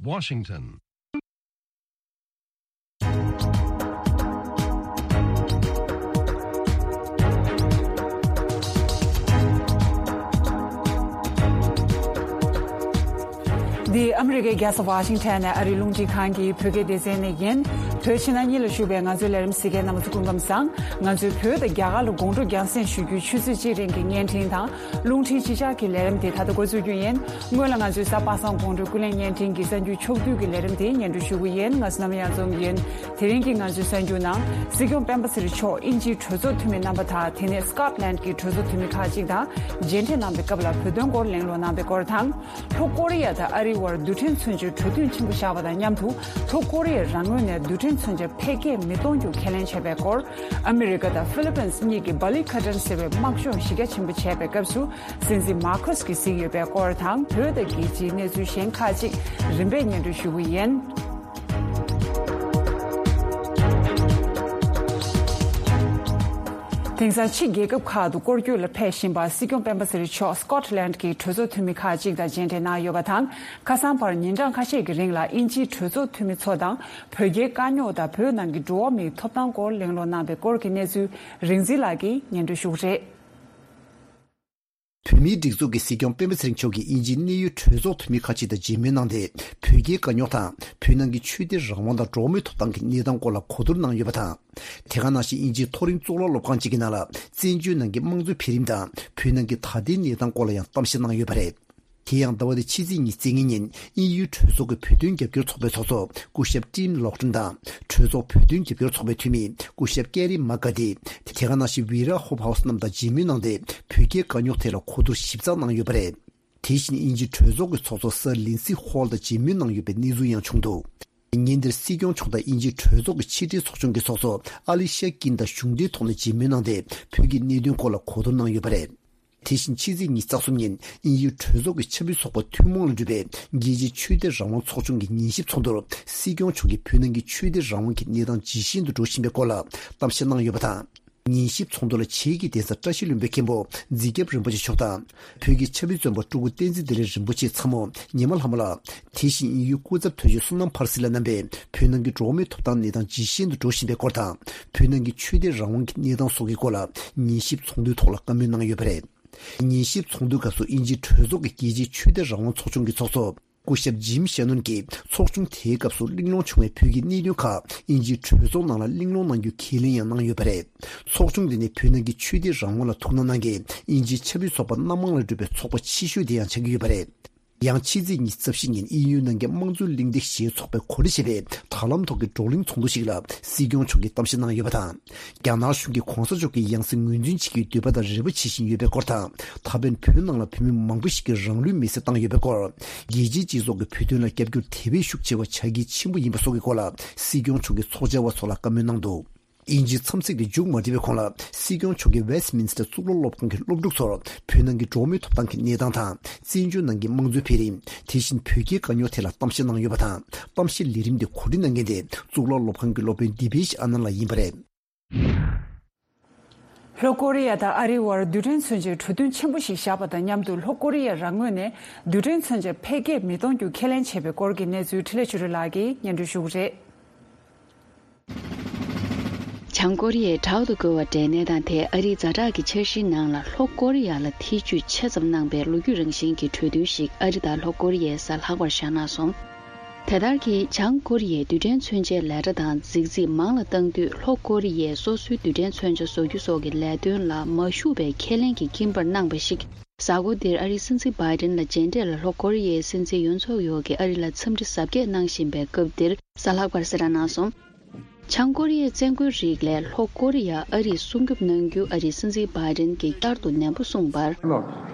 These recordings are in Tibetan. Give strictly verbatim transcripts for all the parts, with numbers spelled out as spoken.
Washington. འདི་ཨ་མི་རི་ཀའི་རྒྱལ་ས་ཝ་ཤིང་ཊོན་ནས་ཨ་རིའི་རླུང་འཕྲིན་ཁང་གི་བོད་སྐད་སྡེ་ཚན་ནས་ཡིན། བོད་ཕྱི་ནང་གཉིས་ལ་བཞུགས་པའི་ང་ཚོའི་ལས་རིམ་གཟིགས་མཁན་རྣམ་པ་ཚོ་སྐུ་ཁམས་བཟང་། ང་ཚོས་བོད་དང་རྒྱ་གར་ལ་དགོང་དྲོ་རྒྱང་སྲིང་ཞུ་རྒྱུའི་ཆུ་ཚོད་གཅིག་རིང་གི་བརྙན་འཕྲིན་དང་། རླུང་འཕྲིན་གཅིག་ཆར་གྱི་ལས་རིམ་དེ་ད་ལྟ་འགོ་འཛུགས་རྒྱུ་ཡིན། སྔོན་ལ་ང་ཚོའི་གཟའ་པ་སངས་དགོང་དྲོའི་ཀུན་གླེང་བརྙན་འཕྲིན་གྱི་གསར་འགྱུར་ཕྱོགས་བསྡུས་ཀྱི་ལས་རིམ་དེ་སྙན་སྒྲོན་ཞུ་གི་ཡིན། ང་ཚོ་ནམ་ཡང་འཛོམས་ཡིན། དེ་རིང་གི་ང་ཚོའི་གསར་འགྱུར་ནང་། སྲིད་སྐྱོང་སྤེན་པ་ཚེ་རིང་མཆོག་དབྱིན་ཇིའི་གྲོས་ཚོགས་འཐུས་མི་རྣམ་པ་དང་། དེ་ནས་སྐོཊ་ལན་གྱི་གྲོས་ཚོགས་འཐུས་མི་ཁག་ཅིག་དང་མཇལ་འཕྲད་གནང་པའི་སྐབས་ལ་བོད་དོན་སྐོར་གླེང་སློང་གནང་པའི་སྐོར་དང་། ལྷོ་ཀོ་རི་ཡ་དང་ཨ་རིའི་དབར་རྡུལ་ཕྲན་མཚོན་ཆའི་གྲོས་མཐུན་ཆེན་པོ་བཞག་པ་དང་མཉམ་དུ། ལྷོ་ཀོ་རི་ཡ་རང་ངོས་ནས་རྡུལ་ཕྲན་མཚོན་ཆ་འཕེལ་རྒྱས་མི་གཏོང་རྒྱུ་ཁས་ལེན་བྱས་པའི་སྐོར། ཨ་མི་རི་ཀ་དང་ཧྥི་ལི་པིན་གཉིས་ཀྱིས་བྷ་ལི་ཁ་ཏན་ཟེར་བའི་དམག་སྦྱོང་གཞི་རྒྱ་ཆེན་པོ་བྱས་པའི་སྐབས་སུ། སྲིད་འཛིན་མར་ཁོ་སི་གིས་གཟིགས་ཡོད་པའི་སྐོར་དང་། བོད་དང་རྒྱལ་སྤྱིའི་གནས་ཚུལ་གཞན་ཁག་ཅིག་རིམ་པས་སྙན་སྒྲོན་ཞུ་གི་ཡིན། དེང་སང་ཕྱི་རྒྱལ་ཁབ་ཁག་ཏུ་སྐོར་སྐྱོད་ལ་ཕེབས་བཞིན་པ་སྲིད་སྐྱོང་སྤེན་པ་ཚེ་རིང་མཆོག་སྐོཊ་ལན་གྱི་གྲོས་ཚོགས་འཐུས་མི་ཁག་ཅིག་དང་མཇལ་འཕྲད་གནང་ཡོད་པ་དང་། ཁ་སང་བར་ཉིན་གྲངས་ཁ་ཤས་ཀྱི་རིང་ལ་དབྱིན་ཇིའི་གྲོས་ཚོགས་འཐུས་མི་ཚོ་དང་བོད་རྒྱའི་དཀའ་རྙོག་དང་བོད་ནང་གི་འགྲོ་བ་མིའི་ཐོབ་ཐང་སྐོར་གླེང་སློང་གནང་པའི་སྐོར་གྱི་གནས་ཚུལ་རིག་འཛིན་ལགས་ཀྱིས་སྙན་སྒྲོན་ཞུ་གི་རེད། བོད་མིའི་སྒྲིག་འཛུགས་ཀྱི་སྲིད་སྐྱོང་སྤེན་པ་ཚེ་རིང་མཆོག་གིས་དབྱིན་ཇིའི་གནད་ཡོད་གྲོས་ཚོགས་འཐུས་མི་ཁག་ཅིག་དང་མཇལ་མོལ་གནང་སྟེ། བོད་རྒྱའི་དཀའ་རྙོག་དང་། བོད་ནང་གི་ཆོས་དད་རང་དབང་དང་འགྲོ་བ་མིའི་ཐོབ་ཐང་གི་གནས་སྟངས་སྐོར་ལ་གོ་བསྡུར་གནང་ཡོད་པ་དང་། དེ་ག་ནང་བཞིན་དབྱིན་ཇིའི་མཐོ་རིམ་གཙུག་ལག་སློབ་ཁང་ཅིག་གི་ནང་ལ་བཙན་བྱོལ་ནང་གི་དམངས་གཙོའི་འཕེལ་རིམ་དང་། བོད་ནང་གི་ད་ལྟའི་གནས་སྟངས་སྐོར་ལ་ཡང་གཏམ་བཤད་གནང་ཡོད་པ་རེད། དེ་ཡང་ཟླ་བ་འདིའི་ཕྱི་ཚེས་ཉི་ཤུ་རྩ་ལྔ་ཉིན་དབྱིན་ཡུལ་གྲོས་ཚོགས་ཀྱི་བོད་དོན་རྒྱབ་སྐྱོར་ཚོགས་པའི་ཚོགས་གཙོ་སྐུ་ཞབས་ཊིམ་ལོག་ཊོན་དང་། གྲོས་ཚོགས་བོད་དོན་རྒྱབ་སྐྱོར་ཚོགས་པའི་འཐུས་མི་སྐུ་ཞབས་ཀེ་རི་མ་ཀ་ཏི། དེ་ག་ནང་བཞིན་ཝི་ར་ཧོབ་ཧའུ་སི་རྣམས་དང་མཇལ་མོལ་གནང་སྟེ། བོད་རྒྱའི་དཀའ་རྙོག་ཐད་ལ་གོ་བསྡུར་ཞིབ་ཚགས་གནང་ཡོད་པ་རེད། དེ་བཞིན་དབྱིན་ཇི་གྲོས་ཚོགས་ཀྱི་ཚོགས་གཙོ་སར་ལིན་སི་ཧོལ་དང་མཇལ་མོལ་གནང་ཡོད་པའི་གནས་ཚུལ་ཡང་བྱུང་འདུག། ཉིན་དེར་སྲིད་སྐྱོང་མཆོག་དང་དབྱིན་ཇིའི་གྲོས་ཚོགས་ཀྱི་ཕྱི་དྲིལ་ཚོགས་ཆུང་གི་ཚོགས་གཙོ་ཨ་ལི་ཤ་ཀིན་དང་གཞུང་འབྲེལ་ཐོག་ནས་མཇལ་མོལ་གནང་སྟེ། བོད་ཀྱི་གནད་དོན་སྐོར་ལ་གོ་བསྡུར་གནང་ཡོད་པ་རེད། དེ་བཞིན་ཕྱི་ཚེས་ཉི་ཤུ་རྩ་གསུམ་ཉིན་དབྱིན་ཡུལ་གྲོས་ཚོགས་ཀྱི་ཆབ་སྲིད་ཚོགས་པ་ཐུན་མོང་ལ་གྲུབ་པའི་རྒྱལ་སྤྱིའི་ཆོས་དད་རང་དབང་ཚོགས་ཆུང་གི་ཉན་ཞིབ་ཚོགས་འདུར་སྲིད་སྐྱོང་མཆོག་གིས་བོད་ནང་གི་ཆོས་དད་རང་དབང་གི་གནས་སྟངས་ཇེ་ཞན་དུ་འགྲོ་བཞིན་པའི་སྐོར་ལ་གཏམ་བཤད་གནང་ཡོད་པ་དང་། ཉན་ཞིབ་ཚོགས་འདུ་ལ་བྱེས་ཀྱི་གདན་ས་བཀྲ་ཤིས་ལྷུན་པོའི་མཁན་པོ་རྫིག་རྒྱབ་རིན་པོ་ཆེ་མཆོག་དང་། བོད་ཀྱི་ཆབ་སྲིད་བཙོན་པ་སྤྲུལ་སྐུ་བསྟན་འཛིན་བདེ་ལེགས་རིན་པོ་ཆེའི་ཚ་མོ་ཉི་མ་ལྷ་མོ་ལགས། དེ་བཞིན་དབྱིན་ཡུལ་སྐུ་ཚབ་དོན་གཅོད་བསོད་ནམས་ཕར་སི་ལགས་རྣམ་པས་བོད་ནང་གི་འགྲོ་བ་མིའི་ཐོབ་ཐང་གནས་སྟངས་ཇེ་ཞན་དུ་འགྲོ་བཞིན་པའི་སྐོར་དང་། བོད་ནང་གི་ཆོས་དད་རང་དབང་གི་གནས་སྟངས་སོགས་ཀྱི་སྐོར་ལ་ཉན་ཞིབ་ཚོགས་འདུའི་ཐོག་ལ་བཀའ་མོལ་གནང་ཡོད་པ་རེད། ཉན་ཞིབ་ཚོགས་འདུའི་སྐབས་སུ་དབྱིན་ཇིའི་གྲོས་ཚོགས་ཀྱི་རྒྱལ་སྤྱིའི་ཆོས་དད་རང་དབང་ཚོགས་ཆུང་གི་ཚོགས་གཙོ་སྐུ་ཞབས་ཇིམ་ཤེ་ནོན་གྱིས་ཚོགས་ཆུང་དེའི་སྐབས་སུ་གླེང་སློང་བྱུང་བའི་བོད་ཀྱི་གནད་དོན་ཁག་དབྱིན་ཇིའི་གྲོས་ཚོགས་ནང་ལ་གླེང་སློང་གནང་རྒྱུའི་ཁས་ལེན་ཡང་གནང་ཡོད་པ་རེད། ཚོགས་ཆུང་འདི་ནི་བོད་ནང་གི་ཆོས་དད་རང་དབང་ལ་ཐུགས་སྣང་གནང་མཁན་དབྱིན་ཇིའི་ཆབ་སྲིད་ཚོགས་པ་སྣ་མང་ལས་གྲུབ་པའི་ཚོགས་པ་ཆེ་ཤོས་དེ་ཡང་ཆགས་ཀྱི་ཡོད་པ་རེད། ཡང་ཕྱི་ཚེས་ཉི་ཤུ་རྩ་བཞི་ཉིན་དབྱིན་ཡུལ་ནང་གི་དམངས་གཙོའི་གླེང་སྟེགས་ཞེས་ཚོགས་པས་གོ་སྒྲིག་བྱས་པའི་དྲ་ལམ་ཐོག་གི་བགྲོ་གླེང་ཚོགས་འདུ་ཞིག་ལ་སྲིད་སྐྱོང་མཆོག་གིས་གཏམ་བཤད་གནང་ཡོད་པ་དང་། རྒྱ་ནག་གཞུང་གིས་གོང་ས་མཆོག་གི་ཡང་སྲིད་ངོས་འཛིན་བྱེད་རྒྱུའི་འདོད་པ་དང་རེ་བ་བྱེད་བཞིན་ཡོད་པའི་སྐོར་དང་། ད་ཕན་བོད་ནང་ལ་བོད་མི་མང་པོ་ཞིག་གིས་རང་ལུས་མེར་སྲེག་བཏང་ཡོད་པའི་སྐོར། རྒྱལ་སྤྱིའི་སྤྱི་ཚོགས་ཀྱིས་བོད་དོན་ལ་རྒྱབ་སྐྱོར་དེ་བས་ཤུགས་ཆེ་བ་བྱ་གལ་ཆེན་པོ་ཡིན་པ་སོགས་ཀྱི་སྐོར་ལ་སྲིད་སྐྱོང་མཆོག་གིས་ཚོགས་བཅར་བ་ཚོ་ལ་བཀའ་མོལ་གནང་འདུག། དབྱིན་ཇིའི་འཚམས་གཟིགས་དེ་མཇུག་མ་སྒྲིལ་བའི་གོང་ལ་སྲིད་སྐྱོང་མཆོག་གིས་ཝེ་སི་ཏི་མིན་སི་ཊར་གཙུག་ལག་སློབ་ཁང་གི་སློབ་ཕྲུག་ཚོར་བོད་ནང་གི་འགྲོ་བ་མིའི་ཐོབ་ཐང་གི་གནས་སྟངས་དང་། བཙན་བྱོལ་ནང་གི་དམངས་གཙོའི་འཕེལ་རིམ། དེ་བཞིན་བོད་རྒྱའི་དཀའ་རྙོག་ཐད་ལ་གཏམ་བཤད་གནང་ཡོད་པ་དང་། གཏམ་བཤད་ལས་རིམ་དེ་གོ་སྒྲིག་གནང་མཁན་དེ་གཙུག་ལག་སློབ་ཁང་གི་སློབ་དཔོན་དི་བེ་ཤི་ཨ་ནན་ལགས་ཡིན་པ་རེད། ལྷོ་ཀོ་རི་ཡ་དང་ཨ་རིའི་དབར་རྡུལ་ཕྲན་མཚོན་ཆའི་གྲོས་མཐུན་ཆེན་པོ་ཞིག་བཞག་པ་དང་མཉམ་དུ། ལྷོ་ཀོ་རི་ཡ་རང་ངོས་ནས་རྡུལ་ཕྲན་མཚོན་ཆ་འཕེལ་རྒྱས་མི་གཏོང་རྒྱུ་ཁས་ལེན་བྱས་པའི་སྐོར་གྱི་གནས་ཚུལ་འཕྲིན་ལས་ཆོས་སྒྲོན་ལགས་ཀྱིས་སྙན་སྒྲོན་ཞུ་གི་རེད། བྱང་ཀོ་རི་ཡས་བྲག་ཏུ་བརྐོས་པ་འདྲའི་གནས་སྟངས་དེ་ཨ་རིའི་ཛ་དྲག་གི་འཆར་གཞིའི་ནང་ལ་ལྷོ་ཀོ་རི་ཡ་ལ་ཐེ་ཇུས་ཆེ་ཙམ་གནང་པའི་ལོ་རྒྱུས་རང་བཞིན་གྱི་གྲོས་མཐུན་ཞིག་ཨ་རི་དང་ལྷོ་ཀོ་རི་ཡས་གཟའ་ལྷག་པར་བཞག་གནང་སོང་། དེ་ལྟར་གྱི་བྱང་ཀོ་རི་ཡས་རྡུལ་ཕྲན་མཚོན་ཆའི་ལས་གྲྭ་དང་རྫིག་རྫིག་མང་ལ་བཏང་དུས། ལྷོ་ཀོ་རི་ཡས་སོ་སོའི་རྡུལ་ཕྲན་མཚོན་ཆ་བཟོ་རྒྱུ་སོགས་ཀྱི་ལས་དོན་ལ་མ་ཞུགས་པའི་ཁས་ལེན་གྱི་སྐྱིན་པར་གནང་པ་ཞིག་གཟའ་འཁོར་འདིར་ཨ་རིའི་སྲིད་འཛིན་བྷའི་ཌེན་ལ་མཇལ་འཕྲད་ལ་ལྷོ་ཀོ་རི་ཡའི་སྲིད་འཛིན་ཡོན་སུག་ཡོལ་གྱིས་ཨ་རི་ལ་འཚམས་འདྲི་གཟབ་རྒྱས་གནང་བཞིན་པའི་སྐབས་འདིར་གཟའ་ལྷག་པར་གསལ་བསྒྲགས་གནང་སོང་། བྱང་ཀོ་རི་ཡའི་བཙན་རྒོལ་རིགས་ལས་ལྷོ་ཀོ་རི་ཡ་ཨ་རིས་སྲུང་སྐྱོབ་གནང་རྒྱུ་ཨ་རིའི་སྲིད་འཛིན་བྷའི་ཌེན་གྱིས་བསྐྱར་དུ་ནན་པོ་གསུངས་པར། Look,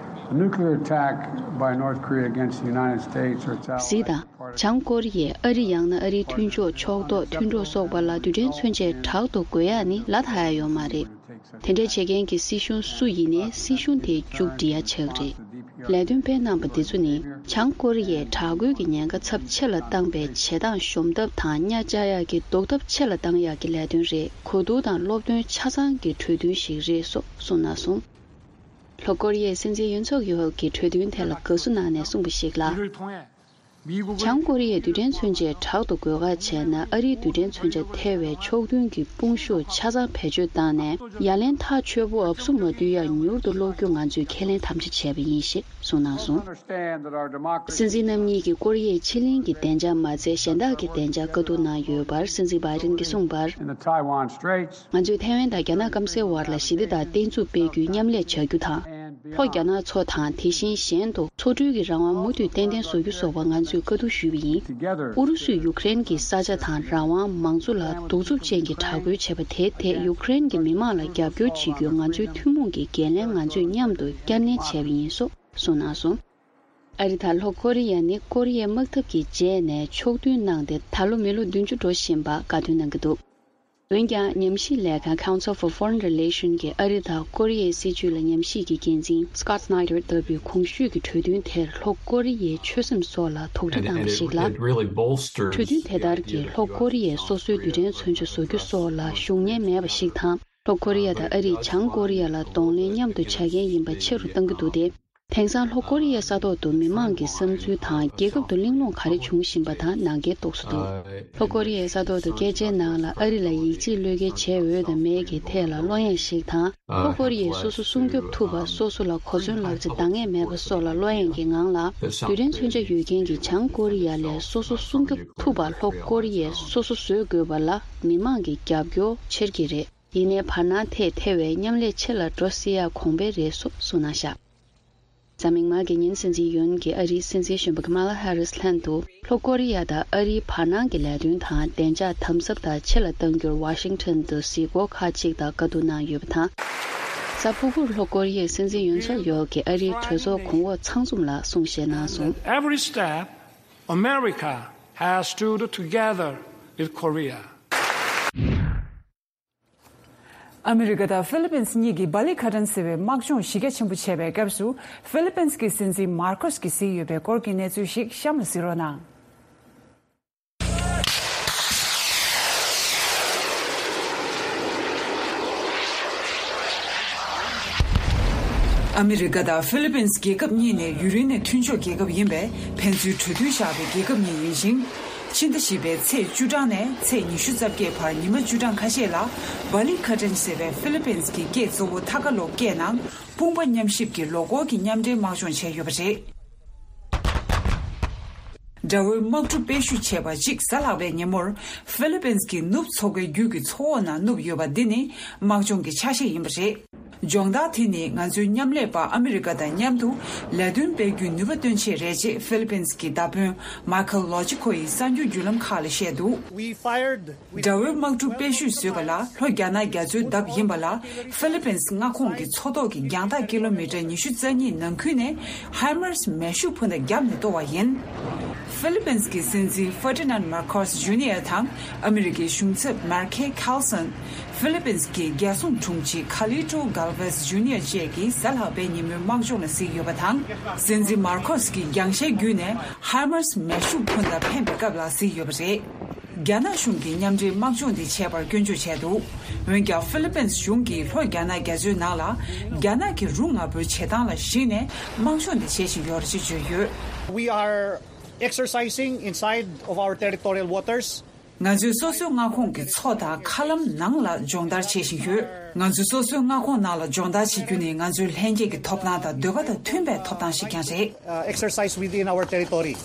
a nuclear attack by North Korea against the United States or its allies གཟིགས་དང་། བྱང་ཀོ་རི་ཡས་ཨ་རི་ཡང་ན་ཨ་རིའི་མཐུན་ཕྱོགས་ཕྱོགས་གཏོགས་མཐུན་གྲོགས་སོགས་པ་ལ་རྡུལ་ཕྲན་མཚོན་ཆས་དྲག་ཏུ་བརྐོ་ཡག་ནི་ལ་དྭགས་ཡ་ཡོད་མ་རེད། དེ་འདྲ་བྱེད་མཁན་གྱི་སྲིད་གཞུང་སུ་ཡིན་ནའི་སྲིད་གཞུང་དེ་མཇུག་སྒྲིལ་ཡག་ཆགས་རེད། ལས་དོན་སྤེལ་གནང་པ་འདི་ཚོ་ནི་བྱང་ཀོ་རི་ཡས་དྲག་རྒོལ་གྱི་ཉེན་ཁ་ཚབས་ཆེ་ལ་བཏང་པའི་བྱེད་སྟངས་གཞོམ་ཐབས་དང་གཉའ་བཅག་ཡག་གི་ཟློག་ཐབས་ཆེ་ལ་བཏང་ཡག་གི་ལས་དོན་རེད། གོ་བསྡུར་དང་སློབ་སྟོན་ཆ་ཚང་གི་གྲོས་མཐུན་ཞིག་རེད་སོགས་གསུངས་གནང་སོང་། ལྷོ་ཀོ་རི་ཡའི་སྲིད་འཛིན་ཡོན་སུག་ཡོལ་གྱིས་གྲོས་མཐུན་དེ་ལ་དགའ་བསུ་གནང་ནས་གསུངས་པ་ཞིག་ལ། བྱང་ཀོ་རི་ཡའི་རྡུལ་ཕྲན་མཚོན་ཆས་དྲག་ཏུ་འགོད་ཁ་བྱས་ན། ཨ་རིའི་རྡུལ་ཕྲན་མཚོན་ཆ་ཐེ་བའི་ཕྱོགས་མཐུན་གྱི་དཔུང་ཤུགས་ཆ་ཚང་བེད་སྤྱོད་བཏང་ནས། ཡ་ལན་ཐག་ཆོད་པོ་འབབ་སུ་མ་འདུས་ཡ་མྱུར་དུ་སློག་རྒྱུ་ང་ཚོས་ཁས་ལེན་དམ་བཅའ་བྱས་པ་ཡིན་ཞེས་གསུངས་གནང་སོང་། སྲིད་འཛིན་རྣམ་གཉིས་ཀྱིས་ཀོ་རི་ཡའི་ཕྱེད་གླིང་གི་བདེ་འཇགས་མ་ཚད། གཞན་དག་གི་བདེ་འཇགས་བཀའ་བསྡུར་གནང་ཡོད་པར། སྲིད་འཛིན་བྷའི་ཌེན་གྱིས་གསུངས་པར། ང་ཚོས་ཐའེ་ཝན་དང་རྒྱ་ནག་སྐམ་སའི་བར་ལ་ཞི་བདེ་དང་བརྟན་ཚུགས་སྤེལ་རྒྱུའི་མཉམ་ལས་བྱ་རྒྱུ་དང་། ལྷོ་རྒྱ་ནག་མཚོ་དང་། དེ་བཞིན་གཞན་དུ་མཚོ་འགྲུལ་གྱི་རང་དབང་མུ་མཐུད་ཏན་ཏན་བཟོ་རྒྱུ་སོགས་པ་ང་ཚོས་བཀའ་བསྡུར་ཞུས་པ་ཡིན། ཨུ་རུ་སུས་ཡུ་ཀེ་རེན་གྱི་ས་ཆ་དང་རང་དབང་། མང་གཙོ་ལ་གདུག་རྩུབ་ཅན་གྱི་དྲག་རྒོལ་བྱས་པ་དེའི་ཐད་ཡུ་ཀེ་རེན་གྱི་མི་མང་ལ་རྒྱབ་སྐྱོར་བྱེད་རྒྱུའི་ང་ཚོའི་ཐུན་མོང་གི་འགན་ལེན་ང་ཚོས་མཉམ་དུ་བསྐྱར་ནན་བྱས་པ་ཡིན་སོགས་གསུངས་གནང་སོང་། ཨ་རི་དང་ལྷོ་ཀོ་རི་ཡ་ནི་ཀོ་རི་ཡའི་དམག་འཐབ་ཀྱི་རྗེས་ནས་ཕྱོགས་མཐུན་གནང་སྟེ། ད་ལོ་མི་ལོ་བདུན་ཅུ་འགྲོ་བཞིན་པ་དགའ་སྟོན་གནང་གི་འདུག་འོན་ཀྱང་། ཉམས་ཞིབ་ལས་ཁང་Council for Foreign Relations གིས་ཨ་རི་དང་ཀོ་རི་ཡའི་སྲིད་བྱུས་ལ་ཉམས་ཞིབ་ཀྱི་འགན་འཛིན་Scott Snyder ལྟ་བུས་གོང་ཞུས་ཀྱི་གྲོས་མཐུན་དེར་ལྷོ་ཀོ་རི་ཡའི་ཆོད་སེམས་སོགས་ལ་དུག་སྒྲ་བཏང་བ་ཞིག་ལ། གྲོས་མཐུན་དེ་ལྟར་གྱིས་ལྷོ་ཀོ་རི་ཡས་སོ་སོའི་རྡུལ་ཕྲན་མཚོན་ཆ་བཟོ་རྒྱུ་སོགས་ལ་ཤུགས་ཉེན་མེད་པ་ཞིག་དང་། ལྷོ་ཀོ་རི་ཡ་དང་ཨ་རིས་བྱང་ཀོ་རི་ཡ་ལ་གདོང་ལེན་མཉམ་དུ་བྱ་མཁན་ཡིན་པ་ཆེ་རུ་གཏང་གི་འདུག་སྟེ། དེང་སང་ལྷོ་ཀོ་རི་ཡའི་ས་ཐོག་ཏུ་མི་མང་གི་བསམ་ཚུལ་དང་། རྒྱལ་ཁབ་ཏུ་གླེང་སློང་ག་རེ་འབྱུང་བཞིན་པ་དང་ནང་འགལ་རྟོགས་སུ་འདུག་ལྷོ་ཀོ་རི་ཡའི་ས་ཐོག་ཏུ་སྐད་ཆའི་ནང་ལ་ཨ་རི་ལ་ཡིད་ཆེས་བློས་འགེལ་བྱས་འོས་དང་མེད་ཀྱི་ཐད་ལ་བློ་གཡེང་ཞིག་དང་། ལྷོ་ཀོ་རི་ཡས་སོ་སོ་སྲུང་སྐྱོབ་ཐུབ་པ། སོ་སོ་ལ་གོ་མཚོན་ལག་ཆ་འདང་ངེས་མེད་པ་སོགས་ལ་བློ་གཡེང་གི་ངང་ལ། རྡུལ་ཕྲན་མཚོན་ཆ་ཡོད་མཁན་གྱི་བྱང་ཀོ་རི་ཡ་ལས་སོ་སོ་སྲུང་སྐྱོབ་ཐུབ་པ་ལྷོ་ཀོ་རི་ཡས་སོ་སོ་བཟོ་དགོས་པ་ལ་མི་མང་གི་རྒྱབ་སྐྱོར་ཆེར་གྱི་རེད། ཡིན་ནའི་བར་སྣང་ཐད་ཐེ་བའི་མཉམ་ལས་ཆེ་ལ་འགྲོ་སྲིད་ཡག་གོང་འཕེལ་རེད་སོགས་གསུངས་གནང་བཞག་གཟའ་མིག་དམར་གྱི་ཉིན་སྲིད་འཛིན་ཡོན་གྱིས་ཨ་རིའི་སྲིད་འཛིན་གཞོན་པ་ཀ་མ་ལ་ཧེ་རིས་ལྷན་དུ་ལྷོ་ཀོ་རི་ཡ་དང་ཨ་རིའི་བར་སྣང་གི་ལས་དོན་དང་བདེ་འཇགས་དམ་ཟབ་དང་ཆེ་ལ་གཏང་རྒྱུར་ཝ་ཤིང་ཊོན་དུ་གཟིགས་སྐོར་ཁག་ཅིག་དང་བཀའ་བསྡུར་གནང་ཡོད་པ་དང་། གཟའ་ཕུར་བུར་ལྷོ་ཀོ་རི་ཡའི་སྲིད་འཛིན་ཡུན་སུག་ཡོལ་གྱིས་ཨ་རིའི་གྲོས་ཚོགས་གོང་འོག་ཚང་འཛོམས་ལ་གསུང་བཤད་གནང་སོང་། Every step, America has stood together with Korea. ཨ་མི་རི་ཀ་དང་ཧྥི་ལི་པིན་གཉིས་ཀྱིས་བྷ་ལི་ཁ་ཏྲན་ཟེར་བའི་དམག་སྦྱོང་གཞི་རྒྱ་ཆེན་པོ་བྱས་པའི་སྐབས་སུ། ཧྥི་ལི་པིན་གྱི་སྲིད་འཛིན་མར་ཁོས་ཀྱིས་གཟིགས་ཡོད་པའི་སྐོར་གྱི་གནས་ཚུལ་ཞིག་གཤམ་ལ་གཟིགས་རོགས་གནང་། ཨ་མི་རི་ཀ་དང་ཧྥི་ལི་པིན་རྒྱལ་ཁབ་གཉིས་ནི་ཡུན་རིང་ནས་མཐུན་ཕྱོགས་རྒྱལ་ཁབ་ཡིན་པས། ཕན་ཚུན་གྲོས་མཐུན་བཞག་པའི་རྒྱལ་ཁབ་གཉིས་ཡིན་ཞིང་། ཕྱི་ཟླ་བཞི་པའི་ཚེས་བཅུ་གྲངས་ནས་ཚེས་ཉི་ཤུ་རྩ་བརྒྱད་བར་ཉི་མ་བཅུ་གྲངས་ཁ་ཤས་ལ། བྷ་ལི་ཁ་ཏྲན་ཟེར་བའི་ཧྥི་ལི་པིན་གྱི་སྐད་གཙོ་བོ་ཐ་ཀ་ལོག་སྐད་ནང་དཔུང་པ་མཉམ་གཤིབ་ཀྱི་ལོ་འཁོར་གྱི་མཉམ་འབྲེལ་དམག་སྦྱོང་བྱས་ཡོད་པ་རེད། དགྲ་བོའི་དམག་གྲུ་དཔེ་བཤུས་བྱས་པ་གཅིག་གཟའ་ལྷག་པའི་ཉིན་མོར། ཧྥི་ལི་པིན་གྱི་ནུབ་མཚོ་ཁའི་རྒྱུད་ཀྱི་མཚོ་འོག་ནང་བསྣུབས་ཡོད་པ་འདི་ནི་དམག་སྦྱོང་གི་ཆ་ཤས་ཡིན་པ་རེད། སྦྱོང་བརྡར་དེ་ནི་ང་ཚོའི་མཉམ་ལས་པ་ཨ་མི་རི་ཀ་དང་མཉམ་དུ་ལས་དོན་སྤེལ་རྒྱུའི་ནུས་པ་སྟོན་ཆེད་རེད་ཅེས་ཧྥི་ལི་པིན་གྱི་མདའ་དཔོན་མའི་ཁལ་ལོ་ཅི་ཁོ་ཡིས་གསར་འགྱུར་བརྒྱུད་ལམ་ཁག་ལ་བཤད་འདུག We fired དགྲ་བོའི་དམག་གྲུ་དཔེ་བཤུས་བཟོས་པ་ལ་ལྷོ་རྒྱ་ནག་རྒྱ་མཚོའི་འདབས་ཡིན་པ་ལ་ཧྥི་ལི་པིན་མངའ་ཁོངས་ཀྱི་མཚོ་ཐོག་གི་རྒྱང་ཐག་ཀི་ལོ་མི་ཊར་ཉི་ཤུ་རྩ་གཉིས་ནང་ཁུལ་ནས་ཧའི་མར་སི་མེ་ཤུགས་འཕུར་མདའ་བརྒྱབ་ནས་གཏོར་བ་ཡིན། ཧྥི་ལི་པིན་གྱི་སྲིད་འཛིན་ཧྥར་ཏི་ནན་མར་ཁོ་སི་ཇུ་ནི་ཡར་དང་ཨ་མི་རི་ཀའི་གཞུང་ཚབ་མར་ཁེ་ཁལ་སོན། ཧྥི་ལི་པིན་གྱི་རྒྱལ་སྲུང་དྲུང་ཆེ་ཁ་ལི་ཏྲོ་གལ་ཝེས་ཇུ་ནི་ཡར་བཅས་ཀྱིས་གཟའ་ལྷག་པའི་ཉིན་མོའི་དམག་སྦྱོང་ལ་གཟིགས་ཡོད་པ་དང་། སྲིད་འཛིན་མར་ཁོ་སི་གིས་རྒྱང་ཤེལ་བརྒྱུད་ནས་ཧའི་མར་སི་མེ་ཤུགས་འཕུར་མདའ་འཕེན་པའི་སྐབས་ལ་གཟིགས་ཡོད་པ་རེད། རྒྱ་ནག་གཞུང་གིས་མཉམ་འབྲེལ་དམག་སྦྱོང་འདི་བྱས་པར་སྐྱོན་བརྗོད་བྱས་འདུག་འོན་ཀྱང་ཧྥི་ལི་པིན་གཞུང་གིས་ལྷོ་རྒྱ་ནག་རྒྱ་མཚོའི་ནང་ལ་རྒྱ་ནག་གི་རུ་ང་འབོད་བྱེད་སྟངས་ལ་གཞིགས་ནས་དམག་སྦྱོང་འདི་བྱེད་བཞིན་ཡོད་ཅེས་བརྗོད་ཡོད། We are exercising inside of our territorial waters. ང་ཚོས་སོ་སོའི་མངའ་ཁོངས་ཀྱི་མཚོ་དང་མཁའ་ལམ་ནང་ལ་སྦྱོང་བརྡར་བྱེད་བཞིན་ཡོད། ང་ཚོས་སོ་སོའི་མངའ་ཁོངས་ནང་ལ་སྦྱོང་བརྡར་བྱེད་རྒྱུ་ནི་ང་ཚོའི་ལྷན་སྐྱེས་ཀྱི་ཐོབ་ཐང་དང་འདོད་པ་དང་མཐུན་པའི་ཐོབ་ཐང་ཞིག་ཀྱང་རེད། Uh, exercise within our territory.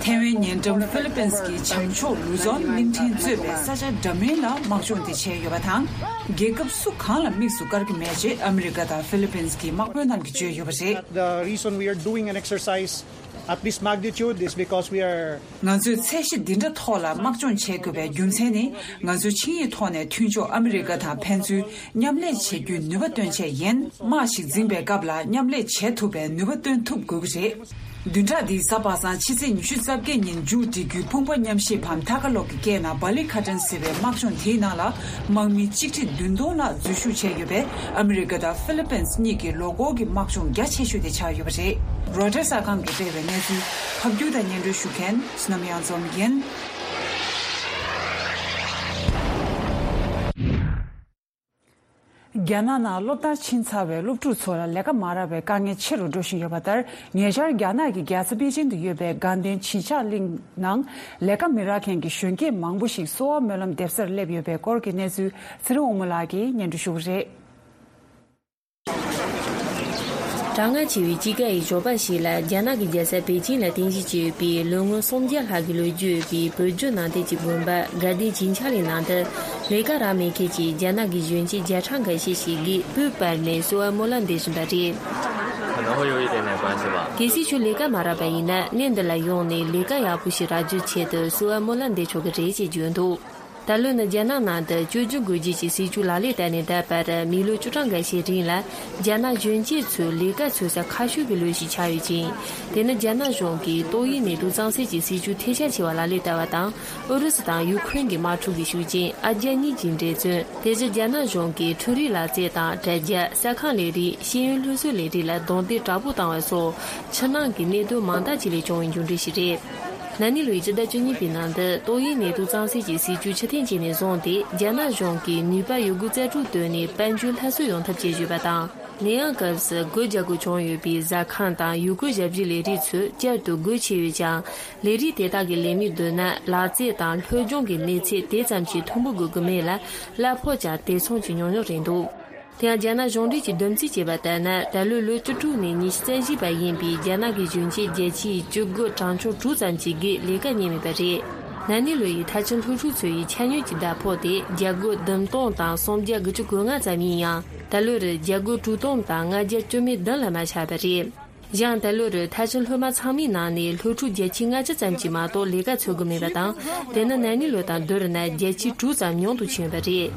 ཐའེ་ཝན་ཉེ་འགྲམ་ཧྥི་ལི་པིན་གྱི་བྱང་ཕྱོགས་ལུ་ཛོན་གླིང་ཕྲན་གཙོས་པའི་ས་ཆ་འདྲ་མིན་ལ་དམག་སྦྱོང་དེ་བྱས་ཡོད་པ་དང་། རྒྱལ་ཁབ་སུ་གང་ལ་དམིགས་སུ་བཀར་གྱི་མེད་ཅེས་ཨ་མི་རི་ཀ་དང་ཧྥི་ལི་པིན་གྱི་དམག་དཔོན་རྣམས་ཀྱིས་བརྗོད་ཡོད་པ་རེད། The reason we are doing an exercise at this magnitude is because we are ང་ཚོས་ཚད་གཞི་འདི་འདྲ་ཐོག་ལ་དམག་སྦྱོང་བྱེད་དགོས་པའི་རྒྱུ་མཚན་ནི། ང་ཚོ་ཆིངས་ཡིག་ཐོག་ནས་མཐུན་ཕྱོགས་ཨ་མི་རི་ཀ་དང་ཕན་ཚུན་མཉམ་ལས་བྱེད་རྒྱུའི་ནུས་པ་སྟོན་ཆེད་ཡིན། དམག་ཞིག་འཛིང་པའི་སྐབས་ལ་མཉམ་ལས་བྱེད་ཐུབ་པའི་ནུས་པ་སྟོན་ཐུབ་དགོས་ཀྱི་རེད། བདུན་ཕྲག་འདིའི་གཟའ་པ་སངས་ཕྱི་ཚེས་ཉི་ཤུ་རྩ་བརྒྱད་ཉིན་མཇུག་སྒྲིལ་རྒྱུའི་དཔུང་པ་མཉམ་གཤིབ་བམ་ཐ་ཀ་ལོག་གི་སྐད་ནང་བྷ་ལི་ཁ་ཏྲན་ཟེར་བའི་དམག་སྦྱོང་དེའི་ནང་ལ་དམག་མི་གཅིག་ཁྲི་བདུན་སྟོང་ལྷག་འཛུལ་ཞུགས་བྱས་ཡོད་པས། ཨ་མི་རི་ཀ་དང་ཧྥི་ལི་པིན་གཉིས་ཀྱི་ལོ་འཁོར་གྱི་དམག་སྦྱོང་རྒྱ་ཆེ་ཤོས་དེ་ཆགས་ཡོད་པ་རེད། རོའི་ཊར་གསར་ཁང་གིས་སྤེལ་བའི་གནས་ཚུལ་ཕབ་སྒྱུར་དང་སྙན་སྒྲོན་ཞུ་མཁན་བསོད་ནམས་གཡང་འཛོམས་ཡིན། རྒྱ་ནག་ནང་སློབ་མཐར་ཕྱིན་ཚར་བའི་སློབ་ཕྲུག་ཚོ་ལ་ལས་ཀ་མ་རག་པའི་དཀའ་ངལ་ཆེ་རུ་འགྲོ་བཞིན་ཡོད་པ་ལྟར། ཉེ་ཆར་རྒྱ་ནག་གི་རྒྱལ་ས་པེ་ཅིང་དུ་ཡོད་པའི་དགའ་ལྡན་བྱིན་ཆགས་གླིང་ནང་ལས་ཀ་མི་རག་མཁན་གྱི་གཞོན་སྐྱེས་མང་པོ་ཞིག་གསོ་བ་སྨོན་ལམ་འདེབས་སར་སླེབས་ཡོད་པའི་སྐོར་གྱི་གནས་ཚུལ་ཚེ་རིང་དབང་མོ་ལགས་ཀྱིས་སྙན་སྒྲོན་ཞུ་གི་རེད། གྲང་ངར་ཆེ་བའི་དཔྱིད་ཀ་ཡི་ཞོགས་པ་ཞིག་ལ། རྒྱ་ནག་གི་རྒྱལ་ས་པེ་ཅིང་ལ་རྟེན་གཞི་བྱས་ཡོད་པའི་ལོ་ངོ་སུམ་བརྒྱ་ལྷག་གི་ལོ་རྒྱུས་ཡོད་པའི་བོད་བརྒྱུད་ནང་བསྟན་གྱི་དགོན་པ་དགའ་ལྡན་བྱིན་ཆགས་གླིང་ནང་དུ། ལས་ཀ་རག་མེད་མཁན་གྱི་རྒྱ་ནག་གི་གཞོན་སྐྱེས་བརྒྱ་ཕྲག་འགའ་ཤས་ཤིག་གིས་སྤོས་སྤར་ནས་གསོལ་བ་སྨོན་ལམ་འདེབས་བཞིན་པ་རེད། 可能会有一点点关系吧。 གལ་སྲིད་ཁྱོད་ལས་ཀ་མ་རག་པ་ཡིན་ན། གནས་འདི་ལ་ཡོང་ནས་ལས་ཀ་ཡག་པོ་ཞིག་རག་རྒྱུའི་ཆེད་དུ་གསོལ་བ་སྨོན་ལམ་འདེབས་ཆོག་གི་རེད་ཅེས་བརྗོད་འདུག། ད་ལོ་ནི་རྒྱ་ནག་ནང་དུ་བཅོས་སྒྱུར་དགོས་རྒྱུ་གྱི་སྲིད་ཇུས་ལག་ལེན་བསྟར་ནས་ད་བར་མི་ལོ་བཅུ་གྲངས་འགའ་ཤས་རིང་ལ། རྒྱ་ནག་གཞོན་སྐྱེས་ཚོའི་ལས་ཀ་འཚོལ་ས་ཁ་ཤས་ཀྱི་ལོ་ཞིག་ཆགས་ཡོད་ཅིང་། དེ་ནི་རྒྱ་ནག་གཞུང་གིས་ཏོག་དབྱིབས་ནད་དུག་གཙང་སེལ་གྱི་སྲིད་ཇུས་ཐེར་ཞིབ་ཆེ་བ་ལག་ལེན་བསྟར་བ་དང་། ཨུ་རུ་སུ་དང་ཡུ་ཁུ་རེན་གྱི་དམག་འཁྲུག་གི་ཤུགས་རྐྱེན། ཨ་རྒྱ་གཉིས་ཀྱི་འགྲན་བརྩོན། དེ་བཞིན་རྒྱ་ནག་གཞུང་གིས་འཕྲུལ་རིག་ལག་རྩལ་དང་དྲ་རྒྱ། ས་ཁང་ལས་རིགས། ཤེས་ཡོན་སློབ་གསོའི་ལས་རིགས་ལ་རྡུང་རྡེག་དྲག་པོ་བཏང་བ་སོགས། ཕྱི་ནང་གི་གནད་དོན་མང་དག་ཅིག་ལས་བྱུང་བའི་མཇུག་འབྲས་ཤིག་རེད། ན་ནིང་ལོའི་སྤྱི་ཟླ་བཅུ་གཉིས་པའི་ནང་དུ་ཏོག་དབྱིབས་ནད་དུག་གཙང་སེལ་གྱི་སྲིད་ཇུས་ཕྱིར་འཐེན་བྱས་ནས་བཟུང་སྟེ། རྒྱ་ནག་གཞུང་གིས་ནུས་པ་ཡོད་རྒུ་རྩལ་སྤྲུགས་བཏོན་ནས་དཔལ་འབྱོར་སླར་གསོ་ཡོང་ཐབས་བྱེད་བཞིན་པ་དང་། ནད་ཡམས་སྐབས་སུ་སྒོ་རྒྱག་དགོས་བྱུང་ཡོད་པའི་ཟ་ཁང་དང་། ཡུལ་སྐོར་ཞབས་ཞུའི་ལས་རིགས་ཚོས་བསྐྱར་དུ་སྒོ་ཕྱེ་ཡོད་ཀྱང་། ལས་རིགས་དེ་དག་གི་ལས་མི་བསྡུ་ན། ལག་རྩལ་དང་སློབ་སྦྱོང་གི་གནས་ཚད་དེ་ཙམ་གྱིས་མཐོན་པོ་དགོས་ཀྱི་མེད་ལ། གླ་ཕོགས་ཀྱང་དེ་མཚུངས་ཀྱི་ཉུང་ཉུང་རེད་འདུག། དེ་ཡང་རྒྱ་ནག་གཞུང་འབྲེལ་གྱིས་བསྡོམས་རྩིས་བྱས་པ་ལྟར་ན། ད་ལོའི་ལོ་བཅུ་དྲུག་ནས་ཉི་ཤུ་རྩ་བཞི་བར་ཡིན་པའི་རྒྱ་ནག་གི་གཞོན་སྐྱེས་བརྒྱ་ཆའི་བཅུ་དགུ་གྲངས་ཆུང་དྲུག་ཙམ་གྱིས་ལས་ཀ་རྙེད་མེད་པ་རེད། ན་ནིང་ལོ་ཡི་མཐར་ཕྱིན་སློབ་ཕྲུག་ཚོ་ཡི་ཆ་སྙོམས་ཀྱི་ཟླ་ཕོགས་དེ་བརྒྱ་དགུ་བདུན་སྟོང་དང་སུམ་བརྒྱ་དགུ་བཅུ་གོ་ལྔ་ཙམ་ཡིན་ཡང་། ད་ལོར་བརྒྱ་དགུ་དྲུག་སྟོང་དང་ལྔ་བརྒྱ་བཅུ་མེད་བདུན་ལས་མ་ཆག་པ་རེད། ཡང་ད་ལོར་མཐར་ཕྱིན་སློབ་མ་ཚང་མའི་ནང་ནས་སློབ་ཕྲུག་བརྒྱ་ཆའི་ལྔ་བཅུ་ཙམ་གྱིས་མ་གཏོགས་ལས་ཀ་འཚོལ་གྱི་མེད་པ་དང་། དེ་ནི་ན་ནིང་ལོ་དང་བསྡུར་ན་བརྒྱ་ཆའི་དྲུག་ཙམ་ཉུང་དུ་ཕྱིན་ཡོད་པ་རེད།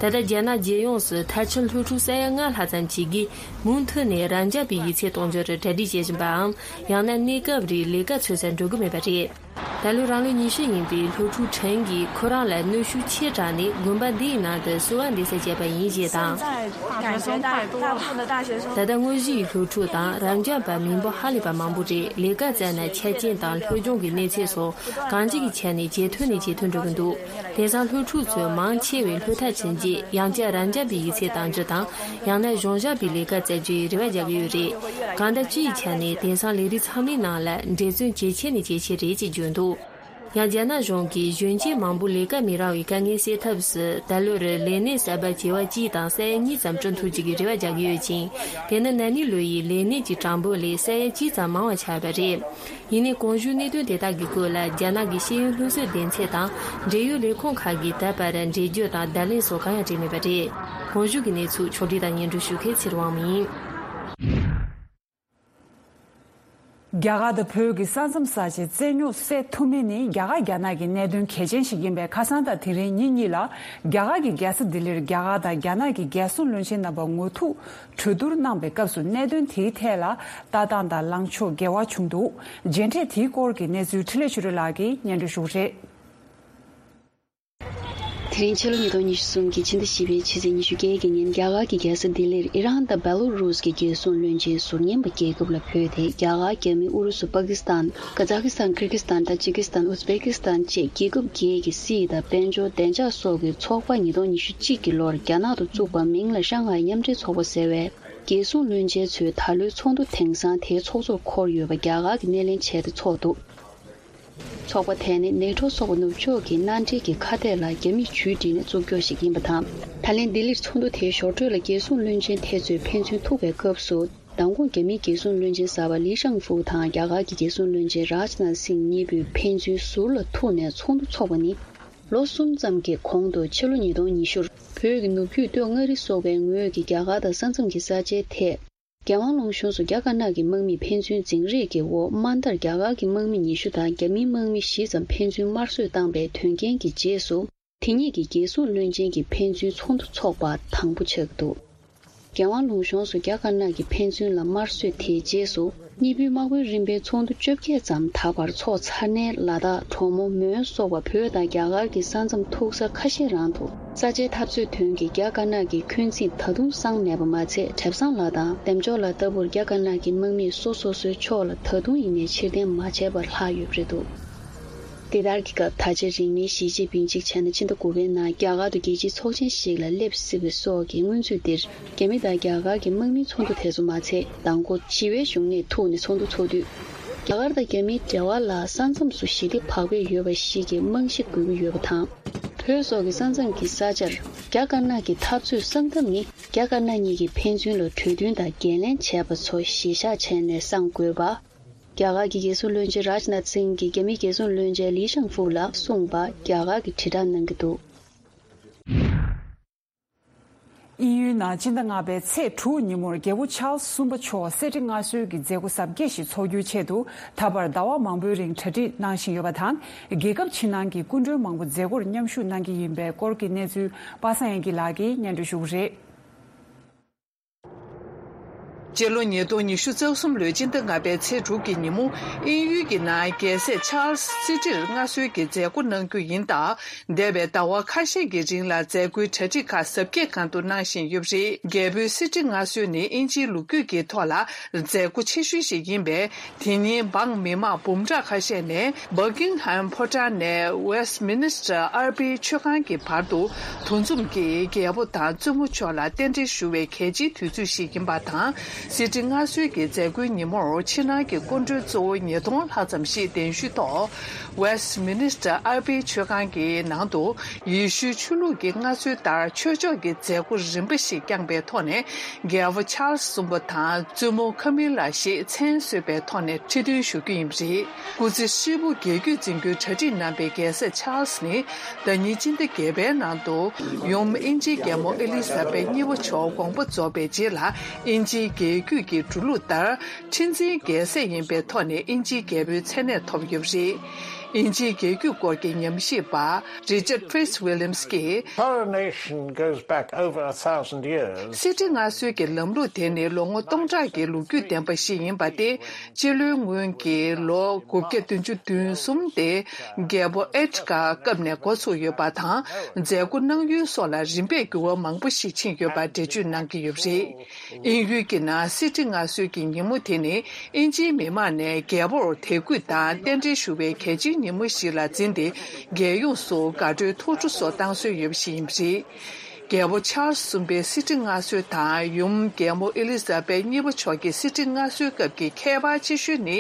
ད་ལྟ་རྒྱ་ནག་རྒྱལ་ཡོངས་སུ་མཐར་ཕྱིན་སློབ་ཕྲུག་ས་ཡ་ལྔ་ལྷག་ཙམ་ཞིག་གིས་མུ་མཐུད་ནས་རབ་འབྱམས་པའི་ཡིག་ཚད་གཏོང་རྒྱུར་གྲ་སྒྲིག་བྱེད་བཞིན་པའམ། ཡང་ན་གནས་སྐབས་རིང་ལས་ཀ་འཚོལ་སར་འགྲོ་གི་མེད་པ་རེད། ད་ལོ་རང་ལོ་ཉི་ཤུ་ཡིན་པའི་སློབ་ཕྲུག་ཁྲེན་གྱིས་ཁོ་རང་ལ་གནོན་ཤུགས་ཆེ་དྲགས་ནས་དགོན་པ་འདིའི་ནང་དུ་གསོལ་བ་འདེབས་སར་བཅར་བ་ཡིན་ཞེས་དང་། 感觉大大部分的大学生 ད་ལྟ་དངོས་གཞིའི་སློབ་ཕྲུག་དང་རབ་འབྱམས་པ་མི་འབོར་ཧ་ལས་པ་མང་པོ་རེད། ལས་ཀ་བཙལ་ན་ཆ་རྐྱེན་དང་སློབ་སྦྱོང་གི་གནས་ཚད་སོགས་གང་ཅིའི་ཆ་ནས་ཇེ་མཐོ་ནས་ཇེ་མཐོར་འགྲོ་གི་འདུག། དེང་སང་སློབ་ཕྲུག་ཚོས་མང་ཆེ་བས་སློབ་མཐར་ཕྱིན་རྗེས་ཡང་བསྐྱར་རབ་འབྱམས་པའི་ཡིག་ཚད་གཏང་རྒྱུ་དང་། ཡང་ན་གཞུང་བཞག་པའི་ལས་ཀ་བཙལ་རྒྱུའི་རེ་བ་རྒྱག་གི་ཡོད་རེད། གང་ལྟར་སྤྱིའི་ཆ་ནས་དེང་སང་ལས་རིགས་ཚང་མའི་ནང་ལ་འགྲན་བརྩོན་ཇེ་ཆེ་ནས་ཇེ་ཆེ་རེད་ཅེས་བརྗོད་འདུག། ཡང་རྒྱ་ནག་གཞུང་གིས་གཞོན་སྐྱེས་མང་པོ་ལས་ཀ་མི་རག་པའི་དཀའ་ངལ་སེལ་ཐབས་སུ། ད་ལོར་ལས་གནས་གསར་པ་བྱེ་བ་གཅིག་དང་ས་ཡ་གཉིས་ཙམ་བསྐྲུན་ཐུབ་རྒྱུ་གི་རེ་བ་རྒྱག་གི་ཡོད་ཅིང་། དེ་ནི་ན་ནིང་ལོ་ཡི་ལས་གནས་ཀྱི་གྲངས་འབོར་ལས་ས་ཡ་གཅིག་ཙམ་མང་བ་ཆགས་པ་རེད། ཡིན་ནའི་གོང་ཞུས་གནད་དོན་དེ་དག་གི་སྐོར་ལ་རྒྱ་ནག་གི་ཤེས་ཡོན་སློབ་གསོའི་སྡེ་ཚན་དང་འབྲེལ་ཡོད་ལས་ཁུངས་ཁག་གིས་ད་བར་འགྲེལ་བརྗོད་དང་བརྡ་ལན་སོགས་གང་ཡང་སྤྲད་མེད་པ་རེད། གོང་ཞུས་ཀྱི་གནས་ཚུལ་ཕྱོགས་སྒྲིག་དང་སྙན་སྒྲོན་ཞུ་མཁན་ཚེ་རིང་དབང་མོ་ཡིན། རྒྱ་གར་དང་བོད་ཀྱི་ས་མཚམས་ས་ཆའི་རྩོད་རྙོག་སེལ་ཐུབ་མིན་ནི་རྒྱ་གར་རྒྱ་ནག་གི་གནད་དོན་གལ་ཆེན་ཞིག་ཡིན་པས། ཁ་སང་དང་དེ་རིང་ཉིན་གཉིས་ལ་རྒྱ་གར་གྱི་རྒྱལ་ས་ལྡི་ལིར་རྒྱ་གར་དང་རྒྱ་ནག་གི་རྒྱལ་སྲུང་བློན་ཆེན་རྣམ་པ་ངོ་ཐུག་གྲོས་བསྡུར་གནང་པའི་སྐབས་སུ། གནད་དོན་དེའི་ཐད་ལ་ལྟ་སྟངས་དང་ལངས་ཕྱོགས་འགལ་བ་བྱུང་འདུག། མཇལ་འཕྲད་དེའི་སྐོར་གྱི་གནས་ཚུལ་འཕྲིན་ལས་ཆོས་སྒྲོན་ལགས་ཀྱིས་སྙན་སྒྲོན་ཞུ་གི་རེད། དེ་རིང་ཕྱི་ལོ་ཉིས་སྟོང་ཉི་ཤུ་གསུམ་གྱི་ཕྱི་ཟླ་བཞི་པའི་ཕྱི་ཚེས་ཉི་ཤུ་བརྒྱད་ཀྱི་ཉིན། རྒྱ་གར་གྱི་རྒྱལ་ས་ལྡི་ལིར་ཨི་རན་དང་བེ་ལོ་རུས་ཀྱི་རྒྱལ་སྲུང་བློན་ཆེན་ཟུར་ཉན་པ་རྒྱལ་ཁབ་ལ་བོད་དེ། རྒྱ་གར། རྒྱ་མི། ཨུ་རུ་སུ། པ་ཀི་སི་ཐན། ཀ་ཛ་ཀི་སི་ཐན། ཀིར་གི་སི་ཐན། ཏ་ཇི་ཀི་སི་ཐན། ཨུ་ཛི་བེ་ཀི་སི་ཐན་བཅས་རྒྱལ་ཁབ་བརྒྱད་ཀྱི་སྲིད་དང་དཔལ་འབྱོར་བདེ་འཇགས་སོགས་ཀྱི་ཚོགས་པ་ཉིས་སྟོང་ཉི་ཤུ་གཅིག་གི་ལོར་རྒྱ་ནག་ཏུ་བཙུགས་པ་མིང་ལ་ཧྲང་ཧའེ་མཉམ་འབྲེལ་ཚོགས་པ་ཟེར་བས། རྒྱལ་སྲུང་བློན་ཆེན་ཚོས་ད་ལོའི་ཚོགས་འདུ་དེང་སང་དེའི་ཚོགས་གཙོར་འཁོར་ཡོད་པ་རྒྱ་གར་གྱིས་སྣེ་ལེན་བྱས་ཏེ་ཚོགས་འདུ། ཚོགས་པ་དེ་ནི་ནེ་ཊོ་ཚོགས་པ་ནུབ་ཕྱོགས་ཀྱི་མནའ་འབྲེལ་གྱི་ཁ་གཏད་ལ་རྒྱ་མིས་ཇུས་བསྒྲིགས་ནས་བཙུགས་རྒྱུ་ཞིག་ཡིན་པ་དང་། ད་ལན་ལྡི་ལིར་ཚོགས་འདུ་དེའི་ཞོར་འཕྲོས་ལ་རྒྱལ་སྲུང་བློན་ཆེན་དེ་ཚོས་ཕན་ཚུན་ཐུག་པའི་སྐབས་སུ། མདང་དགོང་རྒྱ་མིའི་རྒྱལ་སྲུང་བློན་ཆེན་གསར་པ་ལི་ཤང་ཧྥུའུ་དང་རྒྱ་གར་གྱི་རྒྱལ་སྲུང་བློན་ཆེན་རཱཇ་ནཱཐ་སིང་གཉིས་པོས་ཕན་ཚུན་ཟུར་ལ་ཐུག་ནས་ཚོགས་འདུ་འཚོགས་པ་ནི། ལོ་གསུམ་ཙམ་གྱི་གོང་དུ་ཕྱི་ལོ་ཉིས་སྟོང་ཉི་ཤུར་བོད་ཀྱི་ནུབ་རྒྱུད་སྟོད་མངའ་རིས་སོགས་པའི་ངོས་ཀྱི་རྒྱ་གར་དང་ས་མཚམས་ཀྱི་ས་ཆའི་ཐད། རྒྱལ་དབང་ལུང་གཤོང་སུ་རྒྱ་དཀར་ནག་གི་དམག་མིས་ཕན་ཚུན་འཛིང་རེས་ཀྱི་འོག་དམའ་མཐར་རྒྱ་གར་གྱི་དམག་མི་ཉི་ཤུ་དང་རྒྱ་མིའི་དམག་མི་བཞི་ཙམ་ཕན་ཚུན་དམར་གསོད་བཏང་པའི་དོན་རྐྱེན་གྱི་རྗེས་སུ། དེ་ཉིད་ཀྱི་རྒྱལ་སྲུང་བློན་ཆེན་གྱི་ཕན་ཚུན་ཚོགས་འདུ་འཚོགས་པ་དང་པོ་ཆགས་ཀྱི་འདུག། རྒྱལ་དབང་ལུང་གཤོང་སུ་རྒྱ་དཀར་ནག་གི་ཕན་ཚུན་ལ་དམར་གསོད་དེའི་རྗེས་སུ། གཉིས་པོའི་དམག་དཔོན་རིམ་པའི་ཚོགས་འདུ་བཅོ་བརྒྱད་ཙམ་ད་བར་འཚོགས་ཚར་ནས། ལ་དྭགས། གྲོ་མོ། མོན་སོགས་པ་བོད་དང་རྒྱ་གར་གྱི་ས་མཚམས་ཐུག་ས་ཁ་ཤས་རང་དུ། ས་ཆའི་འཐབ་རྩོད་དོན་གྱི་རྒྱ་དཀར་ནག་གི་འཁོན་འཛིན་ད་དུང་སངས་མེད་པ་མ་ཚད། གྲེབ་ཚང་ལ་དང་འདེམ་ཅོག་ལ་ལྟ་བུར་རྒྱ་དཀར་ནག་གི་དམག་མིས་སོ་སོ་སོའི་ཕྱོགས་ལ་ད་དུང་ཡིན་ནའི་ཕྱིར་འཐེན་མ་བྱས་པར་ལྷག་ཡོད་པ་རེད་འདུག། དེ་ལྟར་གྱི་སྐབས། ད་ཆ་རིང་མིན་ཞི་ཅིན་ཕིང་གཅིག་བྱས་ན་ཕྱི་ཟླ་དགུ་པའི་ནང་རྒྱ་གར་དུ་རྒྱལ་སྤྱིའི་ཚོགས་ཆེན་ཞིག་ལ་སླེབས་སྲིད་པ་སོགས་ཀྱི་སྔོན་ཚུད་འདིར། རྒྱ་མི་དང་རྒྱ་གར་གྱི་དམག་མིའི་ཚོགས་འདུ་དེ་ཚོ་མ་ཚད་མདང་དགོང་ཞི་བའི་བཞུགས་གནས་ཐུག་ནས་ཚོགས་འདུ་ཚོགས་དུས། རྒྱ་གར་དང་རྒྱ་མིའི་འབྲེལ་བ་ལ་ས་མཚམས་སུ་ཞི་བདེ་བག་ཕེབས་ཡོད་པ་ཞིག་གི་རྨང་གཞི་དགོས་ཀྱི་ཡོད་པ་དང་། བོད་སོགས་ཀྱི་ས་མཚམས་ཀྱི་ས་ཆར་རྒྱ་དཀར་ནག་གི་འཐབ་རྩོད་གསང་ཐབས་ནི། རྒྱ་དཀར་ནག་གཉིས་ཀྱི་ཕན་ཚུན་ལ་གྲོས་མཐུན་དང་འགན་ལེན་བྱས་པ་ཚོ་གཞིར་བཞག་བྱས་ནས་གསང་དགོས་པ། རྒྱ་གར་གྱི་རྒྱལ་སྲུང་བློན་ཆེན་རཱཇ་ནཱཐ་སིང་གིས་རྒྱ་མིའི་རྒྱལ་སྲུང་བློན་ཆེན་ལི་ཤང་ཧྥུའུ་ལ་གསུངས་པ་རྒྱ་གར་གྱིས་དྲིལ་བསྒྲགས་གནང་གི་འདུག། དབྱིན་ཡུལ་ནང་སྤྱི་ཟླ་ལྔ་པའི་ཚེས་དྲུག་ཉིན་མོར་རྒྱལ་པོ་ཆཱལ་སི་གསུམ་པ་མཆོག་གསེར་ཁྲི་མངའ་གསོལ་གྱི་མཛད་སྒོ་གཟབ་རྒྱས་ཤིག་འཚོགས་རྒྱུའི་ཆེད་དུ། ད་བར་ཟླ་བ་མང་པོའི་རིང་གྲ་སྒྲིག་གནང་བཞིན་ཡོད་པ་དང་། རྒྱལ་ཁབ་ཕྱི་ནང་གི་སྐུ་མགྲོན་མང་པོ་མཛད་སྒོར་མཉམ་ཞུགས་གནང་གི་ཡིན་པའི་སྐོར་གྱི་གནས་ཚུལ། པ་སངས་དབྱངས་སྐྱིད་ལགས་ཀྱིས་སྙན་སྒྲོན་ཞུ་གི་རེད། སྤྱི་ལོ་ཉིས་སྟོང་ཉི་ཤུ་རྩ་གསུམ་ལོའི་སྤྱི་ཟླ་ལྔ་པའི་ཚེས་དྲུག་གི་ཉིན་མོ། དབྱིན་ཡུལ་གྱི་ནང་རྒྱལ་སྲས་ཆཱལ་སི་གསེར་ཁྲིར་མངའ་གསོལ་གྱི་མཛད་སྒོ་གནང་རྒྱུ་ཡིན་སྟབས། འདས་པའི་ཟླ་བ་ཁ་ཤས་ཀྱི་རིང་ལ་མཛད་སྒོའི་གྲ་སྒྲིག་ཁག་གཟབ་རྒྱས་གང་ཐུབ་གནང་བཞིན་ཡོད་པ་རེད། རྒྱལ་པོའི་གསེར་ཁྲི་མངའ་གསོལ་ནི་དབྱིན་ཇིའི་ལོ་རྒྱུས་ཀྱི་ཐོག་ལ་མཛད་སྒོ་ཆེ་ཤོས་ཤིག་ཡིན་པས། དེ་ཉིན་འབངས་མི་མང་འབུམ་ཕྲག་ཁ་ཤས་ནས་Buckingham་ཕོ་བྲང་ནས་Westminster་ཨར་པའི་མཆོད་ཁང་གི་བར་དུ་འདུ་འཛོམས་ཀྱིས་རྒྱལ་པོ་དང་བཙུན་མོ་མཆོག་ལ་རྟེན་འབྲེལ་ཞུ་བའི་གལ་ཆེའི་དུས་ཚོད་ཞིག་ཡིན་པ་དང་། གསེར་ཁྲི་མངའ་གསོལ་གྱི་མཛད་སྒོའི་ཉིན་མོར་ཕྱི་ནང་གི་སྐུ་མགྲོན་གཙོ་བོ་ཉིས་སྟོང་ལྷག་ཙམ་ཞིག་གདན་ཞུའི་ཐོག་Westminster་ཨར་པའི་མཆོད་ཁང་གི་ནང་དུ་ཡེ་ཤུའི་ཆོས་ལུགས་ཀྱི་སྔ་སྲོལ་ལྟར་ཆོས་ཕྱོགས་ཀྱི་མཛད་སྒོ་རིམ་པ་ཞིག་བསྐྱངས་པའི་ཐོག་ནས། རྒྱལ་པོ་ཆཱལ་སི་གསུམ་པ་དང་བཙུན་མོ་ཁ་མི་ལ་ཞེས་མཚན་གསོལ་བའི་ཐོག་ནས་ཁྲི་འདོན་ཞུ་རྒྱུ་ཡིན་པ་རེད། སྐུ་ཚེ་ཧྲིལ་པོ་རྒྱལ་རྒྱུད་འཛིན་རྒྱུའི་གྲ་སྒྲིག་གནང་པའི་རྒྱལ་སྲས་ཆཱལ་སི་ནི། ཟླ་ཉིན་སྤྱི་ཟླ་བརྒྱད་པའི་ནང་དུ་ཡུམ་དབྱིན་ཇིའི་རྒྱལ་མོ་ཨེ་ལི་ཟ་བེད་གཉིས་པ་མཆོག་དགོངས་པ་རྫོགས་པའི་རྗེས་ལ། དབྱིན་ཇིའི་རྒྱལ་རྒྱུད་ཀྱི་འགྲོ་ལུགས་ལྟར། ཁྲི་འཛིན་རྒྱལ་སྲས་ཡིན་པའི་ཐོག་ནས་དབྱིན་ཇིའི་རྒྱལ་པོའི་མཚན་གནས་ཐོབ་ཡོད་པ་རེད། དབྱིན་ཇིའི་རྒྱལ་རྒྱུད་སྐོར་གྱི་ཉམས་ཞིབ་པ་Richard Fitzwilliams་གྱིས། Coronation goes back over a thousand years. གསེར་ཁྲི་མངའ་གསོལ་གྱི་ལམ་ལུགས་དེ་ནི་ལོ་ངོ་སྟོང་ཕྲག་གི་ལོ་རྒྱུས་ལྡན་པ་ཞིག་ཡིན་པ་སྟེ། སྤྱི་ལོའི་སྔོན་གྱི་ལོ་དགུ་བརྒྱ་བདུན་ཅུ་དོན་གསུམ་སྟེ། རྒྱལ་པོ་ཨེ་ཊི་ཀ་སྐབས་ནས་འགོ་ཚུགས་ཡོད་པ་དང་། མཛད་སྒོ་གནང་ཡུལ་སོགས་ལ་རིམ་པས་འགྱུར་བ་མང་པོ་ཞིག་ཕྱིན་ཡོད་པ་འགྲེལ་བརྗོད་གནང་གི་ཡོད་པ་རེད། དབྱིན་ཡུལ་གྱི་ནང་གསེར་ཁྲི་མངའ་གསོལ་གྱི་ཉིན་མོ་དེ་ནི་དབྱིན་ཇིའི་མི་མང་ནས་རྒྱལ་པོར་དད་གུས་དང་རྟེན་འབྲེལ་ཞུ་བའི་གལ་ཆེའི་ཉིན་མོ་ཞིག་ལ་འཛིན་ཏེ། རྒྱལ་ཡོངས་སུ་དགའ་སྤྲོའི་ཐུགས་སྤྲོ་སོགས་བཏང་སྲོལ་ཡོད་པ་ཞིག་ཡིན་པ་རེད། རྒྱལ་པོ་ཆཱལ་སི་གསུམ་པའི་གསེར་ཁྲི་མངའ་གསོལ་དང་ཡུམ་རྒྱལ་མོ་ཨེ་ལི་ཟ་བེད་གཉིས་པ་མཆོག་གི་གསེར་ཁྲི་མངའ་གསོལ་སྐབས་ཀྱི་ཁྱད་པར་ཆེ་ཤོས་ནི།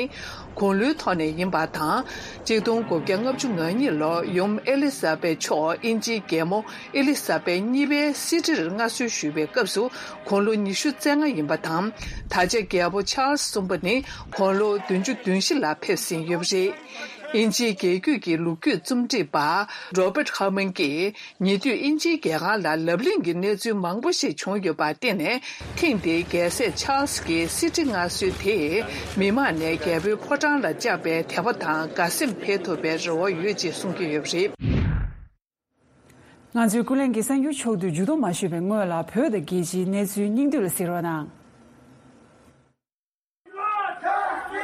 དགུང་ལོའི་ཐོག་ནས་ཡིན་པ་དང་། གཅིག་སྟོང་དགུ་བརྒྱ་ལྔ་བཅུ་ང་གཉིས་ལོར་ཡུམ་ཨེ་ལི་ཟ་བེད་མཆོག་དབྱིན་ཇིའི་རྒྱལ་མོ་ཨེ་ལི་ཟ་བེད་གཉིས་པའི་གསེར་ཁྲིར་མངའ་གསོལ་ཞུས་པའི་སྐབས་སུ་དགུང་ལོ་ཉི་ཤུ་རྩ་ལྔ་ཡིན་པ་དང་། ད་ཆ་རྒྱལ་པོ་ཆཱལ་སི་གསུམ་པ་ནི་དགུང་ལོ་བདུན་ཅུ་དོན་བཞི་ལ་ཕེབས་ཟིན་ཡོད་པ་རེད། དབྱིན་ཇིའི་རྒྱལ་རྒྱུད་ཀྱི་ལོ་རྒྱུས་རྩོམ་སྒྲིག་པ་Robert Herman་གྱིས། ཉེ་དུས་དབྱིན་ཇིའི་རྒྱལ་ཁང་ལ་ལབ་གླེང་གི་གནས་ཚུལ་མང་པོ་ཞིག་བྱུང་ཡོད་པར་བརྟེན་ནས། ཐེངས་འདིའི་རྒྱལ་སྲས་ཆཱལ་སི་ཀྱི་གསེར་ཁྲི་མངའ་གསོལ་དེས་མི་མང་ནས་རྒྱལ་པོའི་ཕོ་བྲང་ལ་བཅངས་པའི་དད་པ་དང་དགའ་སེམས་འཕེལ་ཐུབ་པའི་རེ་བ་ཡོད་ཅེས་གསུང་གི་ཡོད་པ་རེད། ང་ཚོའི་ཀུན་གླེང་གི་གསར་འགྱུར་ཕྱོགས་བསྡུས་མཇུག་བསྡོམས་མ་ཞུས་པའི་སྔོན་ལ། བོད་དང་རྒྱལ་སྤྱིའི་གནས་ཚུལ་སྙིང་བསྡུས་ལ་གཟིགས་རོགས་གནང་།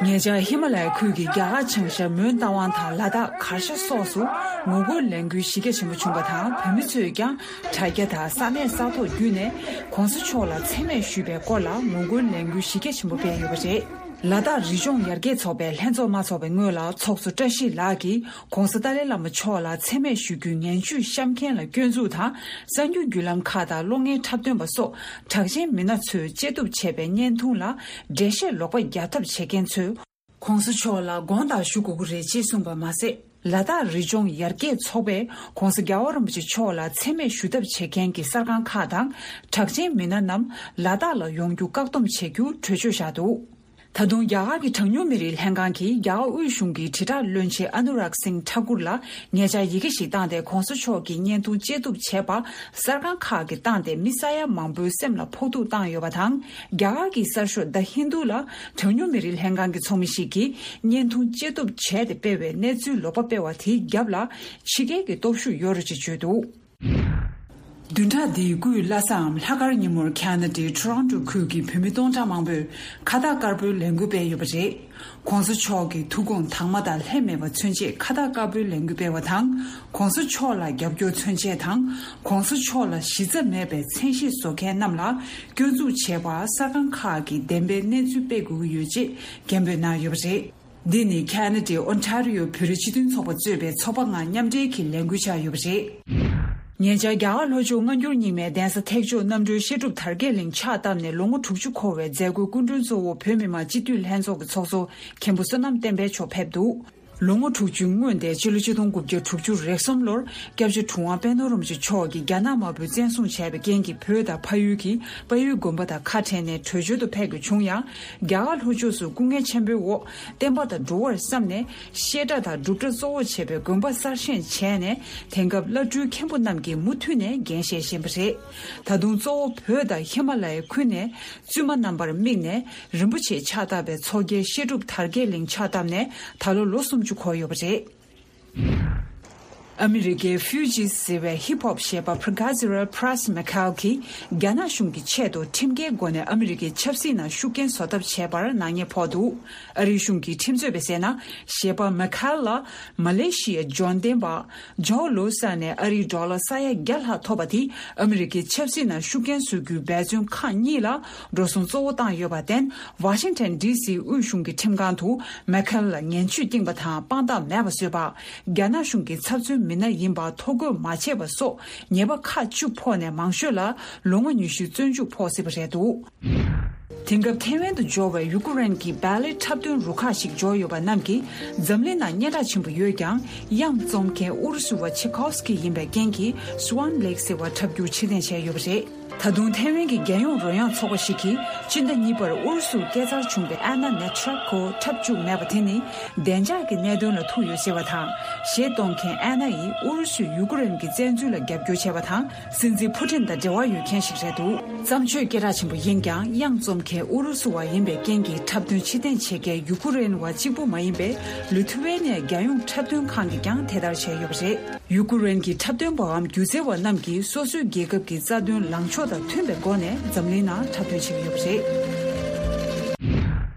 ཉེ་ཆར་ཧི་མ་ལ་ཡའི་ཁུལ་གྱི་རྒྱ་གར་བྱང་ཤར་མོན་རྟ་དབང་དང་ལ་དྭགས་གར་ཞ་སོགས་སུ་ངོ་རྒོལ་ལས་འགུལ་གཞི་རྒྱ་ཆེན་པོ་བྱུང་བ་དང་། བོད་མི་ཚོས་ཀྱང་དྲ་རྒྱ་དང་ས་གནས་ས་ཐོག་བརྒྱུད་ནས་༸གོང་ས་མཆོག་ལ་མཚན་སྨད་ཞུས་པའི་སྐོར་ལ་ངོ་རྒོལ་ལས་འགུལ་གཞི་རྒྱ་ཆེན་པོ་སྤེལ་ཡོད་པ་རེད། ལ་དྭགས་རི་ལྗོངས་ཡར་རྒྱས་ཚོགས་པའི་ལྷན་ཚོགས་མ་འཚོགས་པའི་སྔོན་ལ། ཚོགས་གཙོ་བཀྲ་ཤིས་ལགས་ཀྱིས་༸གོང་ས་ཏཱ་ལའི་བླ་མ་མཆོག་ལ་མཚན་སྨད་ཞུ་རྒྱུའི་ངན་ཇུས་བཤམས་མཁན་ལ་སྐྱོན་འཛུགས་དང་། གསར་འགྱུར་བརྒྱུད་ལམ་ཁག་དང་གློག་བརྙན་འཁྲབ་སྟོན་པ་སོགས་གྲགས་ཅན་མི་སྣ་ཚོས་དཔྱད་བསྡུར་བྱས་པའི་བརྙན་ཐུང་ལ་འགྲེལ་བཤད་ལོག་པ་རྒྱག་ཐབས་བྱེད་མཁན་ཚོས། ༸གོང་ས་མཆོག་ལ་དགོངས་དག་ཞུ་དགོས་ཀྱི་རེད་ཅེས་གསུངས་པ་མ་ཟད། ལ་དྭགས་རི་ལྗོངས་ཡར་རྒྱས་ཚོགས་པས་༸གོང་ས་རྒྱལ་བ་རིན་པོ་ཆེ་མཆོག་ལ་མཚན་སྨད་ཞུ་ཐབས་བྱེད་མཁན་གྱི་གསར་ཁང་ཁག་དང་། གྲགས་ཅན་མི་སྣ་རྣམས་ལ་དྭགས་ལ་ཡོང་རྒྱུ་བཀག་སྡོམ་བྱེད་རྒྱུ་གྲོས་ཆོད་བཞག་འདུག། ད་དུང་རྒྱ་གར་གྱི་གྲངས་ཉུང་མི་རིགས་ལྷན་ཁང་གིས་རྒྱ་གར་དབུས་གཞུང་གི་དྲིལ་བསྒྲགས་བློན་ཆེན་ཨ་ནུ་རཱག་སིང་ཐ་ཀུར་ལ་ཉེ་ཆར་ཡི་གེ་ཞིག་བཏང་སྟེ། ༸གོང་ས་མཆོག་གི་བརྙན་ཐུང་དཔྱད་བསྡུར་བྱས་པ་གསར་ཁང་ཁག་གིས་བཏང་སྟེ། མི་ས་ཡ་མང་པོའི་སེམས་ལ་ཕོག་ཐུག་བཏང་ཡོད་པ་དང་། རྒྱ་གར་གྱི་གསར་ཤོག་The Hindu་ལ་གྲངས་ཉུང་མི་རིགས་ལྷན་ཁང་གི་ཚོགས་མི་ཞིག་གིས་བརྙན་ཐུང་དཔྱད་བསྡུར་བྱས་ཏེ་སྤེལ་བའི་གནས་ཚུལ་ལོག་པ་སྤེལ་བ་དེའི་རྒྱབ་ལ་ཕྱི་རྒྱལ་གྱི་སྟོབས་ཤུགས་ཡོད་རེད་ཅེས་བརྗོད་འདུག། བདུན་ཕྲག་འདིའི་དགུའི་ལྷ་སའམ་ལྷག་དཀར་ཉིན་མོར་ཁ་ན་ཌའི་ཊོ་རོན་ཊོ་ཁུལ་གྱི་བོད་མི་སྟོང་ཕྲག་མང་པོས་ཁ་བཏགས་དཀར་པོའི་ལས་འགུལ་སྤེལ་ཡོད་པ་རེད། ༸གོང་ས་མཆོག་གི་ཐུགས་དགོངས་དྭངས་མ་དང་ལྷད་མེད་པ་མཚོན་ཆེད་ཁ་བཏགས་དཀར་པོའི་ལས་འགུལ་སྤེལ་བ་དང་། ༸གོང་ས་མཆོག་ལ་རྒྱབ་སྐྱོར་མཚོན་ཆེད་དང་། ༸གོང་ས་མཆོག་ལ་གཞི་རྩ་མེད་པའི་མཚན་གཞས་བཟོ་མཁན་རྣམས་ལ་སྐྱོན་འཛུགས་བྱས་པར་གསར་ཁང་ཁག་གིས་བདེན་པའི་གནས་ཚུལ་སྤེལ་དགོས་ཀྱི་ཡོད་ཅེས་སྐད་འབོད་གནང་ཡོད་པ་རེད། འདི་ནི་ཁ་ན་ཌའི་ཨོན་ཊ་རི་ཡོ་བོད་རིགས་སྤྱི་མཐུན་ཚོགས་པ་གཙོས་པའི་ཚོགས་པ་ལྔ་མཉམ་འབྲེལ་གྱི་ལས་འགུལ་ཆགས་ཡོད་པ་རེད། ཉེ་ཆར་རྒྱ་གར་ལྷོ་ཕྱོགས་སྔ་འགྱུར་རྙིང་མའི་གདན་ས་ཐེག་མཆོག་རྣམ་གྲོལ་བཤད་སྒྲུབ་དར་རྒྱས་གླིང་ཕྱག་བཏབ་ནས་ལོ་ངོ་དྲུག་ཅུ་འཁོར་བའི་མཛད་སྒོའི་སྐུ་མགྲོན་གཙོ་བོ་བོད་མི་མང་སྤྱི་འཐུས་ལྷན་ཚོགས་ཀྱི་ཚོགས་གཙོ་མཁན་པོ་བསོད་ནམས་བསྟན་འཕེལ་མཆོག་ཕེབས་འདུག་ལོ་ངོ་དྲུག་ཅུའི་སྔོན་ཏེ་ཕྱི་ལོ་ཆིག་སྟོང་དགུ་བརྒྱ་དྲུག་ཅུ་རེ་གསུམ་ལོར་སྐྱབས་རྗེ་གྲུབ་དབང་པད་ནོར་རིན་པོ་ཆེ་མཆོག་གིས་རྒྱ་ནག་དམར་པོས་བཙན་བཟུང་བྱས་པའི་རྐྱེན་གྱིས་བོད་དང་ཕ་ཡུལ་གྱི་དཔལ་ཡུལ་དགོན་པ་དང་ཁ་བྲལ་ནས་བྲོས་བྱོལ་དུ་ཕེབས་དགོས་བྱུང་ཡང་། རྒྱ་གར་ལྷོ་ཕྱོགས་སུ་སྐུ་ངལ་ཆེན་པོའི་འོག་བསྟན་པ་དང་འགྲོ་བར་བསམས་ནས་བཤད་གྲྭ་དང་སྒྲུབ་གྲྭ་གཙོ་བོ་བྱས་པའི་དགོན་པ་གསར་བཞེངས་བྱས་ནས་དེང་སྐབས་བླ་སྤྲུལ་མཁན་པོ་རྣམས་ཀྱིས་མུ་མཐུད་ནས་འགན་བཞེས་བཞིན་པ་རེད། ད་དུང་གཙོ་བོ་བོད་དང་ཧི་མ་ལ་ཡའི་ཁུལ་ནས་བཙུན་མ་རྣམ་པར་དམིགས་ནས་རིན་པོ་ཆེ་ཕྱག་བཏབ་པའི་ཚོགས་རྒྱལ་བཤད་སྒྲུབ་དར་རྒྱས་གླིང་ཕྱག་བཏབ་ནས་ད་ལོ་ལོ་སུམ་ཅུ་འཁོར་ཡོད་པ་རེད། ཨ་མི་རི་ཀའི་ཧྥུ་ཇི་ཟེར་བའི་ཧིབ་ཧོབ་གཞས་པ་Pergazira Pras Mikhail་གྱིས་རྒྱ་ནག་གཞུང་གིས་ཆེད་དུ་ཁྲིམས་འགལ་སྒོ་ནས་ཨ་མི་རི་ཀའི་ཆབ་སྲིད་ནང་ཤུགས་རྐྱེན་བཟོ་ཐབས་བྱས་པར་ནག་ཉེས་ཕོག་འདུག་ཨ་རིའི་གཞུང་གིས་ཁྲིམས་རྩོད་པས་གསལ་ན། གཞས་པ་Mikhail་ལ་མ་ལེ་ཤི་ཡའི་འབྱོར་ལྡན་པ་ཇོ་ལོ་སར་ནས་ཨ་རིའི་ཌོ་ལར་ས་ཡ་བརྒྱ་ལྷག་ཐོབ་པ་དེས་ཨ་མི་རི་ཀའི་ཆབ་སྲིད་ནང་ཤུགས་རྐྱེན་བཟོ་རྒྱུའི་འབད་བརྩོན་ཁག་གཉིས་ལ་འགྲོ་སོང་གཙོ་བོ་བཏང་ཡོད་པར་བརྟེན། ཝ་ཤིང་ཊོན་ཌི་སིའི་དབུས་གཞུང་གི་ཁྲིམས་ཁང་དུ་མེ་ཁལ་ལ་ངན་བྱུས་བསྐྱངས་པ་དང་དཔང་རྟགས་མེད་པ་བཟོས་པ། རྒྱ་ནག་གཞུང་གི་ཚབ་མཚོན་མི་སྣ་ཡིན་པ་ཐོ་འགོད་མ་བྱས་པ་སོགས་ཉེས་པ་ཁག་བཅུ་ཕོག་ནས་མང་ཤོས་ལ་ལོ་ངོ་ཉི་ཤུའི་བཙོན་འཇུག་ཕོག་སྲིད་པ་རེད་འདུག་དེང་སྐབས་ཐེ་ཝན་དུ་འབྱོར་བའི་ཡུ་ཀེ་རེན་གྱི་བལ་ལེ་འཁྲབ་སྟོན་རུ་ཁག་ཞིག་འབྱོར་ཡོད་པ་རྣམས་ཀྱིས་འཛམ་གླིང་ནང་སྙན་གྲགས་ཆེན་པོ་ཡོད་ཀྱང་། གཡང་རྩོམ་མཁན་ཨུ་རུ་སུ་བ་ཆེ་ཁོབ་སི་ཀི་ཡིན་པའི་རྐྱེན་གྱིས་Swan Lake་ཟེར་བ་འཁྲབ་རྒྱུར་ཕྱིར་འཐེན་བྱས་ཡོད་པ་རེད། ད་དུང་ཐེ་ཝན་གྱི་རྒྱལ་ཡོངས་རོལ་དབྱངས་ཚོགས་པ་ཞིག་གིས་སྤྱི་ཟླ་གཉིས་པར་ཨུ་རུ་སུར་སྐྱེས་འཚར་བྱུང་བའི་ཨན་ན་ནེ་ཊྲེབ་ཀོ་འཁྲབ་བཅུག་མེད་པ་དེ་ནི་བདེ་འཇགས་ཀྱི་གནད་དོན་ལ་ཐུག་ཡོད་ཟེར་བ་དང་། གཞས་གཏོང་མཁན་ཨན་ན་ཡིས་ཨུ་རུ་སུས་ཡུ་ཀེ་རེན་གྱི་བཙན་འཛུལ་ལ་རྒྱབ་སྐྱོར་བྱས་པ་དང་། སྲིད་འཛིན་ཕུ་ཊིན་དང་འབྲེལ་བ་ཡོད་མཁན་ཞིག་རེད་འདུག་བརྩམས་ཆོས་སྐད་གྲགས་ཆེན་པོ་ཡིན་ཀྱང་། གཡང་རྩོམ་མཁན་ཨུ་རུ་སུ་བ་ཡིན་པའི་རྐྱེན་གྱིས་འཁྲབ་སྟོན་ཕྱིར་འཐེན་བྱེད་མཁན་ཡུ་ཀེ་རེན་བ་གཅིག་པུ་མ་ཡིན་པའི་ལི་ཐུ་ཝེ་ནི་ཡ་རྒྱལ་ཡོངས་འཁྲབ་སྟོན་ཁང་གིས་ཀྱང་དེ་ལྟར་བྱས་ཡོད་པ་རེད། ཡུ་ཀེ་རེན་གྱི་འཁྲབ་སྟོན་པའམ་སྒྱུ་རྩལ་བ་རྣམས་ཀྱིས་སོ་སོའི་རྒྱལ་ཁབ་ཀྱི་རྩ་དོན་ལངས་ཕྱོགས་དང་མཐུན་པའི་སྒོ་ནས་འཛམ་གླིང་ནང་འཁྲབ་སྟོན་བྱེད་ཀྱི་ཡོད་པ་རེད།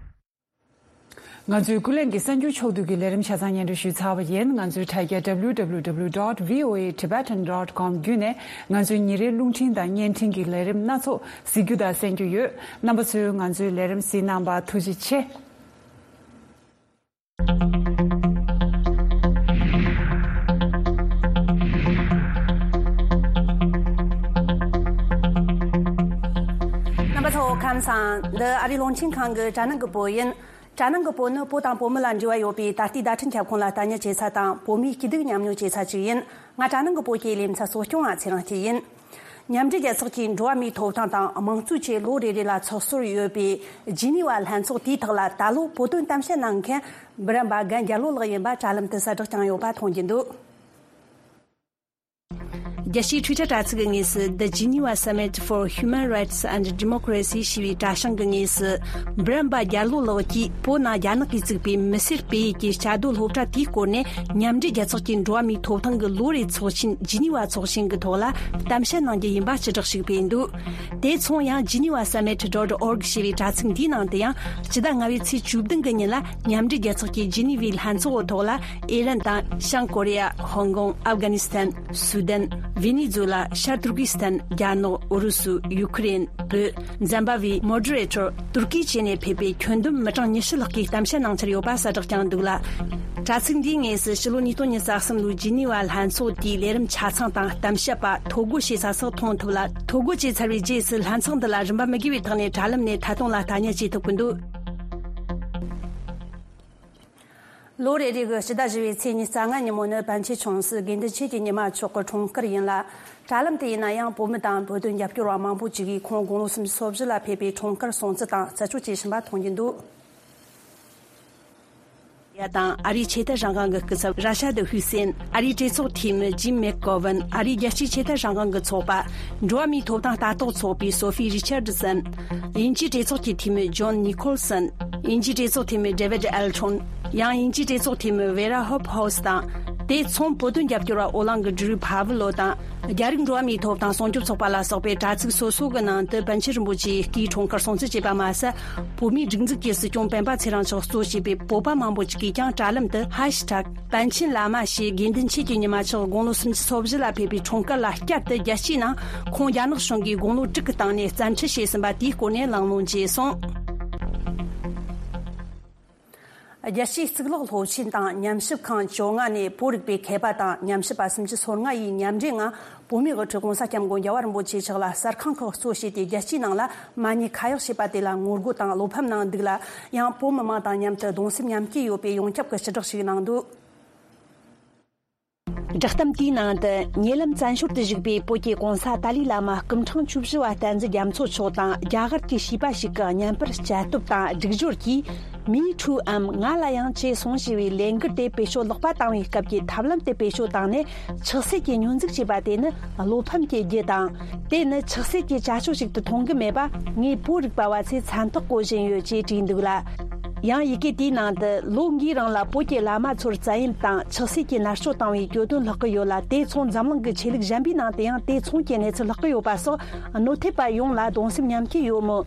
ང་ཚོའི་ཀུན་གླེང་གི་གསར་འགྱུར་ཕྱོགས་བསྡུས་ཀྱི་ལས་རིམ་ཆ་ཚང་སྙན་སྒྲོན་ཞུས་ཚར་བ་ཡིན། ང་ཚོའི་དྲ་རྒྱ་W W W dot V O A Tibetan dot com བརྒྱུད་ནས་ང་ཚོའི་ཉིན་རེའི་རླུང་འཕྲིན་དང་བརྙན་འཕྲིན་གྱི་ལས་རིམ་སྣ་ཚོགས་གཟིགས་རྒྱུ་དང་གསན་རྒྱུ་ཡོད། རྣམ་པ་ཚོས་ང་ཚོའི་ལས་རིམ་གཟིགས་གནང་བར་ཐུགས་རྗེ་ཆེ། རྣམ་པ་ཚོ་ཁམས་བཟང་། འདི་ཨ་རིའི་རླུང་འཕྲིན་ཁང་གི་དྲ་ནང་གི་བོད་ཡིན། དྲ་ནང་གི་བོད་ནི་བོད་དང་བོད་མི་ལ་འབྲེལ་བ་ཡོད་པའི་ད་ལྟའི་བརྡ་འཕྲིན་ཁྱབ་ཁོངས་ལ་ལྟ་ཉན་བྱེད་ས་དང་བོད་མིའི་སྐྱིད་སྡུག་མཉམ་མྱོང་བྱེད་ས་ཅིག་ཡིན། ང་དྲ་ནང་གི་བོད་ཀྱི་ལེ་ཚན་གཙོ་སྐྱོང་བ་ཚེ་རིང་སྐྱིད་ཡིན། མཉམ་འབྲེལ་རྒྱལ་ཚོགས་ཀྱི་འགྲོ་བ་མིའི་ཐོབ་ཐང་དང་དམངས་གཙོའི་ཆེད་ལོ་རེ་རེ་ལ་ཚོགས་གཙོར་ཡོད་པའི་ཇི་ནི་ཝ་ལྷན་ཚོགས་དེའི་ཐོག་ལ་ད་ལོ་བོད་དོན་གཏམ་བཤད་གནང་མཁན་འབུམ་རམས་པ་རྒན་རྒྱལ་ལོ་ལགས་ཡིན་པ་དྲ་ལམ་དུ་གསལ་བསྒྲགས་བསྐྱངས་ཡོད་པ་མཐོང་རྒྱུ་འདུག་རྒྱལ་སྤྱིའི་Twitter་དྲ་ཚིགས་ཀྱི་ངོས་སུ། The Geneva Summit for Human Rights and Democracy ཞེས་པའི་དྲ་བྱང་གི་ངོས་སུ། འབུམ་རམས་པ་རྒྱལ་ལོ་ལགས་ཀྱིས་བོད་ནང་རྒྱ་ནག་གིས་བཙུགས་པའི་མི་སེར་སྤེལ་ཡུལ་གྱི་བཅའ་སྡོད་སློབ་གྲྭ་དེའི་སྐོར་ནས་མཉམ་འབྲེལ་རྒྱལ་ཚོགས་ཀྱི་འགྲོ་བ་མིའི་ཐོབ་ཐང་གི་ལོ་རེའི་ཚོགས་ཆེན་ཇི་ནི་ཝ་ཚོགས་ཆེན་གྱི་ཐོག་ལ་གཏམ་བཤད་གནང་རྒྱུ་ཡིན་པ་སྤྱི་བསྒྲགས་ཤིག་སྤེལ་འདུག་དེ་མཚུངས་ཡང་Geneva Summit dot org ཞེས་པའི་དྲ་ཚིགས་འདིའི་ནང་དུ་ཡང་སྤྱི་ཟླ་ལྔ་པའི་ཚེས་བཅུ་བདུན་གྱི་ཉིན་ལ་མཉམ་འབྲེལ་རྒྱལ་ཚོགས་ཀྱི་ཇི་ནི་ཝའི་ལྷན་ཚོགས་ཐོག་ལ། ཨི་རན་དང་། བྱང་ཀོ་རི་ཡ། ཧོང་ཀོང་། ཨབ་གྷ་ནི་སི་ཐན། སུ་དན། ཝེ་ནེ་ཛུ་ལ། ཤར་ཏུར་ཀི་སི་ཐན། རྒྱ་ནག། ཨུ་རུ་སུ། ཡུ་ཁུ་རེན། བོད། འཛམ་བྷ་ཝེ། མོ་ཌི་རེ་ཊར། ཏུར་ཀི་བཅས་ནས་ཕེབས་པའི་ཁྱོན་བསྡོམས་མི་གྲངས་ཉི་ཤུ་ལྷག་གིས་གཏམ་བཤད་གནང་འཆར་ཡོད་པ་གསལ་བསྒྲགས་བསྐྱངས་འདུག་ལ། དྲ་ཚིགས་འདིའི་ངོས་སུ་ཕྱི་ལོ་ཉིས་སྟོང་ཉི་ཤུ་རྩ་གསུམ་ལོའི་ཇི་ནི་ཝ་ལྷན་ཚོགས་དེའི་ལས་རིམ་ཆ་ཚང་དང་གཏམ་བཤད་པ། ཐོ་འགོད་བྱེད་ས་སོགས་མཐོང་ཐུབ་ལ། ཐོ་འགོད་བྱས་ཚར་བའི་རྗེས་སུ་ལྷན་ཚོགས་འདི་ལ་རིན་པ་མི་དགོས་པའི་ཐོག་ནས་དྲ་ལམ་ནས་ཐད་གཏོང་ལ་ལྟ་ཉན་བྱེད་ཐུབ་ཀྱི་འདུག་ལོ་རེ་རེ་གི་སྤྱི་ཟླ་བཞི་པའི་ཚེས་ཉི་ཤུ་རྩ་ལྔ་ཉིན་མོ་ནི་པཎ་ཆེན་ཆུང་སྲིད་དགེ་འདུན་ཆོས་ཀྱི་ཉི་མ་མཆོག་གི་འཁྲུངས་སྐར་ཡིན་ལ། དྲ་ལམ་དུ་ཡིན་ན་ཡང་བོད་མི་དང་བོད་དོན་རྒྱབ་སྐྱོར་བ་མང་པོ་ཅིག་གིས་ཁོང་དགུང་ལོ་སུམ་ཅུ་སོ་བཞི་ལ་ཕེབས་པའི་འཁྲུངས་སྐར་སྲུང་བརྩི་དང་རྩད་གཅོད་བྱེད་བཞིན་པ་མཐོང་རྒྱུ་འདུག་ཡ་དང་ཨ་རིའི་ཆོས་དད་རང་དབང་གི་སྐུ་ཚབ་ར་ཤ་དི་ཧུ་སེན། ཨ་རིའི་གྲོས་ཚོགས་འཐུས་མི་ཇིམ་མེག་གོ་ཝན། ཨ་རིའི་རྒྱལ་སྤྱིའི་ཆོས་དད་རང་དབང་གི་ཚོགས་པ། འགྲོ་བ་མིའི་ཐོབ་ཐང་ལྟ་རྟོག་ཚོགས་པའི་སོ་ཕི་རི་ཆར་ཌི་སན། དབྱིན་ཇིའི་གྲོས་ཚོགས་ཀྱི་འཐུས་མི་ཇོན་ནི་ཁོལ་སན། དབྱིན་ཇིའི་གྲོས་ཚོགས་འཐུས་མི་ཌེ་ཝིད་ཨེལ་ཁྲོན། ཡང་དབྱིན་ཇིའི་གྲོས་ཚོགས་འཐུས་མི་ཝེ་ར་ཧོབ་ཧའོ་སི་དང་། དེ་མཚུངས་བོད་དོན་རྒྱབ་སྐྱོར་བ་ཨོ་གླིང་གི་ཌི་རུ་ཕ་ཝི་ལོ་དང་། རྒྱ་རིགས་འགྲོ་བ་མིའི་ཐོབ་ཐང་སྲུང་སྐྱོབ་ཚོགས་པ་ལ་སོགས་པའི་དྲ་ཚིགས་སོ་སོ་གི་ནང་དུ་པཎ་ཆེན་རིན་པོ་ཆེའི་སྐུའི་འཁྲུངས་སྐར་སྲུང་བརྩི་བྱས་པ་མ་ཟད། བོད་མིའི་སྒྲིག་འཛུགས་ཀྱི་སྲིད་སྐྱོང་སྤེན་པ་ཚེ་རིང་མཆོག་གཙོ་བྱས་པའི་བོད་པ་མང་པོ་ཅིག་གིས་ཀྱང་དྲ་ལམ་དུ་ཧེ་ཤི་ཊེག་པཎ་ཆེན་བླ་མ་ཞེས་དགེ་འདུན་ཆོས་ཀྱི་ཉི་མ་མཆོག་དགུང་ལོ་སུམ་ཅུ་སོ་བཞི་ལ་ཕེབས་པའི་འཁྲུངས་སྐར་ལ་བསྐྱར་དུ་རྒྱལ་སྤྱིའི་ནང་ཁོང་རྒྱ་ནག་གཞུང་གིས་དགུང་ལོ་དྲུག་གི་སྟེང་ནས་བཙན་ཁྲིད་བྱས་ཟིན་པ་དེའི་སྐོར་ནས་གླེང་སློང་བྱས་སོང་། རྒྱལ་སྤྱིའི་གཙུག་ལག་སློབ་ཆེན་དང་ཉམས་ཞིབ་ཁང་བཅོ་ལྔ་ནས་བོད་རིག་པའི་མཁས་པ་དང་ཉམས་ཞིབ་པ་སུམ་ཅུ་སོ་ལྔ་ཡིས་མཉམ་འབྲེལ་ངང་བོད་མིའི་དབུ་ཁྲིད་༸གོང་ས་༸སྐྱབས་མགོན་རྒྱལ་བ་རིན་པོ་ཆེ་མཆོག་ལ་གསར་ཁང་ཁག་གཙོ་བྱས་ཏེ་རྒྱལ་སྤྱིའི་ནང་ལ་མ་ཉེས་ཁ་གཡོག་བྱས་པ་དེ་ལ་ངོ་རྒོལ་དང་བློ་ཕམ་གནང་འདུག་ལ། ཡང་བོད་མི་མང་དང་མཉམ་དུ་གདུང་སེམས་མཉམ་སྐྱེད་ཡོད་པའི་ཡོངས་ཁྱབ་ཀྱི་ཕྱི་བསྒྲགས་ཤིག་གནང་འདུག། བསྒྲགས་གཏམ་དེའི་ནང་དུ་ཉེ་ལམ་བཙན་བྱོལ་དུ་བཞུགས་པའི་བོད་ཀྱི་༸གོང་ས་ཏཱ་ལའི་བླ་མ་སྐུ་ཕྲེང་བཅུ་བཞི་པ་བསྟན་འཛིན་རྒྱ་མཚོ་མཆོག་དང་རྒྱ་གར་གྱི་བྱིས་པ་ཞིག་གི་བརྙན་པར་བཅད་གཏུབ་དང་སྒྲིག་སྦྱོར་གྱིས། མིའི་འཕྲུལ་འམ་ང་ལ་ཡང་བྱས་སོང་ཞེས་པའི་ལས་འགུལ་དེ་བེད་སྤྱོད་ལོག་པ་བཏང་བའི་སྐབས་ཀྱི་ཐབས་ལམ་དེ་བེད་སྤྱོད་བཏང་ནས་ཆགས་སྲེད་ཀྱི་སྙོན་འཛུགས་བྱས་པ་དེ་ནི་བློ་ཕམ་གྱི་རྒྱུ་དང་། དེ་ནི་ཆགས་སྲེད་ཀྱི་བྱ་སྤྱོད་ཞིག་ཏུ་མཐོང་གི་མེད་པ་ངས་བོད་རིག་པ་བ་ཚོས་མཚན་རྟགས་བཀོད་བཞིན་ཡོད་ཅེས་བྲིས་འདུག་ལ། ཡང་ཡི་གེ་དེའི་ནང་དུ་ལོ་འགའི་རིང་ལ་བོད་ཀྱི་བླ་མ་ཚོར་བཙན་གཡེམ་དང་ཆགས་སྲེད་ཀྱི་མནར་གཅོད་བཏང་བའི་གྱོད་དོན་ལྷག་གི་ཡོད་ལ། དེ་མཚུངས་འཛམ་གླིང་གི་ཆོས་ལུགས་གཞན་པའི་ནང་དུ་ཡང་དེ་མཚུངས་ཀྱི་གནས་ཚུལ་ལྷག་གི་ཡོད་པ་སོགས་གནོད་ཐེབས་པ་ཡོངས་ལ་གདུང་སེམས་མཉམ་སྐྱེད་ཡོད་མོད།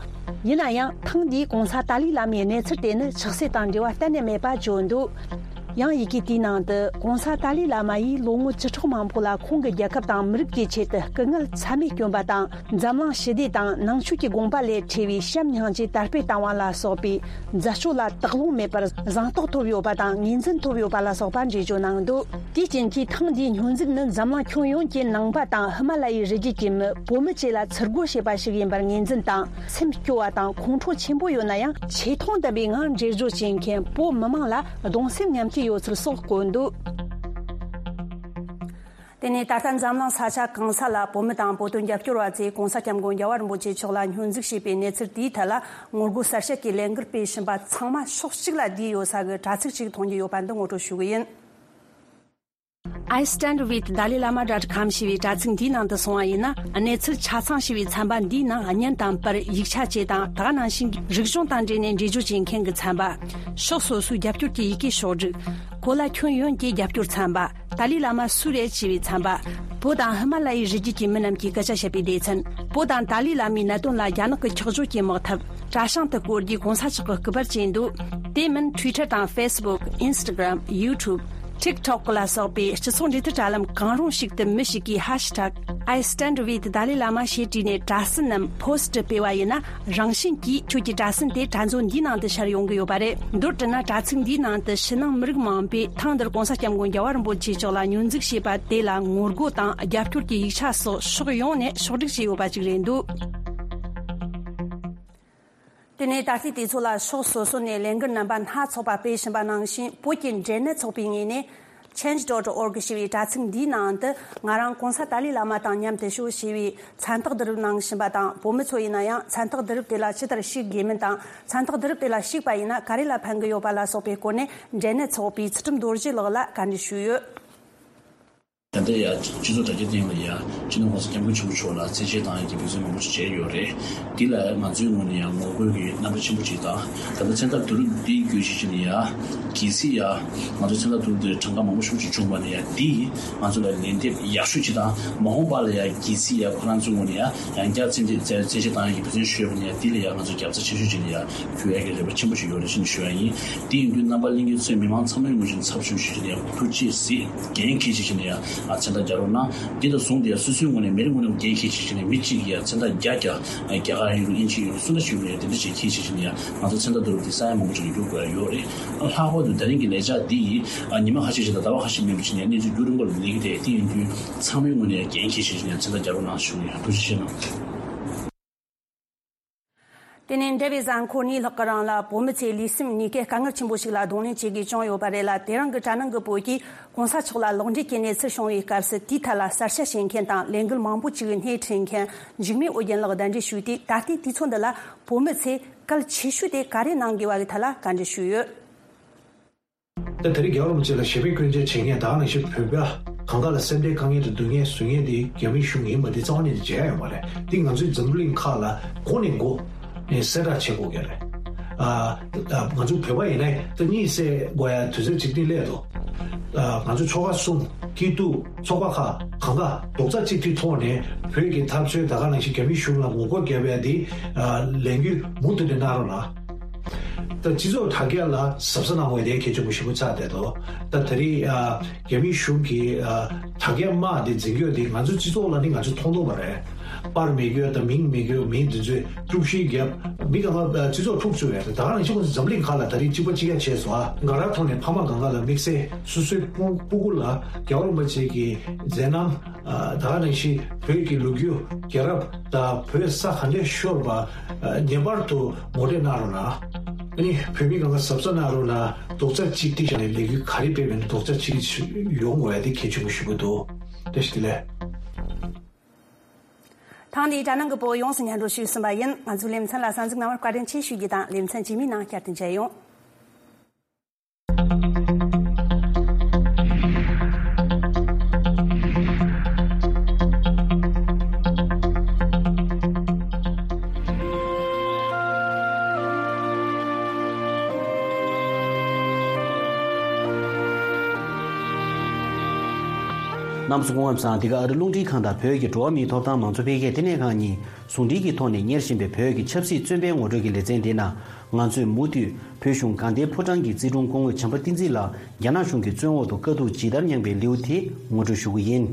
ཡིན་ན་ཡང་ཐེངས་འདིའི་༸གོང་ས་ཏཱ་ལའི་བླ་མའི་གནས་ཚུལ་དེ་ནི་ཆགས་སྲེད་དང་འབྲེལ་བ་གཏན་ནས་མེད་པ་བརྗོད་འདུག། ཡང་ཡི་གེ་དེའི་ནང་དུ་༸གོང་ས་ཏཱ་ལའི་བླ་མ་ཡིས་ལོ་ངོ་བཅུ་ཕྲག་མང་པོ་ལ་ཁོང་གི་རྒྱལ་ཁབ་དང་མི་རིགས་ཀྱི་ཆེད་དུ་སྐུ་ངལ་ཚད་མེད་བསྐྱོན་པ་དང་། འཛམ་གླིང་ཞི་བདེ་དང་ནང་ཆོས་ཀྱི་དགོངས་པ་ལས་བྲལ་བའི་བྱམས་སྙིང་རྗེ་དར་སྤེལ་བཏང་བ་ལ་སོགས་པའི་མཛད་སྤྱོད་ལ་དག་སློང་མེད་པར་གཟེངས་རྟོག་ཐོབ་ཡོད་པ་དང་ངོས་འཛིན་ཐོབ་ཡོད་པ་ལ་སོགས་པ་འགྲེལ་བརྗོད་གནང་འདུག། དེའི་རྐྱེན་གྱིས་ཐེངས་འདིའི་སྙོན་འཛུགས་ནི་འཛམ་གླིང་ཁྱོན་ཡོངས་ཀྱི་ནང་པ་དང་ཧི་མ་ལ་ཡའི་རི་རྒྱུད་ཀྱི་མི་བོད་མི་བཅས་ལ་ཚུར་རྒོལ་བྱས་པ་ཞིག་ཡིན་པར་ངོས་འཛིན་དང་སེམས་སྐྱོ་བ་དང་ཁོང་ཁྲོ་ཆེན་པོ་ཡོད་ན་ཡང་ཆེ་མཐོང་ལྡན་པའི་ངང་འགྲེལ་བརྗོད་བྱེད་མཁན་བོད་མི་མང་ལ་གདུང་སེམས་མཉམ་སྐྱེད་ཡོད་ཚུལ་སོགས་བཀོད་འདུག། དེ་ནས་ད་ལྟ་འཛམ་གླིང་ས་ཆ་གང་ས་ལ་བོད་མི་དང་བོད་དོན་རྒྱབ་སྐྱོར་བ་ཚོས་༸གོང་ས་༸སྐྱབས་མགོན་རྒྱལ་བ་རིན་པོ་ཆེ་མཆོག་ལ་སྙོན་འཛུགས་བྱས་པའི་གནས་ཚུལ་དེའི་ཐད་ལ་ངོ་རྒོལ་གསལ་བཤད་ཀྱི་ལས་འགུལ་སྤེལ་བཞིན་པ་ཚང་མ་ཕྱོགས་གཅིག་ལ་བསྡུས་ཡོད་ས་གི་དྲ་ཚིགས་ཤིག་མཐོང་རྒྱུ་ཡོད་པ་འདི་ངོ་སྤྲོད་ཞུ་གི་ཡིན། I stand with Dalai Lama dot com ཞེས་པའི་དྲ་ཚིགས་འདིའི་ནང་དུ་སོང་བ་ཡིན་ན། གནས་ཚུལ་ཆ་ཚང་ཞེས་པའི་ཚན་པ་འདིའི་ནང་བརྙན་དང་པར་ཡིག་ཆ་བཅས་དང་། ད་ག་ནང་བཞིན་གྱི་རིག་གཞུང་དང་འབྲེལ་ནས་འགྲེལ་བརྗོད་བྱེད་མཁན་གྱི་ཚན་པ། ཕྱོགས་སོ་སོའི་རྒྱབ་སྐྱོར་གྱི་ཡི་གེ་ཕྱོགས་བསྒྲིགས། གོ་ལ་ཁྱོན་ཡོངས་ཀྱི་རྒྱབ་སྐྱོར་ཚན་པ། ཏཱ་ལའི་བླ་མ་སུ་རེད་ཅེས་པའི་ཚན་པ། བོད་དང་ཧི་མ་ལ་ཡའི་རི་རྒྱུད་ཀྱི་མི་རྣམས་ཀྱིས་སྐད་ཆ་བཤད་པའི་སྡེ་ཚན། བོད་དང་ཏཱ་ལའི་བླ་མའི་གནད་དོན་ལ་རྒྱ་ནག་གི་ཁྱག་བརྗོད་ཀྱི་དམག་འཐབ། གྲྭ་བཤང་དུ་བསྐོར་རྒྱུའི་གོང་ས་མཆོག་གི་སྐུ་པར་བཅས་འདུག། དེ་མིན་Twitter དང་Facebook, Instagram, YouTube, TikTok ལ་སོགས་པའི་སྤྱི་ཚོགས་འབྲེལ་མཐུད་དྲ་ལམ་གང་རུང་ཞིག་ཏུ་མི་ཞིག་གིས་ཧེཤ་ཊེག I stand with Dalai Lama ཞེས་བྲིས་ནས་དྲ་ཟིན་ནམ་ཕོ་སི་ཊི་སྤེལ་བ་ཡིན་ན། རང་བཞིན་གྱིས་ཁྱོད་ཀྱི་དྲ་ཟིན་དེ་དྲ་མཛོད་འདིའི་ནང་དུ་ཤར་ཡོང་གི་ཡོད་པ་རེད། མདོར་དྲིལ་ན། དྲ་ཚིགས་འདིའི་ནང་དུ་ཕྱི་ནང་མི་རིགས་མང་པོས་ཐེངས་འདིར་༸གོང་ས་༸སྐྱབས་མགོན་རྒྱལ་བ་རིན་པོ་ཆེ་མཆོག་ལ་སྙོན་འཛུགས་བྱས་པ་དེ་ལ་ངོ་རྒོལ་དང་རྒྱབ་སྐྱོར་གྱི་ཡིག་ཆ་སོགས་ཕྱོགས་ཡོངས་ནས་ཕྱོགས་བསྒྲིགས་བྱས་ཡོད་པ་ཅིག་རེད་འདུག། དེ་ནས་ད་ལྟའི་དུས་ཚོད་ལ་ཕྱོགས་སོ་སོ་ནས་ལས་འགུལ་རྣམ་པ་སྣ་ཚོགས་པ་སྤེལ་བཞིན་པ་ནང་བཞིན། བོད་ཀྱི་འབྲེལ་ནད་ཚོགས་པའི་ངོས་ནས་change dot org ཞེས་པའི་དྲ་ཚིགས་འདིའི་ནང་དུ་ང་རང་༸གོང་ས་ཏཱ་ལའི་བླ་མ་དང་མཉམ་དུ་ཤོག་ཞེས་པའི་མཚན་རྟགས་བསྡུ་རུབ་གནང་བཞིན་པ་དང་། བོད་མི་ཚོ་ཡིན་ན་ཡང་མཚན་རྟགས་བསྡུ་རུབ་དེ་ལ་ཇི་ལྟར་ཞུགས་དགོས་མིན་དང་། མཚན་རྟགས་བསྡུ་རུབ་དེ་ལ་ཞུགས་པ་ཡིན་ན་ག་རེ་ལ་ཕན་གྱི་ཡོད་པ་ལ་སོགས་པའི་སྐོར་ནས་འབྲེལ་ནད་ཚོགས་པའི་ཚུལ་ཁྲིམས་རྡོ་རྗེ་ལགས་ལ་བཀའ་འདྲི་ཞུས་ཡོད། ད་ལྟ་ཡང་སྤྱི་ཚོགས་དྲ་རྒྱའི་སྟེང་ལ་ཡང་སྤྱི་ནོར་༸གོང་ས་༸སྐྱབས་མགོན་ཆེན་པོ་མཆོག་ལ་རྩེད་ཆས་བཏང་ཡག་གི་འབད་བརྩོན་མང་པོ་ཞིག་བྱས་ཡོད་རེད། འདི་ལ་ང་ཚོའི་ངོས་ནས་ཡང་ངོ་རྒོལ་གྱི་རྣམ་པ་ཆེན་པོ་ཅིག་དང་། ད་ལྟ་མཚན་རྟགས་བསྡུ་རུབ་འདི་བརྒྱུད་བྱས་བྱས་ནས་ཡང་གལ་སྲིད་ཡང་ང་ཚོ་མཚན་རྟགས་བསྡུ་རུབ་འདིར་གྲངས་ཀ་མང་པོ་ཞེ་པོ་ཅིག་བྱུང་བ་ན་ཡང་། འདིས་ང་ཚོ་ལ་ལན་འདེབས་ཡག་ཤོས་ཅིག་དང་། མ་འོངས་པ་ལ་ཡང་གལ་སྲིད་ཡང་ཁོ་རང་ཚོའི་ངོས་ནས་ཡང་ཡང་བསྐྱར་རྩེད་འདི་རྩེད་རྩེད་ཆས་བཏང་ཡག་གི་འབད་བརྩོན་ཞུས་པ་ན་ཡང་། འདི་ལ་ཡང་ང་ཚོ་རྒྱབ་རྩ་ཆེ་ཤོས་ཅིག་ལ་ཡང་འཁྱེར་ཡག་གི་རེ་བ་ཆེན་པོ་ཞིག་ཡོད་རེད་ཅེས་ནས་ཞུ་ཡག་ཡིན། དེ་ཡིན་དུས་རྣམ་པ་གླིང་གེ་ཚོས་མི་མང་ཚང་མའི་ངོས་ནས་ཚབ་ཞུས་བྱས་ནས་ཡང་ཐུགས་རྗེ་གཟིགས། འགན་འཁྱེར་བྱས་བྱས་ནས་ཡང་མཚན་རྟགས་རྒྱག་རོགས་གནང་། འདི་དང་ཟུང་དེ་ཡང་སོ་སོའི་ངོས་ནས་མི་རེ་ངོས་ནས་འགན་འཁྱེར་བྱས་བྱས་ནས་མི་གཅིག་གིས་ཡང་མཚན་རྟགས་བརྒྱ་བརྒྱ་རྒྱ་གར་ཡིན་རུང་དབྱིན་ཇི་ཡིན་རུང་སུ་འདྲ་ཞིག་ཡིན་རུང་ཡང་དེ་འདྲ་ཞིག་འཁྱེར་བྱས་བྱས་ནས་ཡང་ང་ཚོ་མཚན་རྟགས་བསྡུ་རུབ་དེ་ས་ཡ་མང་པོ་ཅིག་ལ་འགྱུར་དགོས་ཡ་ཡོད་རེད། ལྷག་པར་དུ་ད་རིང་གི་ལས་འཆར་འདི་ཡིས་ཉི་མ་ཁ་ཤས་ཤིག་དང་ཟླ་བ་ཁ་ཤས་མིན་པ་བྱས་ནས་གནས་ཚུལ་རྒྱུན་རིང་པོ་ལ་ལས་ཀྱི་དེ། དེ་ཡིན་དུས་ཚང་མའི་ངོས་ནས་འགན་འཁྱེར་བྱས་བྱས་ནས་མཚན་རྟགས་རྒྱག་རོགས་གནང་ཞུ་གི་ཡིན། ཐུགས་རྗེ་ཆེ་གནང་། དེ་ནས་འབྲེལ་བའི་གཟའ་འཁོར་གཉིས་ལྷག་གི་རིང་ལ་བོད་མི་ཚོས་ལུས་སེམས་གཉིས་ཀས་དཀའ་ངལ་ཆེན་པོ་ཞིག་ལ་གདོང་ལེན་བྱེད་དགོས་བྱུང་ཡོད་པ་རེད་ལ། དེ་རིང་གི་དྲ་ནང་གི་བོད་ཀྱིས་༸གོང་ས་མཆོག་ལ་ལོག་འགྲེལ་གྱི་གནས་ཚུལ་བྱུང་བའི་སྐབས་སུ་དེའི་ཐད་ལ་གསལ་བཤད་བྱེད་མཁན་དང་ལས་འགུལ་མང་པོ་ཅིག་སྣེ་ཁྲིད་མཁན་འཇིགས་མེད་ཨོ་རྒྱན་ལགས་གདན་འདྲེན་ཞུས་ཏེ། ད་ལྟའི་དུས་ཚོད་འདི་ལ་བོད་མི་ཚོས་གལ་ཆེ་ཤོས་དེ་ག་རེ་གནང་དགོས་པ་གི་ཐད་ལ་བཀའ་འདྲི་ཞུས་ཡོད། ད་དེ་རིང་རྒྱལ་བ་རིན་པོ་ཆེ་ལ་ཞབས་པད་སྐྱོན་ཅན་བྱེད་མཁན་ད་ག་ནང་བཞིན་བོད་པ་གང་ག་ལ་སེམས་ཁྲལ་དཀའ་ངལ་དུ་སྡུག་བསྔལ་བཟོ་མཁན་དེ་རྒྱ་མིའི་གཞུང་ཡིན་པ་དེ་རྩ་བ་ཉིད་ནས་བརྗེད་ཡ་ཡོད་མ་རེད། དེ་ང་ཚོའི་འཛམ་བུ་གླིང་ཁག་ལ་འགོ་ནས་འགོ་ནས་གསལ་བསྒྲགས་བྱེད་དགོས་ཀྱི་རེད། ཨ་ཨ་ང་ཚོ་བོད་པ་ཡིན་ན་ད་གཉིད་སད་དགོས་ཡ་དུས་ཚོད་ཅིག་ནི་སླེབས་འདུག། ཨ་ང་ཚོ་ཆོལ་ཁ་གསུམ་སྐྱིད་སྡུག་ཚོགས་པ་ཁག་གང་ག་རྡོག་རྩ་གཅིག་སྒྲིལ་ཐོག་ནས་བོད་ཀྱི་འཐབ་རྩོད་ད་ག་ནང་བཞིན་རྒྱ་མིའི་གཞུང་ལ་ངོ་རྒོལ་བརྒྱབ་ཡ་དེ་ཨ་ལས་འགུལ་མུ་མཐུད་ནས་གནང་རོགས་གནང་། ད་སྤྱི་ཚོགས་དྲ་རྒྱ་ལ་གཟབ་གཟབ་གནང་དགོས་དེ་གལ་ཆེན་པོ་ཞེ་པོ་ཆགས་བསྡད་འདུག་ད་ད་རེས་ཨ་རྒྱ་མིའི་གཞུང་གིས་ཨ་དྲ་རྒྱ་དམག་དེ་འཛིན་སྐྱོང་དེ་ང་ཚོའི་སྤྱི་ཚོགས་ལ་ནི་ང་ཚོས་མཐོང་ཐུབ་པ་རེད། པར་མེད་རྒྱུ་དང་མིང་མེད་རྒྱུ་མི་འདི་ཚོས་དཀྲུག་ཤིང་བརྒྱབ། མི་གང་ག་སྤྱི་ཚོགས་འཁྲུག་བཅུག་ཡོད་རེད། ད་ག་ནང་བཞིན་ཁོང་ཚོ་འཛམ་གླིང་ཁག་ལ་ད་རེས་གཅིག་པ་གཅིག་རྐྱང་བྱས་སོང་ཨ། ང་རང་ཐོག་ནས་ཕ་མ་གང་ག་ལ་དམིགས་བསལ་སོ་སོའི་སྤུ་སྤུ་གུ་ལ་རྒྱལ་བ་རིན་པོ་ཆེ་གི་མཛད་རྣམ། ད་ག་ནང་བཞིན་བོད་ཀྱི་ལོ་རྒྱུས། རྒྱལ་རབས་དང་བོད་ས་ག་འདྲས་ཤོར་བ་ངེས་པར་དུ་ངོ་སྤྲོད་གནང་རོགས་གནང་། ཨ་ནི་བོད་མི་གང་ག་གཟབ་གཟབ་གནང་རོགས་གནང་། རྡོག་རྩ་གཅིག་སྒྲིལ་བྱས་ནས་ལས་འགུལ་ག་རེ་སྤེལ་བ་ཡིན་ན་རྡོག་རྩ་གཅིག་སྒྲིལ་ཡོང་དགོས་ཡ་དེ་གལ་ཆེན་པོ་ཞེ་པོ་འདུག་བཀྲ་ཤིས་བདེ་ལེགས། ཐེངས་འདིའི་དྲ་ནང་གི་བོད་ཡོངས་སུ་སྙན་སྒྲོན་ཞུས་ཟིན་པ་ཡིན། ང་ཚོའི་ལེ་ཚན་ལ་གསན་གཟིགས་གནང་བར་བཀའ་དྲིན་ཆེ་ཞུ་རྒྱུ་དང་། ལེ་ཚན་རྗེས་མའི་ནང་བསྐྱར་དུ་མཇལ་ཡོང་། གནམ་སོ་སྐུ་ངོ་ཚང་། འདི་ག་ཨ་རི་རླུང་འཕྲིན་ཁང་དང་བོད་ཀྱི་འགྲོ་བ་མིའི་ཐོབ་ཐང་མང་གཙོ་འཕེལ་རྒྱས་ལྟེ་གནས་ཁང་གཉིས་ཟུང་འབྲེལ་གྱི་ཐོག་ནས་གཉེར་བཞིན་པའི་བོད་ཀྱི་ཆབ་སྲིད་བཙོན་པའི་ངོ་སྤྲོད་ཀྱི་ལེ་ཚན་འདི་ནང་། ང་ཚོས་མུ་མཐུད་བོད་གཞུང་དགའ་ལྡན་ཕོ་བྲང་གི་རྩིས་དྲུང་སྐུ་ངོ་བྱམས་པ་བསྟན་འཛིན་ལགས་རྒྱ་ནག་གཞུང་གི་བཙོན་འོག་ཏུ་དཀའ་སྡུག་ཇི་ལྟར་མྱངས་པའི་ལེའུ་དེ་ངོ་སྤྲོད་ཞུ་གི་ཡིན།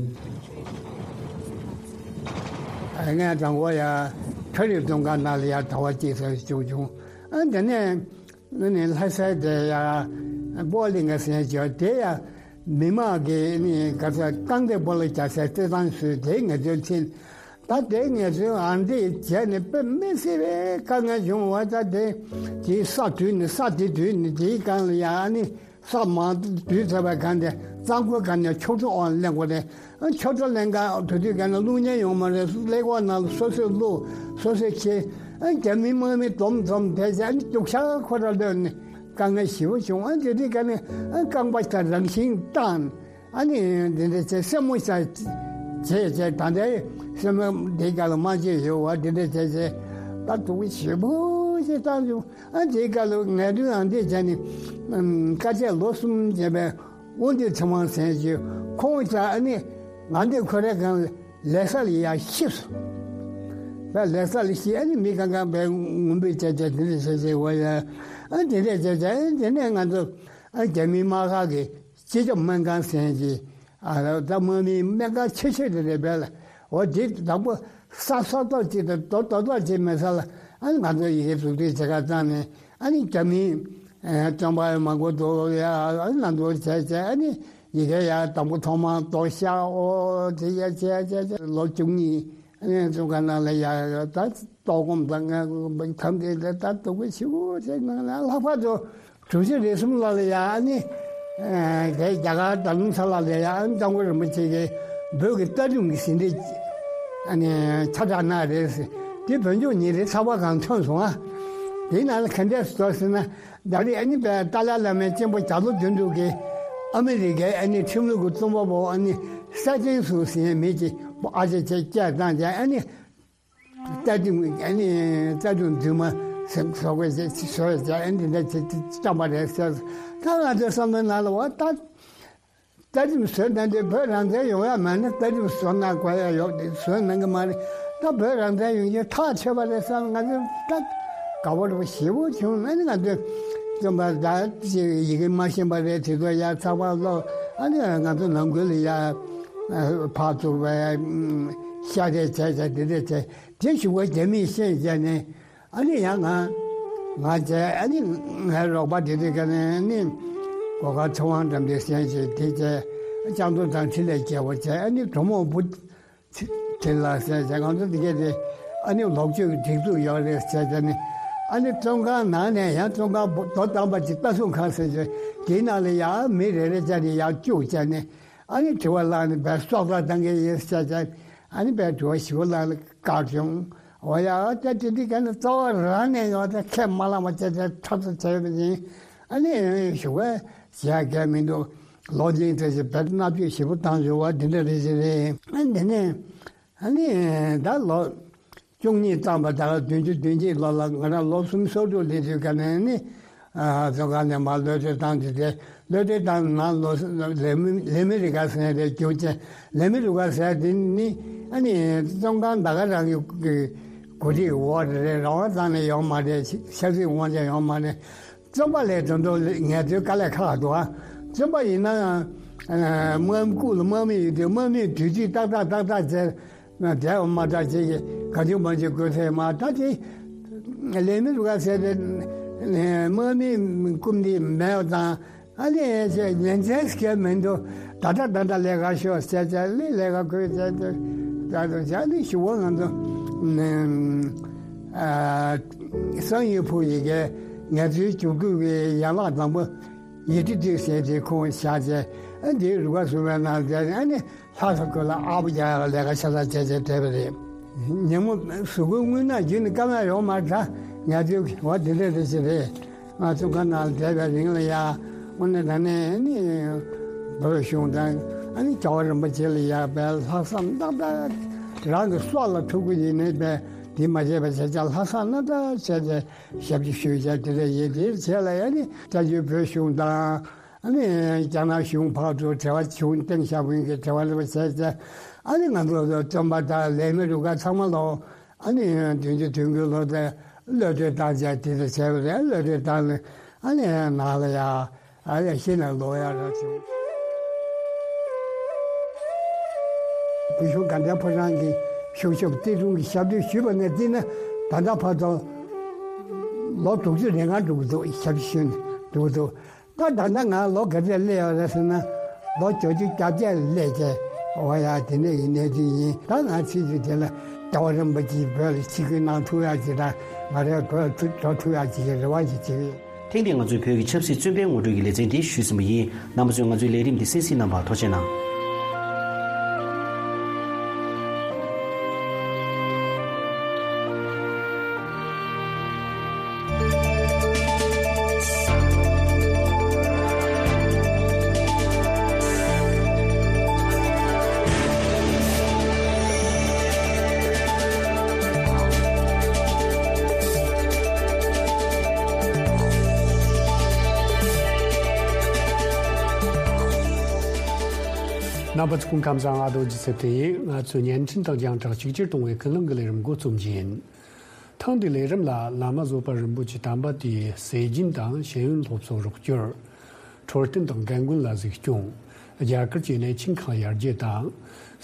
ངས་དང་པོ་ཡ་ཁྲ་རིབ་བཙོན་ཁང་ནང་ལ་ཡ་ཟླ་བ་གཅིག་ཙམ་བཞུགས་བྱུང་། ཨ་དེ་ནས་ནི་ལྷ་སའི་དེ་ཡ་སྤོ་གླིང་ག་ཟེར་བྱས་དེ་ཡ་མི་མང་གི་ནི་ག་ས་རྐང་རྡེབ་སྤོ་ལོ་རྒྱག་སའི་རྩེད་ཐང་བཟོས། དེ་ངས་དོན་ཕྱིན། ད་དེ་ངས་ཚོའི་ཨ་འདི་བྱས་ནས་དཔེ་མི་སྲིད་པའི་དཀའ་ངལ་བྱུང་བ། ད་དེ་དེའི་ས་དུས་ནས་ས་དེ་དུས་ནས་དེའི་སྒང་ལ་ཡ་ཨ་ནི་ས་མང་དུས་ཚོད་པ་གང་དེ་གཙང་པོའི་སྒང་ནས་ཆོ་འཕྲུལ་འོག་ལེན་དགོས་རེད། ཨ་ཆོ་འཕྲུལ་ལེན་ག་དུས་དུས་གང་ན་བླུག་མཁན་ཡོང་མ་རེད། གླེ་ཀོག་ནང་ལ་སོ་སོས་བླུག་སོ་སོས་ཁྱེར། ཨ་རྒྱ་མི་དམག་མི་འཛོམས་འཛོམས་བསྡད་བྱས་ཨ་ནི་སྡུག་ཤག་ཁོ་ར་ལོན་ནས་དཀའ་ངལ་ཞེ་པོ་བྱུང་། ཨ་དེ་དུས་གང་ནས་ཨ་རྐང་པ་ཆ་རང་བཞིན་བཏང་། ཨ་ནི་འདི་འདྲ་བྱས་སེན་མོ་ཤ་བྱས་བྱས་ད་ལྟའི་སེན་མོ་འདི་ག་ལ་མ་བྱས་ཡོད་བ་འདི་འདྲ་བྱས་བྱས་ད་སྡུག་པོ་ཞེ་པོ་ཞིག་བཏང་བྱུང་། ཨ་འདི་ག་ལ་ངལ་རྩོལ་ཨ་འདི་བྱས་ནས་དཀའ་སྤྱད་ལོ་གསུམ་བྱས་པའི་དབང་འདུས་ཚེ་དབང་ཟེར་ཞིག་ཁོང་ཅག་ཨ་ནི་ང་འདི་ཁོ་རའི་སྒང་ལས་ས་ལ་ཡ་ཤི་སོང་། བས་ལས་ས་ལ་ཤི་ཨ་ནི་མི་གང་གང་བས་ངུ་འབོད་བྱས་བྱས་འདི་འདྲ་བྱས་བྱས་བ་ཡ་ཨ་འདི་འདྲ་བྱས་བྱས་ཨ་འདི་ནས་ང་ཚོ་ཨ་རྒྱ་མི་དམག་ཁག་གི་སྤྱི་ཁྱབ་སྨན་ཁང་ཟེར་གྱི། ཨ་ད་དམག་མིའི་སྨན་ཁང་ཆེ་ཤོས་དེ་རེད་པས་ལ། འོ་དེ་དང་པོ་ས་ས་ཐོག་ཅིག་དང་རྡོ་རྡོ་ཐོག་ཅིག་མེད་ས་ལ་ཨ་ནི་ང་ཚོ་ཡི་གེ་འཛུགས་སྐྲུན་བྱེད་ག་བཏང་ནས་ཨ་ནི་རྒྱ་མིའི་ཨ་བཙོན་པ་མང་པོ་འདུག་ཡ། ཨ་ནི་ང་ཚོ་བྱས་བྱས་ཨ་ནི་ཡི་གེ་ཡ་དང་པོ་ཐོག་མར་རྡོ་ཤག་འོ་དེ་ཡ་བྱས་བྱས་བྱས་ལོ་བཅུ་གཉིས། ཨ་ནི་བཙོན་ཁང་ནང་ལ་ཡ་ད་ལྟོགས་སྐོམ་དང་ངལ་གསོ་ཐམས་ཅད་ལ་ད་སྡུག་པོ་ཞེ་པོ་ཅིག་ནང་ལ་ལྷག་པར་དུ་གྲུ་བཞི་རེ་གསུམ་ལ་ལ་ཡ་ཨ་ནི་དེ་རྒྱ་གར་རྡ་རམ་ས་ལ་ལ་ཡ་ཨ་ནི་སྐྱབས་མགོན་རིན་པོ་ཆེ་གིས་བོད་ཀྱི་ལྟ་སྒྲུང་གི་ཟིན་བྲིས་ཨ་ནི་ཁྱབ་བསྒྲགས་གནང་རེད། དེ་བོད་ལྗོངས་ཉིན་རེའི་ཚགས་པར་སྒང་ཐོན་སོང་ཨ། དེའི་ནང་ལ་ག་འདྲས་སུ་འདུག་ཟེར་ན་ད་རེས་ཨ་ནི་པའི་ཏཱ་ལའི་བླ་མའི་གཅེན་པོ་རྒྱ་ལོ་དོན་གྲུབ་ཀྱིས་ཨ་མི་རི་ཀའི་ཨ་ནི་ཁྲིམས་ལུགས་ཀྱི་རྩོམ་པ་པོ་ཨ་ནི་སེ་ཏན་སུ་ཟེར་མཁན་མི་གཅིག་པོ་ཨ་ཅེ་ཅེ་སྐད་བཏང་བྱས་ཨ་ནི། རྩ་ཁྲིམས་ཨ་ནི་རྩ་ཁྲིམས་རྫུན་མ་ཟེར་བཟོ་དགོས་ཞེས་བཟོས་བྱས་ཨ་ནི་འདི་འདྲ་བྱེད་བཅངས་པ་རེད་ཟེར། ད་ང་ཚོའི་བསམ་བློའི་ནང་ལ་འོ་ད་རྩ་ཁྲིམས་བཟོས་ན་འདི་བོད་རང་བཙན་ཡོང་ཡ་མེད་ན་རྩ་ཁྲིམས་བཟོ་གནང་དགོས་ཡ་ཡོད་དེ་བཟོས་གནང་གི་མ་རེད། ད་བོད་རང་བཙན་ཡོང་རྒྱུ་ཐག་ཆོད་པ་རེད་བསམ། ང་ཚོ་ད་དགའ་པོ་རེད་པ་ཞེ་པོ་བྱུང་། ཨ་ནི་ང་ཚོས་རྩོམ་པ་ད་ཅིག་ཡི་གེ་མ་ཤེས་པ་རེད། དེ་ཚོ་ཡ་ཚགས་པར་ཀློག་ཨ་ནི་ང་ཚོ་ནང་ཁུལ་ལ་ཡ་ཕར་ཚུར་བ་ཤ་རེས་བྱས་བྱས་འདི་འདྲ་བྱས། དེ་ཞུ་བ་རྒྱ་མིས་ཤེས་བྱས་ནས་ཨ་ནི་ཡང་ང་ང་བྱས་ཨ་ནི་ངའི་རོགས་པ་དེ་དུས་ཀ་ནས་ཨ་ནི་གོ་ཁ་ཚེ་དབང་འགྲམ་དེ་ཟེར་བྱས་དེ་བྱས་ལྕགས་རྡོ་དང་འཕྲིན་ལས་རྒྱལ་པོ་བྱས་ཨ་ནི་གྲོ་མོ་བུ་དེ་ལ་ཟེར་བྱས་ང་ཚོ་དེ་གས་དེ་ཨ་ནི་ལོག་སྤྱོད་ཀྱི་སྒྲིག་འཛུགས་ཡོད་རེད་ཟེར་བྱས་ནས་ཨ་ནི་བཙོན་ཁང་ནང་ནས་ཡང་བཙོན་ཁང་རྡོ་དམ་པ་ཅིག་ལྟ་སྲུང་ཁང་ཟེར་བྱས་དེའི་ནང་ལ་ཡང་མི་རེ་རེ་བྱས་ནས་ཡང་བཅུག་བྱས་ནས། ཨ་ནི་དྲི་བ་བཀླགས་ནས་བས་སྲོག་ཐག་བཏང་གི་ཡིན་ཟེར་བྱས། ཨ་ནི་བས་དྲི་བ་ཞིབ་པོ་བཀླགས་ནས་བཀག་བྱུང་། འོ་ཡ་ཨ་ད་དེ་འདི་ག་ནི་རྩ་བ་རང་ནས་ཡོང་ད་ཁས་མ་བླངས་པ་བྱས་བྱས་ཁྲབ་ཏུ་བྱས་པ་ཡིན། ཨ་ནི་ཞུ་བ་བྱས་གལ་མི་འདུག་ལོ་རྒྱུས་དེ་ཞིག་བས་མནར་གཅོད་ཞིབ་པོ་བཏང་བྱུང་བ་འདི་འདྲ་རེད་ཅེས་རེད། ཨ་འདི་ནས་ཨ་ནི་ད་ལོ། བཅུ་གཉིས་བརྩམས་པ་ད་ག་བདུན་ཅུ་དོན་གཅིག་ལོ་ལ་ང་རང་ལོ་སུམ་ཅུ་སོ་དྲུག་སླེབས་དུས་ཀ་ནས་ནི་ཨ་བཙོན་ཁང་ནས་མར་གློད་གྲོལ་བཏང་དུས་དེ་གློད་གྲོལ་བཏང་ནང་ལོ་ལས་མི་ལས་མི་རི་ཀ་ཟེར་ཡ་དེ་རྒྱུགས་ཆེན་ལས་མི་རི་ཀ་ཟེར་ཡ་དེ་ནི་ཨ་ནི་བཙོན་ཁང་ད་ག་རང་གི་གོ་སྒྲིག་འོག་རེད། རང་དབང་གཙང་ནས་ཡོང་མ་རེད། ཆབ་སྲིད་དབང་ཆ་ཡོང་མ་རེད། བཙོན་པ་ལས་དོན་དུ་ངལ་རྩོལ་དཀའ་ལས་ཁག་འདུག་ཨ། བཙོན་པ་ཡིན་ན་ཡང་དམག་མི་སྐུ་ལ་དམག་མི་ཡོད་དུས་དམག་མིས་དུས་ཚོད་ཏག་ཏག་ཏག་ཏག་བྱས་ན་བསྡད་པ་མ་གཏོགས་ཅིག་ག་དུས་མ་བྱེད་དགོས་ཐལ་མ། ད་དེ་ལས་མི་རུ་ཁག་ཟེར་ཏེ་དམག་མིའི་སྐུ་མདུན་མེད་པ་དང་། ཨ་ནི་ཉན་ཚན་སྐད་མི་འདུག་ད་ལྟ་ད་ལྟ་ལས་ཀ་ཤོག་ཟེར་ཚེ་ལས་ལས་ཀ་ཁོས་ཟེར་ཚེ་ད་དུང་ཇ་ནི་ཞུ་བ་ང་ཚོ་སང་ཡོད་ཕུག་ཡི་གེ་ངལ་རྩོལ་བཅུ་དགུ་གི་ཡན་ལག་དང་པོ་ཡི་ཏི་ཏི་ཟེར་དེ་ཁོང་བཞག་ཚེ། ཨ་འདིའི་རུ་ཁ་སུ་བའི་ནང་ཚེ་ཨ་ནི་ལྷ་ས་ཁུལ་ལ་ཨ་བུ་རྒྱག་ཡག་ལས་ཀ་ཤ་ཚ་བྱས་བྱས་བསྡད་པ་རེད། ཉིན་མོ་གཟུགས་པོའི་རྔུལ་ནག་བརྒྱུད་ནས་སྐར་མ་ཡོང་མ་ད་ངལ་རྩོལ་གྱི་འོ་དེ་འདྲ་རེ་ཞིག་རེད། ང་ཚོ་ཁ་ནང་བསྡད་པའི་རིང་ལ་ཡ་དངོས་གནས་དྲང་གནས་ནི་བོད་གཞུང་དང་ཨ་ནི་རྒྱལ་བ་རིན་པོ་ཆེ་ལ་ཡ་བའི་ལྷག་བསམ་རྣམ་དག་རང་གི་སྲོག་ལ་ཐུག་གི་ཡིན་ནའི་བའི་དེ་མ་བྱས་པ་བྱས་ཙང་ལྷག་བསམ་རྣམ་དག་བྱས་ཏེ་ཞབས་ཕྱི་ཞུས་བྱས་དེ་འདྲ་ཡིན། དེའི་རྗེས་ལ་ཡ་ནི་བཙན་བྱོལ་བོད་གཞུང་དང་། ཨ་ནི་རྒྱ་ནག་གཞུང་ཕར་ཚུར་འབྲེལ་བ་བྱུང་། ཏེང་ཞའོ་ཕིང་གི་འབྲེལ་བ་ལ་བྱས་ཏེ་ཨ་ནི་ང་ཚོ་བཙོན་པ་དང་ལས་མི་རུ་ཁག་ཚང་མ་ལོ་ཨ་ནི་བདུན་ཅུ་དོན་དགུའི་ལོ་དེ་གློད་གྲོལ་བཏང་བྱས་དེ་འདྲ་བྱས་པ་རེད། གློད་གྲོལ་བཏང་ནས་ཨ་ནི་ནང་ལ་ཡ་ཨ་ནི་ཤི་ནས་ལོག་ཡ་ར་བྱུང་། བོད་གཞུང་དགའ་ལྡན་ཕོ་བྲང་གི་གཞུང་ཞབས་བརྩེ་དུང་གི་ཞབས་འདེགས་ཞུས་པ་ནས་བརྩིས་ན་ད་ལྟ་བར་དུ་ལོ་དྲུག་ཅུ་རེ་ལྔ་འགྲོ་གི་འདུག་ཞབས་ཞུ་ནས་འགྲོ་གི་འདུག་ད་ད་ལྟ་ང་ལོ་ག་ཚོད་སླེབས་ཡོད་རེད་ཟེར་ན། ལོ་བཅུ་བཅུ་གྱ་བརྒྱད་སླེབས་བྱས། འོ་ཡ་དེ་འདྲ་ཡི་གནས་ཚུལ་ཡིན། ད་ང་ཚེ་ཚུལ་དེ་ལ་རྒྱལ་བ་རིན་པོ་ཆེས་བོད་ལ་ཆིབས་བསྒྱུར་གནང་ཐུབ་ཡག་ཅིག་དང་ང་རའི་བོད་འགྲོ་ཐུབ་ཡག་ཅིག་གི་རེ་བ་ཞིག་བྱེད་ཀྱི་ཡོད། ཐེངས་འདིའི་ང་ཚོའི་བོད་ཀྱི་ཆབ་སྲིད་བཙོན་པའི་ངོ་སྤྲོད་ཀྱི་ལེ་ཚན་འདི་ཞུས་ཟིན་པ་ཡིན། རྣམ་པ་ཚོས་ང་ཚོའི་ལས་རིམ་འདི་གསན་གཟིགས་གནང་བར་ཐུགས་རྗེ་གནང་། རྣམ་པ་ཚོ་སྐུ་ཁམས་བཟང་། ཨ་རྡོ་རྗེ་ཚེ་བརྟན་ཡིན། ང་ཚོས་བརྙན་འཕྲིན་དང་རྒྱང་བསྒྲགས་གཅིག་གྱུར་གཏོང་བའི་ཀུན་གླེང་གི་ལས་རིམ་འགོ་རྩོམ་གྱི་ཡིན། ཐེངས་འདིའི་ལས་རིམ་ལ་བླ་མ་བཟོད་པ་རིན་པོ་ཆེ་དམ་པ་དེའི་སྲས་སྦྱིན་དང་ཤེས་ཡོན་སློབ་གསོ་རོགས་སྐྱོར། འཕྲོད་བསྟེན་དང་རྒན་རྒོན་ལ་གཟིགས་སྐྱོང་། རྒྱ་གར་གྱི་གནས་ཆེན་ཁག་ཡར་རྒྱས་དང་།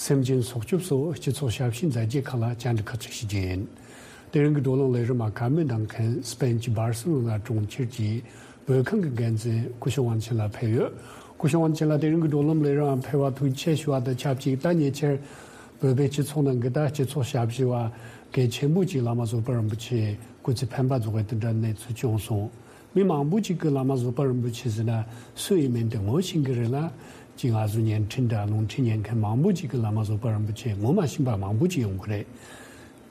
སེམས་ཅན་སྲོག་སྐྱོབ་སོགས་སྤྱི་ཚོགས་ཞབས་ཞུའི་མཛད་རྗེས་ཁག་ལ་བཅར་འདྲི་ཁག་ཅིག་ཞུ་རྒྱུ་ཡིན། དེ་རིང་གི་བགྲོ་གླེང་ལས་རིམ་ལ་བཀའ་མོལ་གནང་མཁན་སྤེན་གྱི་སྦར་སེ་ལོ་ན་གྲོང་ཁྱེར་གྱི་བོད་ཁང་གི་འགན་འཛིན་སྐུ་ཞབས་དབང་ཆེན་ལགས་ཕེབས་ཡོད། སྐུ་ཞབས་དབང་ཆེན་ལགས་དེ་རིང་གི་བགྲོ་གླེང་ལས་རིམ་ལ་ཕེབས་པར་ཐུགས་རྗེ་ཆེ་ཞུ་བ་དང་ཆབས་ཅིག་ད་ཉེ་ཆར་བོད་པའི་སྤྱི་ཚོགས་ནང་གི་ད་སྤྱི་ཚོགས་ཞབས་ཞུ་བ་གལ་ཆེན་པོ་ཅིག་བླ་མ་བཟོད་པ་རིན་པོ་ཆེ་སྐུ་ཚེ་འཕེན་པ་རྫོགས་པའི་དེ་འདྲ་གནས་ཚུལ་བྱུང་སོང་། མི་མང་པོ་ཅིག་གིས་བླ་མ་བཟོད་པ་རིན་པོ་ཆེ་ཟེར་ན་སུ་ཡིན་མིན་དེ་ངོ་ཤེས་ཀྱི་རེད་ལ། ཅིག་ང་ཚོ་བརྙན་འཕྲིན་དང་རླུང་འཕྲིན་ཉན་མཁན་མང་པོ་ཅིག་གིས་བླ་མ་བཟོད་པ་རིན་པོ་ཆེ་ངོ་མ་ཤེས་པ་མང་པོ་ཅིག་ཡོང་གི་རེད།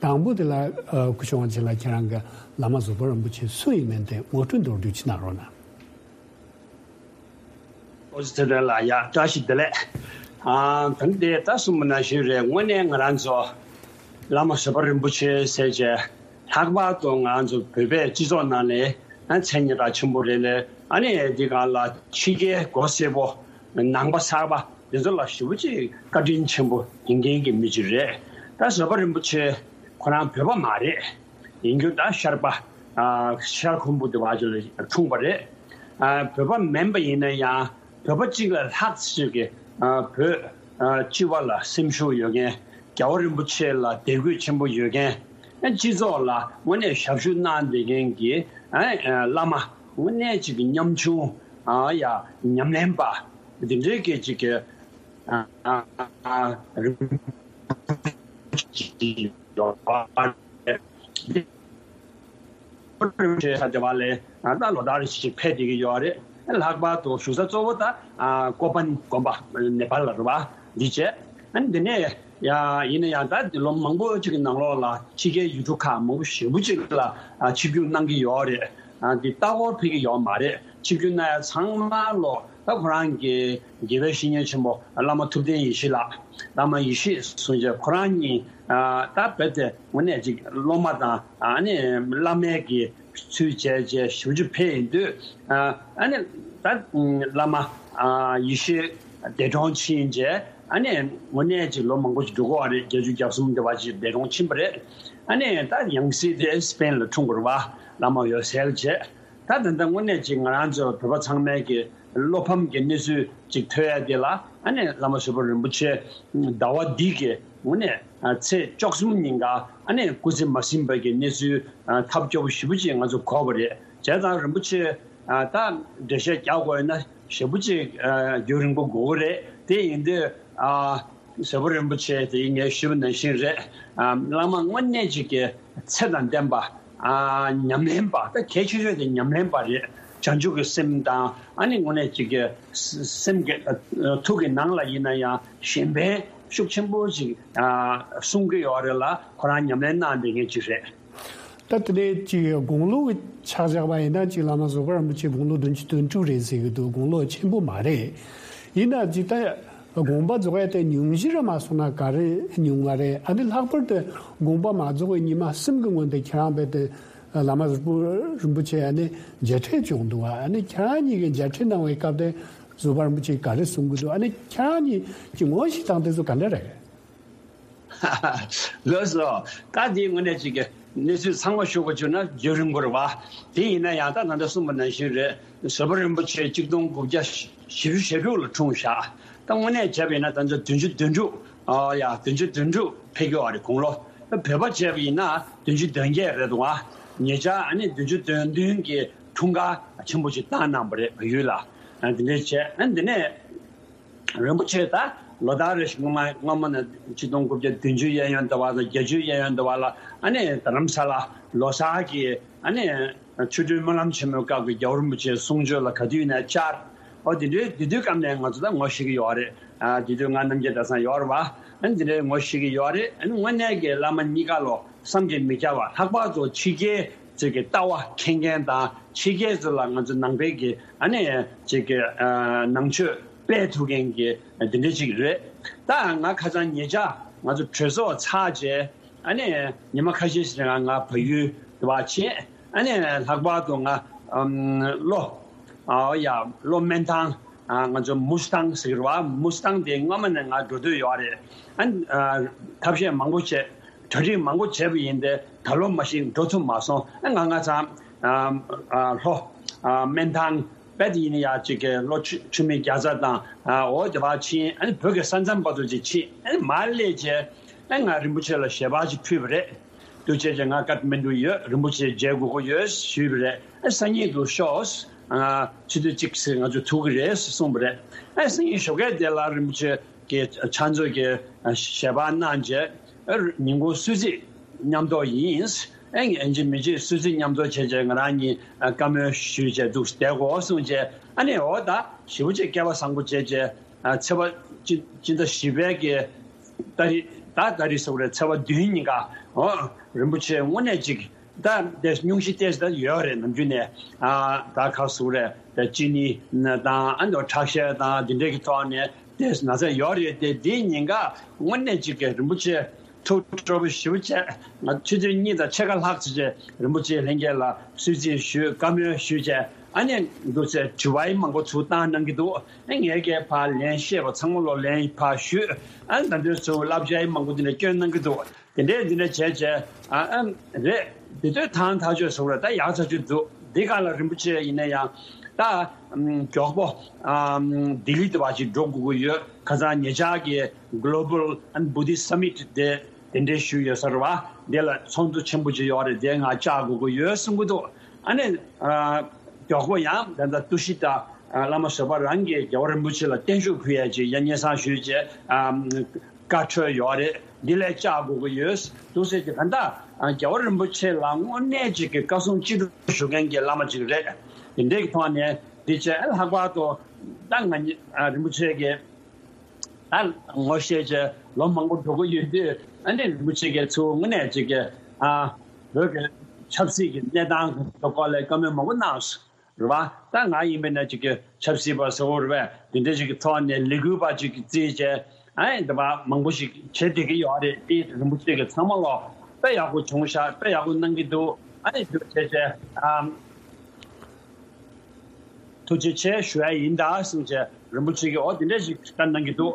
དང་པོ་དེ་ལ་ཨ་སྐུ་ཞབས་དབང་ཆེན་ལགས་ཁྱེད་རང་གིས་བླ་མ་བཟོད་པ་རིན་པོ་ཆེ་སུ་ཡིན་མིན་དེ་ངོ་སྤྲོད་མདོར་བསྡུས་ཅིག་གནང་རོགས་གནང་། ཨོ་ཙི་ཚེ་བརྟན་ལགས་ཡ་བཀྲ་ཤིས་བདེ་ལེགས། ཨ་ད་ནི་དེ་ད་གསུངས་པ་ནང་བཞིན་རེད། དངོས་གནས་ང་རང་ཚོ་བླ་མ་བཟོད་པ་རིན་པོ་ཆེ་ཟེར་བྱས་ལྷག་པར་དུ་ང་ཚོ་བོད་པའི་སྤྱི་ཚོགས་ནང་ནས་ཨ་མཚན་སྙན་གྲགས་ཆེན་པོ་རེད་ལས། ཨ་ནི་འདི་གང་ལ་ཕྱི་རྒྱལ་མགོ་སེར་པོ་ནང་པ་གསར་པ་འདི་ཚོ་ལ་ཞེ་པོ་ཅིག་བཀའ་དྲིན་ཆེན་པོ་ཡིན་མཁན་གྱི་མི་ཅིག་རེད། ད་བཟོད་པ་རིན་པོ་ཆེ་ཁོ་རང་བོད་པ་མ་རེད། ཡིན་རྒྱུ་ད་ཤར་པ་ཨ་ཤར་ཁུམ་བུ་དེ་བ་ཅིག་ལ་འཁྲུངས་པ་རེད། ཨ་བོད་པ་མིན་པ་ཡིན་ན་ཡང་བོད་པ་གཅིག་ལས་ལྷག་ཅིག་གི་ཨ་བོད་ཨ་སྤྱི་བ་ལ་སེམས་ཤུགས་ཡོད་མཁན། རྒྱལ་བ་རིན་པོ་ཆེ་ལ་དད་གུས་ཆེན་པོ་ཡོད་མཁན། ཨ་སྤྱི་ཚོགས་ལ་དངོས་གནས་ཞབས་ཞུ་གནང་བསྡད་མཁན་གྱི་ཨ་ཨ་བླ་མ་དངོས་གནས་ཅིག་གི་ཉམ་ཆུང་ཨ་ཡ་ཉམས་ལེན་པ་འདི་འདྲའི་སྐད་ཅིག་གི་ཨ་ཨ་རིན་པོ་ཆེ་ཡོད་པ་རེད། ས་དེ་བ་ལས་ད་ལོ་ལྟར་ཞིག་ཕེབས་བསྡད་ཀྱི་ཡོད་རེད། ལྷག་པར་དུ་བཞུགས་ས་གཙོ་བོ་ད་ཨ་ཀོ་པན་དགོན་པ་ནེ་པཱལ་ལ་རེད་བ། འདི་བྱས་ཨ་ནི་འདི་ནས་ཡ་ཡིན་ན་ཡང་ད་འདི་ལོ་མང་པོ་ཅིག་གི་ནང་ལོགས་ལ་ཕྱི་རྒྱལ་ཡུལ་གྲུ་ཁག་མང་པོ་ཞེ་པོ་ཅིག་ལ་ཨ་ཆིབས་བསྒྱུར་གནང་གི་ཡོད་རེད། ཨ་འདི་ལྟ་སྐོར་ཕེབས་ཀྱི་ཡོད་མ་རེད། ཆིབས་བསྒྱུར་གནང་ཡ་ཚང་མ་ལོ་ད་ཁོ་རང་གི་དགེ་བའི་བཤེས་གཉེན་ཆེན་པོ་བླ་མ་ཐུབ་བསྟན་ཡེ་ཤེས་ལགས། བླ་མ་ཡེ་ཤེས་གསུང་བྱས་ཁོ་རང་གཉིས་ཨ་ད་རྦད་དེ་དངོས་གནས་ཅིག་སློབ་མ་དང་ཨ་ནི་བླ་མའི་གི་ཚུལ་བྱས་བྱས་ཞབས་ཕྱི་ཕེབས་ཡིན་དུས་ཨ་ནི་ད་བླ་མ་ཨ་ཡེ་ཤེས་འདས་གྲོངས་ཕྱིན་བྱས་ཨ་ནི་དངོས་གནས་ཅིག་ལོ་མང་པོ་ཅིག་འགྲོ་གི་ཡོད་རེད། བརྒྱད་ཅུ་གྱ་གསུམ་དེ་བ་ཅིག་འདས་གྲོངས་ཕྱིན་པ་རེད། ཨ་ནི་ད་ཡང་སྲིད་དེ་སྤེན་ལ་འཁྲུངས་པ་རེད་བ། བླ་མ་འོད་གསལ་བྱས། ད་ད་ལྟ་དངོས་གནས་ཅིག་ང་རང་ཚོ་བོད་པ་ཚང་མའི་གི་བློ་ཕམ་གྱི་གནས་ཚུལ་ཅིག་ཐོས་ཡ་དེ་ལ། ཨ་ནི་བླ་མ་བཟོད་པ་རིན་པོ་ཆེ་ཟླ་བ་འདི་གི་དངོས་གནས་ཚེས་བཅུ་གསུམ་ཉིན་ཀ་ཨ་ནི་སྐུ་ཚེ་མ་ཟིན་པ་གི་གནས་ཚུལ་ཐབས་སྐྱོ་པོ་ཞེ་པོ་ཅིག་ང་ཚོ་གོ་བ་རེད། བྱས་ཙང་རིན་པོ་ཆེ་ད་འགྲེལ་བཤད་རྒྱག་དགོས་ཡོད་ན་ཞེ་པོ་ཅིག་རྒྱུན་རིང་པོ་དགོས་ཀྱི་རེད། དེ་ཡིན་དུས། བཟོད་པ་རིན་པོ་ཆེ་དེ་ངས་ཞུས་པ་ནང་བཞིན་རེད། ཨ། བླ་མ་དངོས་གནས་ཅིག་གི་ཚེ་དང་ལྡན་པ། ཨ། ཉམས་ལེན་པ། ད་གལ་ཆེ་ཤོས་དེ་ཉམས་ལེན་པ་རེད། བྱང་ཆུབ་ཀྱི་སེམས་དང་། ཨ་ནི་དངོས་གནས་ཅིག་གི་སེམས་ཀྱི། ཨ། ཐུགས་ཀྱི་ནང་ལ་ཡིན་ན་ཡང་གཞན་ཕན་ཤུགས་ཆེན་པོ་ཅིག་ཨ། གསུང་གི་ཡོད་རེད་ལ། ཁོ་རང་ཉམས་ལེན་གནང་བསྡད་མཁན་ཅིག་རེད། ད་དེ་ནས་ཅིག་དགུང་ལོ་གི་ཆ་བཞག་པ་ཡིན་ན། ཅིག་བླ་མ་བཟོད་པ་རིན་པོ་ཆེ་དགུང་ལོ་བདུན་ཅུ་དོན་དྲུག་རེད་ཟེར་གི་འདུག་དགུང་ལོ་ཆེན་པོ་མ་རེད། ཡིན་ན་ཅིག་ད་དགོངས་པ་རྫོགས་ཡ་དེ་ཉུང་ཤོས་ར་མ་སོང་ན་ག་རེ་ཉུང་བ་རེད། ཨ་ནི་ལྷག་པར་དུ་དགོངས་པ་མ་རྫོགས་པའི་ཉི་མ་གསུམ་གི་སྔོན་དུ་ཁྱེད་རང་རྦད་དེ་བླ་མ་བཟོད་པ་རིན་པོ་ཆེ་ཨ་ནི་མཇལ་འཕྲད་བྱུང་འདུག་ཨ་ནི་ཁྱེད་རང་གཉིས་ཀྱི་མཇལ་འཕྲད་གནང་བའི་སྐབས་དེ་བཟོད་པ་རིན་པོ་ཆེས་ག་རེ་གསུང་གི་འདུག་ཨ་ནི་ཁྱེད་རང་གཉིས་ཀྱི་ངོ་ཤེས་སྟངས་དེ་ཚོ་ག་འདྲ་རེད། ལགས་སོ། ད་དེའི་ངོས་ནས་ཅིག་གི་གནས་ཚུལ་ཚང་མ་ཞུ་དགོས་བྱུང་ན་རྒྱུན་རིང་པོ་རེད་བ། དེ་ཡིན་ན་ཡང་ད་ད་ལྟ་གསུངས་པ་ནང་བཞིན་རེད། བཟོད་པ་རིན་པོ་ཆེ་གཅིག་སྟོང་དགུ་བརྒྱ་བཞི་བཅུ་ཞེ་དྲུག་ལ་འཁྲུངས་བཞག་ད་དངོས་གནས་བྱས་པ་ཡིན་ན་ད་ལྟ་བདུན་ཅུ་དོན་དྲུག་ཨ་ཡ། བདུན་ཅུ་དོན་དྲུག་ཕེབས་ཀྱི་ཡོད་རེད་དགུང་ལོ། བོད་པ་བྱས་པ་ཡིན་ན་བདུན་ཅུ་དོན་བརྒྱད་རེད་འདུག་བ། ཉེ་ཆར་ཨ་ནི་བདུན་ཅུ་དོན་བདུན་གྱི་འཁྲུངས་སྐར་ཆེན་པོ་ཞིག་བཏང་གནང་བ་རེད། བལ་ཡུལ་ལ། ཨ། འདི་འདྲས་བྱས། ཨ། འདི་ནས་རིན་པོ་ཆེ་ད་ལོ་ལྟར་རེ་བཞིན་སྔོན་མ་སྔོན་མ་ནས་ཆིག་སྟོང་དགུ་བརྒྱ་བདུན་ཅུ་གཡས་གཡོན་ཟླ་བ་དང་། བརྒྱད་ཅུ་གཡས་གཡོན་ཟླ་བ་ལ་ཨ་ནི་རྡ་རམ་ས་ལ་ལོ་གསར་གྱི་ཨ་ནི་ཆོ་འཕྲུལ་སྨོན་ལམ་ཆེན་མོའི་སྐབས་ཀྱི་རྒྱལ་བ་རིན་པོ་ཆེའི་གསུང་ཆོས་ལ་ག་དུས་ནས་བཅར། ཨོ། དེ་འདྲའི་དེ་དུས་སྐབས་ནས་ང་ཚོ་ད་ངོ་ཤེས་ཀྱི་ཡོད་རེད། ཨ། དེ་དུས་ང་རྣམ་རྒྱལ་གྲྭ་ཚང་ཡོད་རེད་བ། ཨ་ནི་དེ་འདྲའི་ངོ་ཤེས་ཀྱི་ཡོད་རེད། ཨ་ནི་དངོས་གནས་ཀྱི་བླ་མ་གཉིས་ཀ་ལོ་བསམ་གྱིས་མི་ཁྱབ་པ། ལྷག་པར་དུ་ཕྱི་རྒྱལ་ཅིག་གི་ལྟ་བ་མཁྱེན་མཁན་དང་། ཕྱི་རྒྱལ་ཚོ་ལ་ང་ཚོ་ནང་པའི་གི་ཨ་ནི་ཅིག་གི་ཨ་ནང་ཆོས་སྤེལ་ཐུབ་མཁན་གྱི་འདི་འདྲ་ཅིག་རེད། ད་ང་ཁ་སང་ཉེ་ཆར་ང་ཚོ་གྲོས་ཚོགས་ཚར་རྗེས་ཨ་ནི་ཉི་མ་ཁ་ཤས་ཤིག་རིང་ང་བལ་ཡུལ་དུ་བ་ཕྱིན། ཨ་ནི་ལྷག་པར་དུ་ང་ཨམ་ལྷོ། ཨ། ཡ། ལྷོ་སྨན་ཐང་། ཨ། ང་ཚོ་མུ་སི་ཐང་ཟེར་གི་རེད་བ། མུ་སི་ཐང་དེ་སྔོན་མ་ནས་ང་འགྲོ་འདོད་ཡོད་རེད། ཨ། ཨ། ཐབས་ཤེས་མང་པོ་བྱས། གྲ་སྒྲིག་མང་པོ་བྱས་པ་ཡིན་ཏེ། ད་ལོ་མ་གཞི་འགྲོ་ཐུབ་མ་སོང་། ཨ། ང་ང་ཚང་ཨ། ཨ། ལྷོ། ཨ། སྨན་ཐང་རྦད་དེ་ཡིན་ན་ཡ་ཅིག་གི་ལྷོ་ཆུ་ཆུ་སྨད་རྒྱ་ཚ་དང་། ཨ། འོ་དེ་བ་ཕྱིན། ཨ་ནི་བོད་ཀྱི་ས་མཚམས་བར་དུ་ཅིག་ཕྱིན། ཨ་ནི་མར་སླེབས་རྗེས་ཨ་ནི་ང་རིན་པོ་ཆེ་ལ་ཞལ་པར་ཅིག་ཕུལ་བ་རེད། འདུག་བྱས་རྗེས་ང་ཀཐ་མན་ཌུ་ཡོད། རིན་པོ་ཆེ་མཇལ་དགོས་ཀྱི་ཡོད་ཞུས་པ་རེད། ཨ། སང་ཉིན་དུ་ཤོག་ཨ། ཆུ་ཚོད་གཅིག་ཙམ་ང་ཚོ་ཐུག་གི་རེད་གསུངས་པ་རེད། ཨ། སང་ཉིན་ཞོགས་ཀས་དེ་ལ་རིན་པོ་ཆེ་གི་ཕྱག་མཛོད་ཀྱི་ཞལ་པར་གནང་རྗེས། ཨ། ཉིན་གུང་གསོལ་ཚིགས་མཉམ་འདོགས་ཡིན། ཨ། ཡིན་གཅིག་མིན་གཅིག་གསོལ་ཚིགས་མཉམ་འདོགས་བྱས་རྗེས་ང་རང་གཉིས་བཀའ་མོལ་ཞུས་རྗེས་འདུག་བསྡད་དགོས་གསུངས་རྗེས། ཨ་ནི་འོ་ད་ཞེ་པོ་ཅིག་སྐལ་བ་བཟང་པོ་བྱས་རྗེས། ཨ། ཚེས་པ་སྤྱི་སྤྱི་ཟླ་བཞི་པའི་གི་ཏ་རིག་ད་ཏ་རིག་སོགས་རེད། ཚེས་པ་བདུན་ཉིན་ཀ། ཨོ། རིན་པོ་ཆེ་དངོས་གནས་ཅིག་ད་དེ་སྙུང་གཞི་ཏོག་ཙམ་ད་ཡོད་རེད། ནམ་རྒྱུན་ནས། ཨ། ད་ག་ཟེར་དགོས་རེད། ད་ཅི་ནི་དང་། ཨ། འདི་ཁྲག་ཤེད་དང་འདི་འདྲའི་གི་ཐོག་ནས་དེ་ན་ཚ་ཡོད་རེད་དེ། དེའི་ཉིན་ཀ་དངོས་གནས་ཅིག་གི་རིན་པོ་ཆེ་ཐུགས་སྤྲོ་པོ་ཞེ་པོ་བྱས། ང་ཆུ་ཚོད་གཉིས་དང་ཕྱེད་ཀ་ལྷག་ཙམ་བྱས་རིན་པོ་ཆེ་ལྷན་རྒྱས་ལ་གསོལ་ཚིགས་ཞུས། བཀའ་མོལ་ཞུས་བྱས། ཨ་ནི་འདུག་སེ་དྲི་བ་ཡང་མང་པོ་ཚུར་བཏང་གནང་གི་འདུག་ཨ། ངས་ཀྱིས་ཕར་ལན་བཤད་པ་ཚང་མ་ལོ་ལན་ཕར་ཞུས། ཨ། ད་དུང་ཚུར་བསླབ་བྱ་ཡང་མང་པོ་འདི་འདྲ་བསྐྱོན་གནང་གི་འདུག་དེ་འདྲས་འདི་འདྲ་བྱས་བྱས། ཨ། ཨ། རེད། དེ་དུས་ཐང་ཐག་ཆོད་སོང་རེད། ད་ཡག་ཐག་ཆོད་འདུག་འདི་ག་ལ་རིན་པོ་ཆེ་ཡིན་ན་ཡང་ད་མགྱོགས་པོ་ལྡི་ལི་དུ་བ་ཅིག་འགྲོ་དགོས་ཀྱི་ཡོད། ཁ་སང་ཉེ་ཆར་གྱི་Global and Buddhist Summit དེ་དེ་འདྲའི་ཞུས་ཡོད་ས་རེད་བ། དེ་ལ་ཚོགས་འདུ་ཆེན་པོ་ཅིག་ཡོད་རེད། དེ་ང་བཅར་དགོས་ཀྱི་ཡོད་གསུང་གི་འདུག་ཨ་ནི། ཨ། མགྱོགས་པོ་ཡང་ད་ལྟ་ཏུ་ཤི་ཏ། ཨ། བླ་མ་བཟོད་པ་རང་གིས་རྒྱལ་བ་རིན་པོ་ཆེ་ལ་བརྟན་བཞུགས་ཕུལ་ཡས་ཅིག་ཡ་སྙན་སེང་ཞུས་བྱས། ཨ། བཀའ་འཁྲོལ་ཡོད་རེད། འདི་ལ་བཅར་དགོས་ཀྱི་ཡོད། འདུག་སེ་ཅིག་ག་ད། ཨ། རྒྱལ་བ་རིན་པོ་ཆེ་ལ་དངོས་གནས་ཅིག་གི་བཀའ་གསུང་ཅི་ཐུབ་ཞུ་མཁན་གྱི་བླ་མ་ཅིག་རེད། དེ་འདྲའི་གི་ཐོག་ནས་འདི་བྱས། ལྷག་པར་དུ་ད་ང་གཉིས། ཨ། རིན་པོ་ཆེ་གི་ད་ངོ་ཤེས་བྱས་ལོ་མང་པོ་འགྲོ་གི་ཡོད་དུས། ཨ་ནི་རིན་པོ་ཆེ་གིས་ཚུར་དངོས་གནས་ཅིག་གི། ཨ། བོད་ཀྱི་ཆབ་སྲིད་ཀྱི་གནས་སྟངས་ཀྱི་སྐོར་ལ་བཀའ་མོལ་མང་པོ་གནང་སོང་། རེད་བ། ད་ང་ཡིན་པ་ན་ཅིག་གི་ཆབ་སྲིད་པ་ཟེར་བ་རེད་པས། དེ་འདྲ་ཅིག་གི་ཐོག་ནས་ལས་འགུལ་པ་ཅིག་གི་རྩིས་བྱས། ཨ་ནི་འདི་བ་མང་པོ་ཞིག་བྱེད་བསྡད་ཀྱི་ཡོད་རེད། དེ་རིན་པོ་ཆེ་གིས་ཚང་མ་ལོ་དཔེ་ཡག་པོ་བྱུང་ཤག་དཔེ་ཡག་པོ་གནང་གི་འདུག་ཨ་ནི་འདུག་བྱས་བྱས། ཨ། ཐུགས་རྗེ་ཆེ་ཞུ་ཡ་ཡིན་ད་གསུངས་བྱས་རིན་པོ་ཆེ་གིས་འོ་དེ་འདྲ་ཞིག་བཀའ་གནང་གི་འདུག་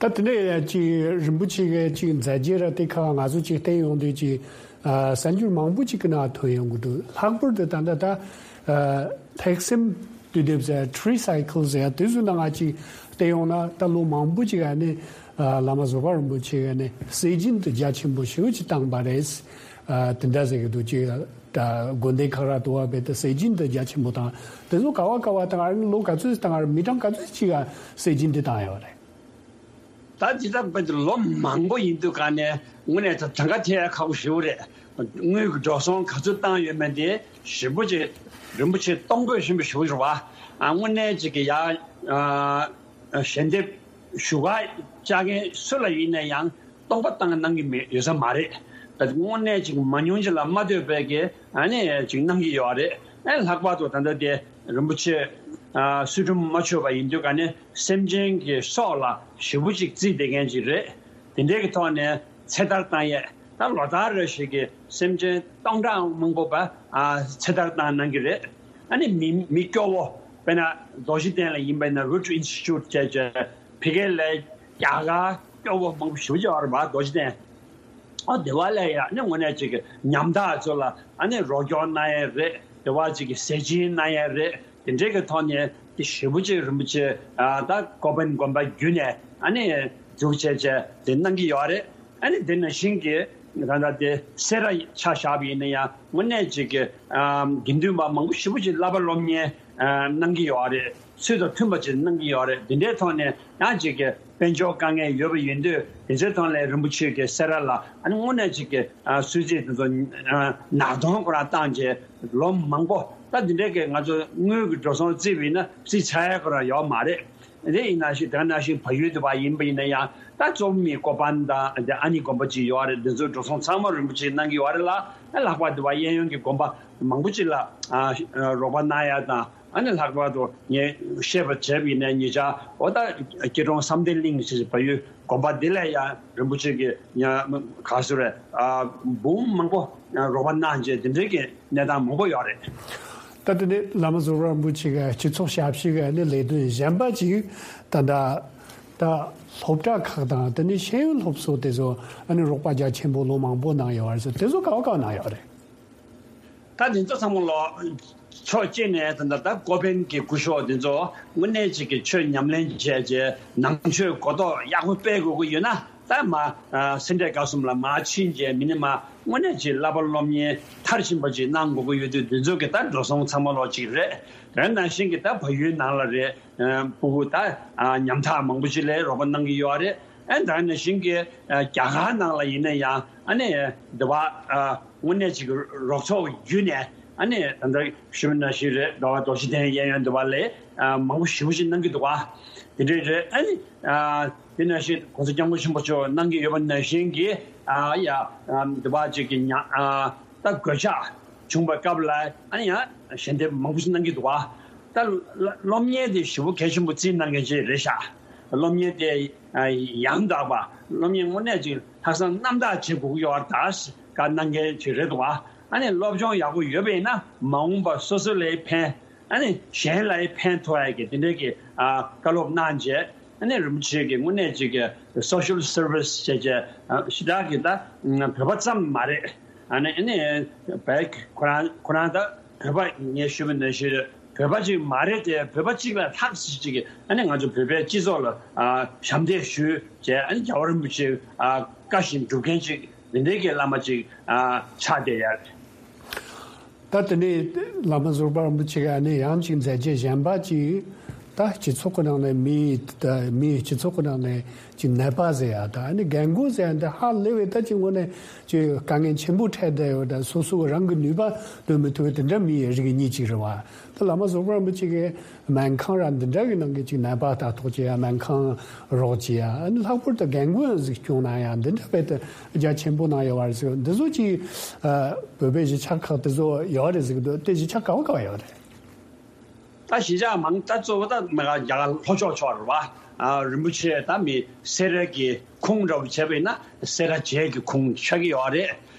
ད་དེ་ནས་ཅིག་རིན་པོ་ཆེ་གི་ཅིག་མཛད་རྗེས་ར་དེ་ཁག་ང་ཚོ་ཅིག་བལྟས་ཡོང་དུས་ཅིག་ཨ་གསར་འགྱུར་མང་པོ་ཅིག་གི་ནང་ཐོན་ཡོང་གི་འདུག་ལྷག་པར་དུ་ད་ལྟ་ད་ཨ་ཐེག་སེམས་དུས་དེབ་ཟེར་Tree Cycle ཟེར་དེ་ཚོའི་ནང་ང་ཅིག་བལྟས་ཡོང་ན། ད་ལོ་མང་པོ་ཅིག་ཨ་ནི་ཨ་བླ་མ་བཟོད་པ་རིན་པོ་ཆེ་གི་ནི་སྲོལ་རྒྱུན་དུ་རྒྱ་ཆེན་པོ་ཞེ་པོ་ཅིག་བཏང་པ་རེད། ཨ་དེ་འདྲ་ཟེར་གི་འདུག་ཅིག་ད་དགོན་སྡེ་ཁག་ར་དུ་བ་བས་ད་སྲོལ་རྒྱུན་དུ་རྒྱ་ཆེན་པོ་བཏང་། དེ་ཚོ་ག་བ་ག་བ་བཏང་། ཨ་ནི་ལོ་ག་ཚོད་བཏང་། ཨ་མི་གྲངས་ག་ཚོད་ཅིག་ག་སྲོལ་རྒྱུན་དེ་བཏང་ཡོད་རེད། ད་ཇི་ལྟར་བས་ད་ལོ་མང་པོ་ཡིན་དུས་ག་ནས་དངོས་གནས་ད་གྲངས་ཀ་ཐེ་ཡ་ཁག་པོ་ཞེ་པོ་རེད། དངུལ་གྱི་འགྲོ་སོང་ག་ཚོད་བཏང་ཡོད་མེད་དེ་ཞེ་པོ་ཅིག་རིན་པོ་ཆེ་གཏོང་ཕོད་ཆེན་པོ་ཞེ་པོ་རེད་བ། ཨ་དངོས་གནས་ཅིག་གི་ཡ་ཨ་ཞལ་འདེབས་ཞུ་ག་བཅར་མཁན་སུ་ལ་ཡིན་ན་ཡང་། སྟོང་པ་བཏང་གནང་གི་མེད་ཡོད་ས་མ་རེད། ད་དངོས་གནས་ཅིག་མང་ཉུང་ཅིག་ལ་མ་ལྟོས་པའི་གི་ཨ་ནི་ཅིག་གནང་གི་ཡོད་རེད། ཨ་ལྷག་པར་དུ་ད་ལྟ་དེ་རིན་པོ་ཆེ་ཨ་ཚུལ་ཁྲིམས་མ་ཆོད་པ་ཡིན་དུས་ག་ནས་སེམས་ཅན་གྱི་སྲོག་ལ་ཞེ་པོ་ཅིག་བརྩིས་བསྡད་མཁན་ཅིག་རེད། དེ་འདྲའི་གི་ཐོག་ནས་ཚེ་ཐར་བཏང་ཡས་ད་ལོ་ལྟར་རེ་བཞིན་གྱི་སེམས་ཅན་སྟོང་ཕྲག་མང་པོ་བ་ཨ་ཚེ་ཐར་བཏང་གནང་གི་རེད། ཨ་ནི་མི་མི་སྐྱོ་བོ་དཔེར་ན་རྡོ་རྗེ་གདན་ལ་ཡིན་པ་ཡིན་ན་Root Institute་བྱས་བྱས་ཕ་གི་ལ་རྒྱ་གར་སྐྱོ་བོ་མང་པོ་ཞེ་པོ་ཅིག་ཡོད་རེད་བ། རྡོ་རྗེ་གདན། ཨ་དེ་བ་ལ་ཡ་ནི་དངོས་གནས་ཅིག་གི་ཉམ་ཐག་ཚོ་ལ་ཨ་ནི་རོགས་སྐྱོར་གནང་ཡས་རེད། དེ་བ་ཅིག་གི་ཟས་སྦྱིན་གནང་ཡས་རེད། དེ་འདྲའི་གི་ཐོག་ནས་དེ་ཞེ་པོ་ཅིག་རིན་པོ་ཆེ་ཨ་ད་ཀོ་པན་དགོན་པ་བརྒྱུད་ནས་ཨ་ནི་འཛུགས་བྱས་བྱས་དེ་གནང་གི་ཡོད་རེད། ཨ་ནི་དེ་ནང་བཞིན་གྱི་ད་ལྟ་དེ་སེ་ར་ཆ་བཞག་པ་ཡིན་ན་ཡང་དངོས་གནས་ཅིག་གི་ཨ་དགེ་འདུན་པ་མང་པོ་ཞེ་པོ་ཅིག་བསླབ་པ་སློབ་གཉེར་ཨ་གནང་གི་ཡོད་རེད། ཚུལ་དང་མཐུན་པ་ཅིག་གནང་གི་ཡོད་རེད། དེ་འདྲའི་ཐོག་ནས་ཡང་ཅིག་གི་དཔལ་འབྱོར་དཀའ་ངལ་ཡོད་པ་ཡིན་དུས་དེ་ཚོའི་ཐོག་ལ་རིན་པོ་ཆེ་གི་སེ་ར་ལ་ཨ་ནི་དངོས་གནས་ཅིག་གི་ཨ་གསོལ་ཚིགས་དེ་ཚོ་ཨ་ནག་དོང་ཁོ་རང་བཏང་བྱས་ལོ་མང་པོ། ད་དེ་འདྲའི་གི་ང་ཚོ་དངུལ་གྱི་འགྲོ་སོང་བརྩིས་པ་ཡིན་ན་བརྩི་ཚར་ཡ་ཁོ་རང་ཡོད་མ་རེད། དེ་ཡིན་ན་ཞིག་དེ་ནང་བཞིན་བལ་ཡུལ་དུ་བ་ཡིན་པ་ཡིན་ན་ཡང་ད་གཙོ་བོ་མི་ཀོ་པན་དང་དེ་ཨ་ནི་དགོན་པ་ཅིག་ཡོད་རེད། དེ་ཚོའི་འགྲོ་སོང་ཚང་མ་རིན་པོ་ཆེ་གནང་གི་ཡོད་རེད་ལ། ལྷག་པར་དུ་བ་གཡས་གཡོན་གྱི་དགོན་པ་མང་པོ་ཅིག་ལ་ཨ་རོགས་པ་གནང་ཡ་དང་། ཨ་ནི་ལྷག་པར་དུ་ངས་བཤད་པ་བྱས་པ་ཡིན་ན་ཉེ་ཆར་འོ་ད་སྐྱིད་གྲོང་བསམ་གཏན་གླིང་ཞེས་བལ་ཡུལ་དགོན་པ་འདི་ལ་ཡང་རིན་པོ་ཆེ་གི་ཉ་ག་སུ་རེད་ཨ་འབུམ་མང་པོ་རོགས་པ་གནང་བྱས་དེ་འདྲའི་གི་གནས་སྟངས་མང་པོ་ཡོད་རེད། ད་དེ་ནས་བླ་མ་ཟུར་པ་རིན་པོ་ཆེ་གི་སྤྱི་ཚོགས་ཞབས་ཞུ་གི་ཨ་ནི་ལས་དོན་གཞན་པ་ཅིག་ད་ལྟ་ད་སློབ་གྲྭ་ཁག་དང་དེ་ནས་ཤེས་ཡོན་སློབ་གསོ་དེ་ཚོ་ཨ་ནི་རོགས་པ་རྒྱ་ཆེན་པོ་ལོ་མང་པོ་གནང་ཡོད་རེད་ཟེར། དེ་ཚོ་ག་བ་ག་བ་གནང་ཡོད་རེད། ད་དེ་ཚོ་ཚང་མ་ལོ་ཕྱོགས་གཅིག་ནས་ད་ལྟ་ད་ཀོ་པན་གྱི་སྐུ་ཞབས་དེ་ཚོ་དངོས་གནས་ཅིག་གི་ཆོས་ཉམས་ལེན་བྱས་རྗེས་ནང་ཆོས་གོ་རྟོགས་ཡག་པོ་སྤེལ་དགོས་ཀྱི་ཡོད་ན། ད་མ་ཨ་སེ་འབྲས་དགའ་གསུམ་ལ་མ་ཕྱིན་རྗེས་མི་ནི་མ་དངོས་གནས་ཅིག་བསླབ་པ་སློབ་གཉེར་མཐར་ཕྱིན་པ་ཅིག་གནང་དགོས་ཀྱི་ཡོད་དུས་དེ་ཚོ་གི་ད་འགྲོ་སོང་ཚང་མ་ལོག་ཅིག་རེད། དེ་ནང་བཞིན་གྱི་ད་བལ་ཡུལ་ནང་ལ་རེད། ཨ་ཕྲུ་གུ་ད་ཨ་ཉམ་ཐག་མང་པོ་ཅིག་ལ་རོགས་པ་གནང་གི་ཡོད་རེད། ཨ་ད་ནང་བཞིན་གྱི་ཨ་རྒྱ་གར་ནང་ལ་ཡིན་ན་ཡང་ཨ་ནི་འདི་བ་ཨ་དངོས་གནས་ཅིག་རོགས་ཚོགས་བརྒྱུད་ནས་ཨ་ནི་ད་ལྟ་ཞུ་མི་ནང་བཞིན་རེད། འདི་བ་རྡོ་རྗེ་གདན་གཡས་གཡོན་འདི་བ་ལ་ཨ་མང་པོ་ཞེ་པོ་ཅིག་གནང་གི་འདུག་བ། དེ་འདྲས་རེད། ཨ་ནི་ཨ་དེ་ནང་བཞིན་༸གོང་ས་༸སྐྱབས་མགོན་ཆེན་པོ་མཆོག་གནང་གི་ཡོད་པ་ནང་བཞིན་གྱི་ཨ་ཡ་ཨ་འདི་བ་ཅིག་གི་ཉ་ཨ་ད་གོད་ཆག་བྱུང་བའི་སྐབས་ལ་ཨ་ནི་ཡང་ཞལ་འདེབས་མང་པོ་ཞིག་གནང་གི་འདུག་བ། ད་སློབ་གཉེར་དེ་ཞེ་པོ་གལ་ཆེན་པོ་བརྩིས་གནང་མཁན་ཅིག་རེད་ཤག་སློབ་གཉེར་དེ་ཡང་དག་པ་སློབ་གཉེར་དངོས་གནས་ཅིག་ལྷག་བསམ་རྣམ་དག་བྱེད་དགོས་ཀྱི་ཡོད་པ་ད་བཀའ་གནང་མཁན་ཅིག་རེད་འདུག་བ། ཨ་ནི་སློབ་སྦྱོང་ཡག་པོ་ཡོད་པ་ཡིན་ན་མ་འོངས་པ་སོ་སོ་ལ་ཕན། ཨ་ནི་གཞན་ལ་ཕན་ཐོགས་ཡ་གི་དེ་འདྲའི་གི་ཨ་བཀའ་སློབ་གནང་རྗེས་ཨ་ནི་རིན་པོ་ཆེ་གི་དངོས་གནས་ཅིག་གི་social service་བྱས་རྗེས་ཨ་ཞེ་དྲག་གི་ད་བོད་པ་ཙམ་མ་རེད། ཨ་ནི་ཨ་ནི་བས་ཁོ་རང་ཁོ་རང་ད་བོད་པ་ངས་ཞུས་པ་ནང་བཞིན་བོད་པ་ཅིག་མ་རེད་དེ་བོད་པ་གཅིག་ལ་ལྷག་ཅིག་གི་ཨ་ནི་ང་ཚོ་བོད་པའི་སྤྱི་ཚོགས་ལ་ཨ་ཞབས་འདེགས་ཞུས་རྗེས་ཨ་ནི་རྒྱལ་བ་རིན་པོ་ཆེ་ཨ་བཀའ་བཞིན་སྒྲུབ་མཁན་ཅིག་འདི་འདྲའི་གི་བླ་མ་ཅིག་ཨ་ཆགས་བསྡད་ཡ་རེད། ད་དེ་ནས་བླ་མ་ཟུར་པ་རིན་པོ་ཆེ་ག་ནས་ཡང་ཅིག་མཛད་རྗེས་གཞན་པ་ཅིག་ད་སྤྱི་ཚོགས་ཀྱི་ནང་ནས་མི་ད་མིའི་སྤྱི་ཚོགས་ཀྱི་ནང་ནས་ཅིག་ནད་པ་ཟེར་ཡ་ད་ཨ་ནི་རྒན་རྒོན་ཟེར་ཡ་འདི་ཧ་ལས་པའི་ད་ཅིག་དངོས་གནས་ཅིག་དཀའ་ངལ་ཆེན་པོ་འཕྲད་བསྡད་ཡོད། ད་སོ་སོ་རང་གི་ནུས་པ་འདོན་མི་ཐུབ་པའི་དེ་འདྲ་མིའི་རིགས་གཉིས་ཅིག་རེད་བ། ད་བླ་མ་ཟུར་པ་རིན་པོ་ཆེ་གིས་སྨན་ཁང་ར་འདི་འདྲ་གི་ནང་གི་ཅིག་ནད་པ་ལྟ་རྟོག་བྱེད་ཡ། སྨན་ཁང་རོགས་བྱེད་ཡ། ཨ་ནི་ལྷག་པར་དུ་རྒན་རྒོན་གཟིགས་སྐྱོང་གནང་ཡ་འདི་འདྲ་བས་ད་རྒྱ་ཆེན་པོ་གནང་ཡོད་པ་རེད་ཟེར། འདི་ཚོ་ཅིག་ཨ་བོད་པའི་གཞིས་ཆགས་ཁག་དེ་ཚོ་ཡོད་རེད་ཟེར་གི་འདུག་དེ་གཞིས་ཆགས་ག་བ་ག་བ་ཡོད་རེད། ད་གཞིས་ཆགས་མང་ད་གཙོ་བོ་ད་མ་ག་རྒྱ་གར་ལྷོ་ཕྱོགས་ཕྱོགས་རེད་བ། ཨ་རིན་པོ་ཆེ་ད་མི་སེ་ར་གི་ཁུངས་འདྲ་བོ་བྱས་པ་ཡིན་ན་སེ་ར་བྱེས་ཀྱི་ཁུངས་ཆགས་ཀྱི་ཡོད་རེད།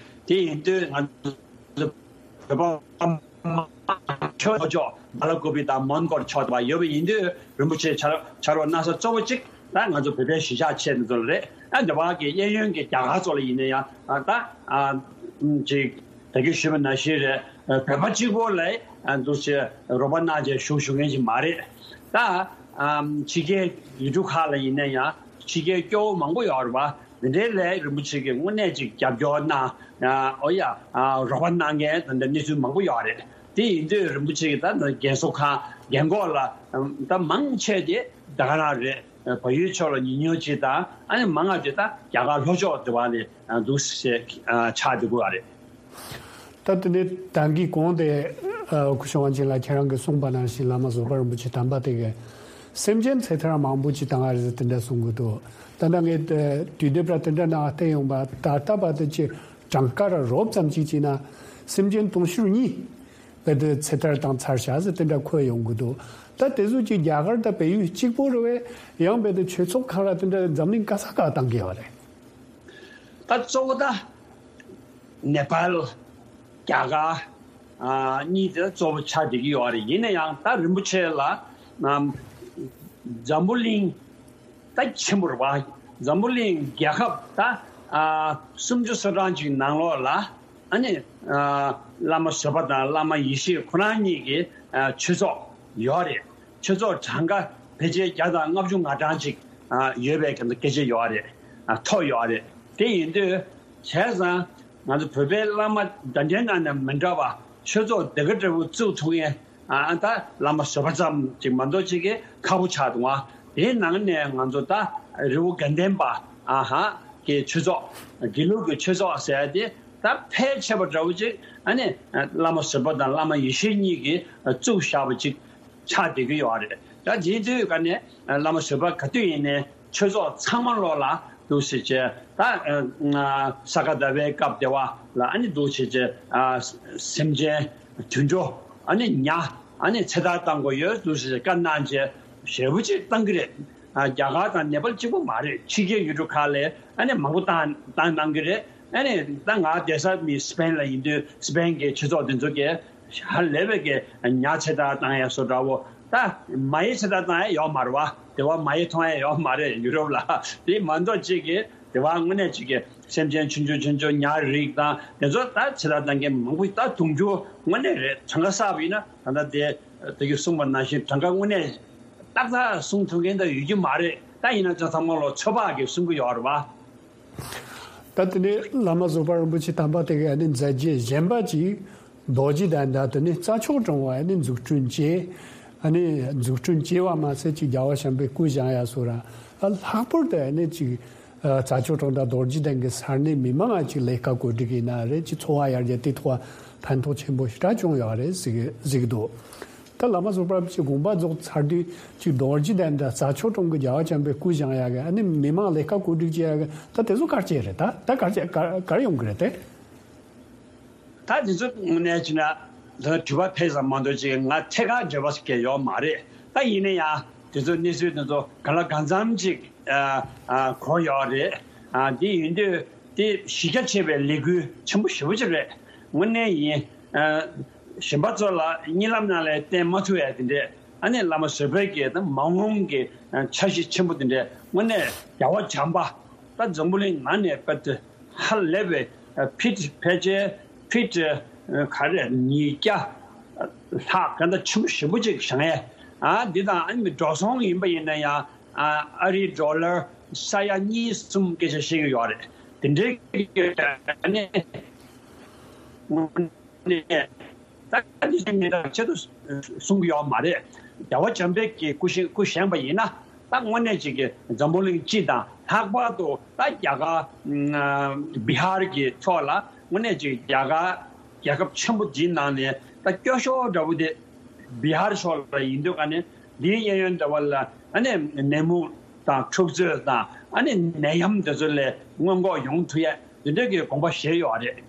དེ་ཡིན་དུས་ང་ཚོ་བོད་པ་ཕྱོགས་ཕྱོགས་མ་ལ་ཀོ་པི་དང་མོན་གྷོར་ཕྱོགས་དང་ཡོད་པ་ཡིན་དུས་རིན་པོ་ཆེ་ཕྱག་ཕྱག་རོགས་གནང་ས་གཙོ་བོ་གཅིག་ ད་ང་ཚོ་བོད་པའི་གཞིས་ཆགས་ཆེ་ནི་ཚོ་ལ་རེད། ཨ་འདི་བ་གི་གཡས་གཡོན་གྱི་རྒྱ་གར་ཚོ་ལ་ཡིན་ན་ཡང་ཨ་ད་ཨ་ཅིག་ད་གིན་ཞུས་པ་ནང་བཞིན་རེད། ཨ་བོད་པ་གཅིག་པོ་ལ་ཨ་འདུག་སེ་རོགས་པ་གནང་བྱས་བཞུགས་བཞུགས་མཁན་ཞིག་མ་རེད། ད་ཨ་ཕྱི་རྒྱལ་ཡུལ་གྲུ་ཁག་ལ་ཡིན་ན་ཡང་ཕྱི་རྒྱལ་སྐྱོ་བོ་མང་པོ་ཡོད་རེད་བ། འདི་འདྲའི་ལས་རིན་པོ་ཆེ་གིས་དངོས་གནས་ཅིག་རྒྱབ་སྐྱོར་གནང་། ཨ་ཨོ་ཡ་ཨ་རོགས་པ་གནང་མཁན་ད་འདྲ་གནས་ཚུལ་མང་པོ་ཡོད་རེད། དེ་ཡིན་དུས་རིན་པོ་ཆེ་གིས་ད་རྒན་གསོ་ཁང་རྒན་འཁོགས་ལ་ད་མང་ཆེ་དེ་ད་ག་རང་རེད། བལ་ཡུལ་ཕྱོགས་ལ་ཉུང་ཉུང་ཅིག་དང་ཨ་ནི་མང་ང་དེ་ད་རྒྱ་གར་ལྷོ་ཕྱོགས་དེ་བ་ནས་འདུག་སེ་ཆགས་བསྡད་ཀྱི་ཡོད་རེད། ད་དེ་ནས་ད་གིན་གོང་དེ་སྐུ་ཞབས་དབང་ཆེན་ལགས་ཁྱེད་རང་གིས་གསུངས་པ་ནང་བཞིན་བླ་མ་བཟོད་པ་རིན་པོ་ཆེ་དམ་པ་དེ་གིས་སེམས་ཅན་ཚེ་ཐར་མང་པོ་ཅིག་བཏང་བ་རེད་ཟེར་དེ་འདྲ་གསུང་གི་འདུག་ད་ལྟ་ངས་དུས་དེབ་ར་དེ་འདྲ་ནང་བལྟས་ཡོང་བ་ད་ལྟ་བར་དུ་ཅི་གྲངས་ཀ་ར་རོབ་ཙམ་ཅིག་བྱས་ན་སེམས་ཅན་དུང་ཕྱུར་གཉིས་བལ་དུ་ཚེ་ཐར་བཏང་ཚར་བཞག་ཟེར་དེ་འདྲ་འཁོད་ཡོང་གི་འདུག་ད་དེ་ཚོ་ཅིག་རྒྱ་གར་དང་བལ་ཡུལ་གཅིག་པོ་རེད་བས། ཡང་བལ་དུ་ཆོས་ཚོགས་ཁག་ར་དེ་འདྲ་འཛམ་གླིང་ག་ས་ག་བཏང་གི་ཡོད་རེད། ད་གཙོ་བོ་ད་ནེ་པཱལ། རྒྱ་གར། ཨ་གཉིས་དེ་གཙོ་བོ་ཆགས་བསྡད་ཀྱི་ཡོད་རེད། ཡིན་ན་ཡང་ད་རིན་པོ་ཆེ་ལ་ཨམ་འཛམ་བུ་གླིང་ད་ཆེན་པོ་རེད་བ། འཛམ་བུ་གླིང་རྒྱལ་ཁབ་ད་ཨ་སུམ་ཅུ་སོ་གྲངས་ཅིག་ནང་ལོགས་ལ་ཨ་ནི་ཨ་བླ་མ་བཟོད་པ་དང་བླ་མ་ཡེ་ཤེས་ཁོ་རང་གཉིས་ཀྱི་ཨ་ཆོས་ཚོགས་ཡོད་རེད། ཆོས་ཚོགས་གྲངས་ཀ་ཕལ་ཆེར་བརྒྱ་དང་ལྔ་བཅུ་ང་གྲངས་ཅིག་ཨ་ཡོད་པའི་གི་སྐད་ཆ་ཡོད་རེད། ཨ་ཐོ་ཡོད་རེད། དེ་ཡིན་དུས་བྱས་ཙང་ང་ཚོ་བོད་པའི་བླ་མ་ད་ལྟའི་ནང་ནས་མི་འདྲ་བ་ཆོས་ཚོགས་འདི་ག་འདྲ་བོ་བཙུགས་ཐུབ་མཁན་ཨ་ད་བླ་མ་བཟོད་པ་ཙམ་ཅིག་མ་གཏོགས་ཅིག་གི་ཁག་པོ་ཆགས་འདུག་ཨ། དེའི་ནང་ནས་ང་ཚོ་ད་རི་བོ་དགའ་ལྡན་པ་ཨ་ཧ་གི་ཆོས་ཚོགས་དགེ་ལུགས་ཀྱི་ཆོས་ཚོགས་ཟེར་ཡ་དེ་ད་ཕལ་ཆེ་བ་འདྲ་བོ་ཅིག་ཨ་ནི་བླ་མ་བཟོད་པ་དང་བླ་མ་ཡེ་ཤེས་གཉིས་ཀྱིས་བཙུགས་བཞག་པ་ཅིག་ཆགས་བསྡད་ཀྱི་ཡོད་རེད། ད་དེའི་དུས་ཀ་ནས་བླ་མ་བཟོད་པ་ག་དུས་ཡིན་ནའི་ཆོས་ཚོགས་ཚང་མ་ལོག་ལ་འདུག་སེ་བྱས་ད་ས་ག་ཟླ་བའི་སྐབས་དེ་བ་ལ་ཨ་ནི་འདུག་སེ་བྱས་སེམས་ཅན་དུད་འགྲོ་ཨ་ནི་ཉ་ཨ་ནི་ཚེ་ཐར་བཏང་དགོས་ཡོད་འདུག་སེ་བཀའ་གནང་བྱས་ཞེ་པོ་ཅིག་བཏང་གི་རེད། རྒྱ་གར་དང་ནེ་པཱལ་གཅིག་པུ་མ་རེད། ཕྱི་རྒྱལ་ཡུལ་གྲུ་ཁག་ལ་ཨ་ནི་མང་པོ་བཏང་བཏང་གནང་གི་རེད། ཨ་ནི་ད་ང་བསྡད་ས་མི་སི་པེན་ལ་ཡིན་དུས་སི་པེན་གྱི་ཆོས་ཚོགས་དེ་ཚོ་གིས་ཧ་ལས་པའི་གི་ཉ་ཚེ་ཐར་བཏང་ཡ་བཟོ་འདྲ་བོ་ད་མ་ཡི་ཚེ་ཐར་བཏང་ཡ་ཡོད་མ་རེད་བ། དེ་བ་མ་ཡི་མཐོང་ཡ་ཡོད་མ་རེད་ཡུ་རོབ་ལ། དེ་མ་གཏོགས་གཅིག་གི་དེ་བ་དངོས་གནས་གཅིག་གི་སེམས་ཅན་ཆུང་ཆུང་ཆུང་ཆུང་ཉ་རིགས་དང་དེ་ཚོ་ད་ཚེ་ཐར་བཏང་མཁན་མང་པོ་ད་དུང་ཕྱུར་དངོས་གནས་རེད། གྲངས་ཀ་བསགས་པ་ཡིན་ན་ད་ལྟ་དེ་དེ་གི་གསུངས་པ་ནང་བཞིན་གྲངས་ཀ་དངོས་གནས་ཏག་ཏག་གསུང་ཐུབ་མཁན་ད་ཡོད་ཀྱི་མ་རེད། ད་ཡིན་ན་ཅང་ཚང་མ་ལོ་ཚོད་དཔག་གི་གསུང་གི་ཡོད་རེད་བ། ད་དེ་ནས་བླ་མ་བཟོད་པ་རིན་པོ་ཆེ་དམ་པ་དེ་གའི་ཨ་ནི་མཛད་རྗེས་གཞན་པ་ཅིག་རྡོ་རྗེ་གདན་ད་དེ་ནས་རྩྭ་མཆོག་གྲོང་བ་ཨ་ནི་འཛུགས་སྐྲུན་བྱས། ཨ་ནི་འཛུགས་སྐྲུན་བྱས་པ་མ་ཟད་ཅིག་རྒྱལ་བ་བྱམས་པའི་སྐུ་བཞེངས་ཡ་སོགས་ར་ཨ་ལྷག་པར་དུ་ཨ་ནི་ཅིག་རྩྭ་མཆོག་གྲོང་དང་རྡོ་རྗེ་གདན་གྱི་ས་གནས་མི་མང་ང་ཅིག་ལས་ཀ་གོ་སྒྲིག་ཡིན་ན་རེད། ཅིག་འཚོ་བ་ཡར་རྒྱས་དེ་ཐོག་ཕན་ཐོགས་ཆེན་པོ་ཞེ་དྲག་བྱུང་ཡོད་རེད་ཟེར་གི་ཟེར་གི་འདུག་ད་བླ་མ་བཟོད་པ་རིན་པོ་ཆེ་དགོངས་པ་རྫོགས་ཚར་དུས་ཅིག་རྡོ་རྗེ་གདན་དང་རྩྭ་མཆོག་གྲོང་གི་རྒྱལ་བ་བྱམས་པའི་སྐུ་བཞེངས་ཡག་གི་ཨ་ནི་མི་མང་ལས་ཀ་གོ་སྒྲིག་བྱེད་ཡག་གི་ད་དེ་ཚོ་ག་རེ་བྱས་རེད། ད་ད་ག་རེ་བྱས་ག་ག་རེ་ཡོང་གི་རེད་དེ། ད་དེ་ཚོ་དངོས་གནས་བྱས་ན་ད་དྲི་བ་ཕལ་ཙམ་མ་གཏོགས་ཅིག་ང་ཐད་ཀར་འབྲེལ་བ་ཞིག་ཡོད་མ་རེད། ད་ཡིན་ན་ཡང་དེ་ཚོ་གནས་ཚུལ་དེ་ཚོ་གང་ལ་གང་འཚམ་ཅིག་ཨ་ཨ་གོ་ཡོད་རེད། ཨ་དེ་ཡིན་དུས། དེ་གཞི་རྒྱ་ཆེ་བའི་ལས་འགུལ་ཆེན་པོ་ཞེ་པོ་ཅིག་རེད། དངོས་གནས་ཡིན། ཨ་གཞན་པ་ཚོ་ལ་གཉིད་ལམ་ནང་ལ་བསྟན་མ་ཐུབ་ཡ་དེ་འདྲས་ཨ་ནི་བླ་མ་བཟོད་པའི་གི་ད་མ་འོངས་ཀྱི་ཨ་འཆར་གཞི་ཆེན་པོ་དེ་འདྲས་དངོས་གནས་རྒྱལ་བ་བྱམས་པ་ད་འཛམ་བུ་གླིང་ནང་ནས་དཔེ་དེ་ཧ་ལས་པའི་ཨ་ཕིཊ་ཕལ་ཆེར་ཕིཊ་ཨ་ག་རེ་ཉིས་བརྒྱ་ལྷག་ག་འདྲ་ཆེན་པོ་ཞེ་པོ་ཅིག་བཞེངས་ཡས་ཨ་འདི་དང་ཨ་ནི་འགྲོ་སོང་ཡིན་པ་ཡིན་ན་ཡང་། ཨ་ཨ་རིའི་ཌོ་ལར་ས་ཡ་གཉིས་གསུམ་སྐད་ཆ་བཤད་ཀྱི་ཡོད་རེད། དེ་འདྲའི་གི་ནས་ད་འདི་ཚོའི་མི་དག་ཆེད་དུ་གསུང་གི་ཡོད་མ་རེད། རྒྱལ་བ་བྱམས་པའི་གི་སྐུ་བཞེངས་སྐུ་བཞེངས་པ་ཡིན་ན་ད་དངོས་གནས་ཅིག་གི་འཛམ་བུ་གླིང་སྤྱི་དང་ལྷག་པར་དུ་ད་རྒྱ་གར་བི་ཧར་གྱི་ཕྱོགས་ལ་དངོས་གནས་ཅིག་རྒྱ་གར་རྒྱལ་ཁབ་ཆེན་པོ་འདིའི་ནང་ནས་ད་སྐྱོ་ཤོས་འདྲ་བོ་དེ། བི་ཧར་ཕྱོགས་ལ་ཡིན་དུས་ཀ་ནས་འདིའི་གཡས་གཡོན་འདྲ་བ་ལ་ཨ་ནི་ནད་མུག་དང་འཁྲུག་རྩོད་དང་ཨ་ནི་ནད་ཡམས་འདི་ཚོ་ལས་སྔོན་འགོག་ཡོང་ཐུབ་ཡ་འདི་འདྲའི་གི་དགོངས་པ་བཞེས་ཡོད་རེད།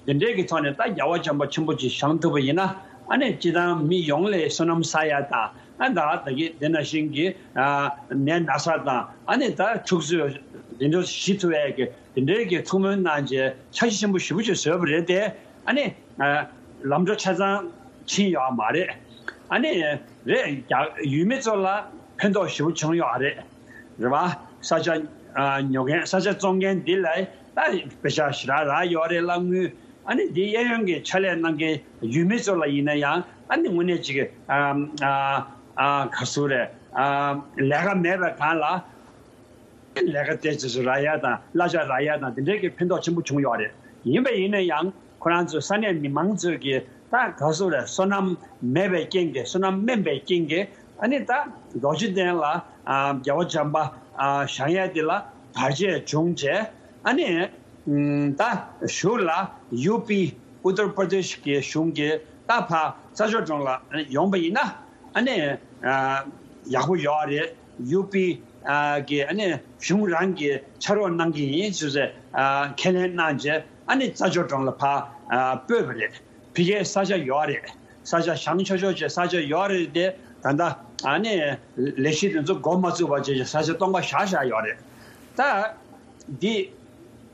འདི་འདྲའི་གི་ཐོག་ནས་ད་རྒྱལ་བ་བྱམས་པ་ཆེན་པོ་ཅིག་བཞེངས་ཐུབ་པ་ཡིན་ན་ཨ་ནི་སྤྱི་བཏང་མི་ཡོངས་ལ་བསོད་ནམས་བསགས་ཡ་དང་ཨ་ད་ད་གི་དེ་ནང་བཞིན་གྱི་ཨ་ནད་ན་ཚ་དང་ཨ་ནི་ད་འཁྲུག་རྩོད་འདི་འདྲ་ཞི་ཐུབ་ཡ་གི་འདི་འདྲའི་གི་ཐུགས་སྨོན་གནང་བྱས་འཆར་གཞི་ཆེན་པོ་ཞེ་པོ་ཅིག་བཟོས་པ་རེད་དེ། ཨ་ནི། ཨ་ལམ་འགྲོ་ཆ་ཚང་ཕྱིན་ཡོད་མ་རེད། ཨ་ནི། རེད་རྒྱ་ཡུལ་མི་ཚོ་ལ་ཕན་ཐོགས་ཞེ་པོ་བྱུང་ཡོད་རེད། རེད་བ། ས་ཆ་ཨ་ཉོ་མཁན་ས་ཆ་བཙོང་མཁན་འདི་ལ་ད་པེ་ཤག་ཞེ་དྲག་རག་ཡོད་རེད། གླ་དངུལ། ཨ་ནི་འདི་གཡས་གཡོན་གྱི་ཕྱག་ལས་གནང་མཁན་ཡུལ་མི་ཚོ་ལ་ཡིན་ན་ཡང་ཨ་ནི་དངོས་གནས་ཅིག་ཨ་ཨ་ཨ་ག་ཟེར་རེད། ཨ་ལས་ཀ་མེད་པའི་སྒང་ལ་ལས་ཀ་དེ་ཚོ་རག་ཡ་དང་གླ་ཆ་རག་ཡ་དང་དེ་འདྲའི་གི་ཕན་ཐོགས་ཆེན་པོ་བྱུང་ཡོད་རེད། ཡིན་པ་ཡིན་ན་ཡང་ཁོ་རང་ཚོ་ས་གནས་མི་མང་ཚོས་ཀྱི་ད་ག་ཟེར་རེད། སོ་ནམ་མེད་པའི་རྐྱེན་གྱིས་སོ་ནམ་དམན་པའི་རྐྱེན་གྱིས་ཨ་ནི་ད་རྡོ་རྗེ་གདན་ལ་ཨ་རྒྱལ་བ་བྱམས་པ་ཨ་བཞེངས་ཡ་དེ་ལ་བར་ཆད་བྱུང་བྱས། ཨ་ནི་ཨམ་ད་གཞུག་ལ་ཡུ་པི་ཨུ་ཏར་པར་དེཤ་གི་གཞུང་གིས་ད་ཕར་རྩྭ་མཆོག་གྲོང་ལ་ཡོང་པ་ཡིན་ན་ཨ་ནི་ཨ་ཡག་པོ་ཡོད་རེད། ཡུ་པི་ཨ་གི་ཨ་ནི་གཞུང་རང་གིས་ཕྱག་རོགས་གནང་གི་ཡིན་ཟེར་ཟེར་ཨ་ཁས་ལེན་གནང་རྗེས་ཨ་ནི་རྩྭ་མཆོག་གྲོང་ལ་ཕར་ཨ་སྤོས་པ་རེད། ཕ་གིའི་ས་ཆ་ཡོད་རེད། ས་ཆ་བཞེངས་ཆོག་ཆོག་བྱས་ས་ཆ་ཡོད་རེད་དེ། ད་ལྟ་ཨ་ནི་ལས་གཞི་དེ་ཚོ་འགོ་མ་བཙུགས་པ་བྱས་ས་ཆ་སྟོང་པ་བཞག་བཞག་ཡོད་རེད། ད་འདི་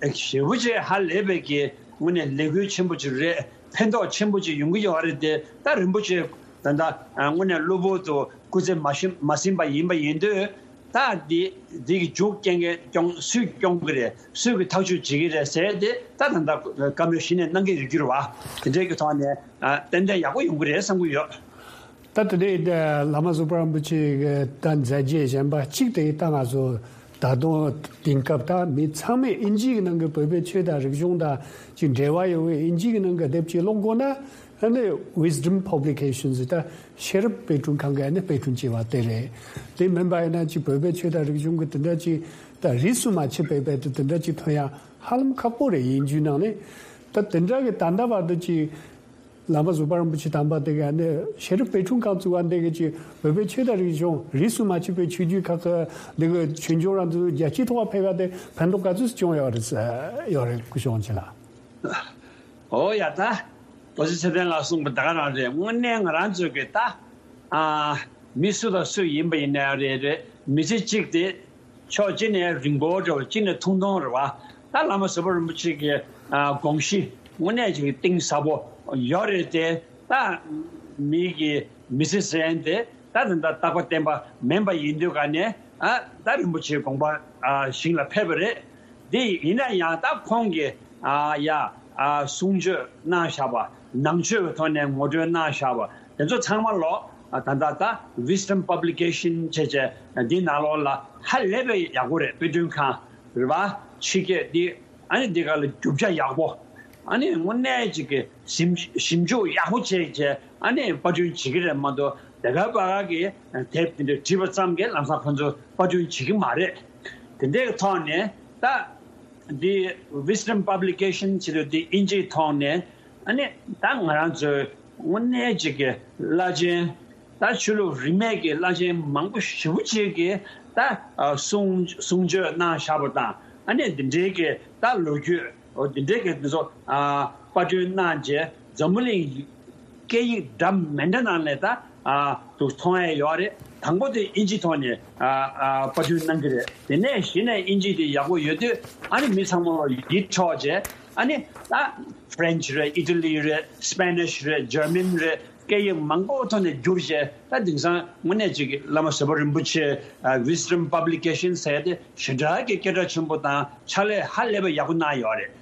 ཞེ་པོ་ཅིག་ཧ་ལས་པའི་གི་དངོས་གནས་ལས་འགུལ་ཆེན་པོ་ཅིག་རེད། ཕན་ཐོགས་ཆེན་པོ་ཅིག་ཡོང་གི་ཡོད་རེད་དེ། ད་རིན་པོ་ཆེ་ད་ལྟ་དངོས་གནས་གློ་བུར་དུ་སྐུ་ཚེ་མ་ཤི་མ་ཟིན་པ་ཡིན་པ་ཡིན་དུས། ད་འདི་འདི་གི་མཇུག་རྐྱེན་གྱི་སྐྱོང་སུས་སྐྱོང་གི་རེད། སུས་ཀྱི་ཐག་གཅོད་བྱེད་ཀྱི་རེད་ཟེར་ཏེ་ད་ད་ལྟ་བཀའ་མོལ་གཞི་ནས་གནང་གི་ཡོད་རྒྱུ་རེད་བ། དེ་འདྲའི་གི་ཐོག་ནས་ཨ་ཏན་ཏན་ཡག་པོ་ཡོང་གི་རེད་བསམ་གྱི་ཡོད། ད་དེ་ནས་བླ་མ་བཟོད་པ་རིན་པོ་ཆེ་གི་ད་མཛད་རྗེས་གཞན་པ་གཅིག་དེ་ད་ང་ཚོ་ད་དུང་དེང་སྐབས་ད་མི་ཚང་མས་དབྱིན་ཇི་གི་ནང་གི་བོད་པའི་ཆོས་དང་རིག་གཞུང་དང་ཅིག་འབྲེལ་བ་ཡོད་པའི་དབྱིན་ཇི་གི་ནང་གི་དེབ་ཅིག་ཀློག་དགོས་ན། ཨ་ནི་Wisdom Publications ད་ཤེས་རབ་དཔེ་སྐྲུན་ཁང་གིས་ཨ་ནི་དཔེ་སྐྲུན་བྱས་པ་དེ་རེད། དེ་མིན་པ་ཡིན་ན་ཅིག་བོད་པའི་ཆོས་དང་རིག་གཞུང་གི་དེ་འདྲ་ཅིག་ད་རིས་སུ་མ་ཆད་པའི་དཔེ་དེ་དེ་འདྲ་ཅིག་ཐོན་ཡ་ཧ་ལམ་ཁག་པོ་རེད། དབྱིན་ཇིའི་ནང་ནས་ད་དེ་འདྲ་གི་ད་ལྟ་བར་དུ་ཅིག་བླ་མ་བཟོད་པ་རིན་པོ་ཆེ་དམ་པ་དེ་ག་ནས་ཤེས་རབ་དཔེ་སྐྲུན་ཁང་བཙུགས་པ་འདི་གི་ཅིག་བོད་པའི་ཆོས་དང་རིག་གཞུང་རིས་སུ་མ་ཆད་པའི་ཆོས་བརྒྱུད་ཁག་གི་འདི་གི་ཆོས་འབྱུང་རང་ཚོའི་རྒྱལ་སྤྱིའི་ཐོག་ཕེབས་པ་དེ་ཕན་ཐོགས་ག་ཚོད་བྱུང་ཡོད་རེད་ཡོད་རེད། སྐུ་ཞབས་ཆེ་ལགས། ཨོ་ཡ་ད། རྡོ་རྗེ་ཚེ་བརྟན་ལགས་གསུངས་པ་ད་ག་རང་རེད། དངོས་གནས་ང་རང་ཚོའི་གི་ད་ཨ་མི་སུ་དང་སུ་ཡིན་པ་ཡིན་ན་རེད་རེད། མི་ཚེ་གཅིག་དེ་ཕྱོགས་གཅིག་ནས་རིང་པོ་འདྲ་བོ་གཅིག་ནས་ཐུང་ཐུང་རེད་བ། ད་བླ་མ་བཟོད་པ་རིན་པོ་ཆེ་གི་ཨ་དགོངས་གཞི་དངོས་གནས་ཅིག་གཏིང་ཟབ་པོ་ཡོད་རེད་དེ། ད་མི་གི་མི་ཚེ་ཟེར་མཁན་དེ་ད་ད་ལྟ་རྟག་པ་བརྟན་པ་མིན་པ་ཡིན་དུས་ག་ནས་ཨ་ད་རིན་པོ་ཆེའི་དགོངས་པ་ཨ་ཞིང་ལ་ཕེབས་པ་རེད། འདི་ཡིན་ན་ཡང་ད་ཁོང་གིས་ཨ་ཡ་ཨ་གསུང་ཆོས་གནང་བཞག་པ། ནང་ཆོས་ཀྱི་ཐོག་ནས་ངོ་སྤྲོད་གནང་བཞག་པ་དེ་ཚོ་ཚང་མ་ལོ་ཨ་ད་ད་ད་Wisdom Publication བྱས་བྱས་འདི་ནང་ལོགས་ལ་ཧ་ལས་པའི་ཡག་པོ་རེད། དཔེ་སྐྲུན་ཁང་རེད་པ། ཕྱི་སྐད་འདི་ཨ་ནི་འདི་ག་ལ་རྒྱུ་ཆ་ཡག་པོ། ཨ་ནི་དངོས་གནས་ཅིག་གི་ཞིབ་ཞིབ་འཇུག་ཡག་པོ་བྱས་བྱས་ཨ་ནི་པར་སྐྲུན་བྱེད་ཀྱི་རེད་མ་གཏོགས་དེ་ག་པ་ག་གི་དེབ་དེ་འདྲ་བྲིས་པ་ཙམ་གྱིས་ལམ་སང་ཁོ་ཚོ་པར་སྐྲུན་བྱེད་ཀྱི་མ་རེད། དེ་འདྲའི་ཐོག་ནས་ད། འདི་Wisdom Publication ཟེར་དུས་འདི་དབྱིན་ཇིའི་ཐོག་ནས་ཨ་ནི་ད་ང་རང་ཚོའི་དངོས་གནས་ཅིག་གི་བླ་ཆེན་ད་ཆོས་ལུགས་རིས་མེད་ཀྱི་བླ་ཆེན་མང་པོ་ཞེ་པོ་ཅིག་གིས་ད་གསུང་གསུང་ཆོས་གནང་བཞག་པ་དང་ཨ་ནི་འདི་འདྲའི་གི་ད་ལོ་རྒྱུས་འོ་འདི་འདྲའི་གི་འདི་ཚོ་པར་སྐྲུན་གནང་རྗེས་འཛམ་བུ་གླིང་སྐད་ཡིག་འདྲ་མི་འདྲ་ནང་ནས་ད་ཨ་དུ་མཐོང་ཡ་ཡོད་རེད། དང་པོ་དེ་དབྱིན་ཇིའི་ཐོག་ནས་ཨ་ཨ་པར་སྐྲུན་གནང་གི་རེད། དེ་ནས་གཞི་ནས་དབྱིན་ཇི་དེ་ཡག་པོ་ཡོད་དུས་ཨ་ནི་མི་ཚང་མ་ལ་ཡིད་འཕྲོག་བྱས་ཨ་ནི་ད་French རེད། Italy རེད། Spanish རེད། German རེད། སྐད་ཡིག་མང་པོ་ཐོག་ནས་བསྒྱུར་བྱས་ད་དེང་སང་དངོས་གནས་ཅིག་གི་བླ་མ་བཟོད་པ་རིན་པོ་ཆེ་ཨ་Wisdom Publication ཟེར་དེ་ཞེ་དྲག་གི་སྐད་གྲགས་ཆེན་པོ་དང་ཕྱག་ལས་ཧ་ལས་པ་ཡག་པོ་གནང་ཡོད་རེད།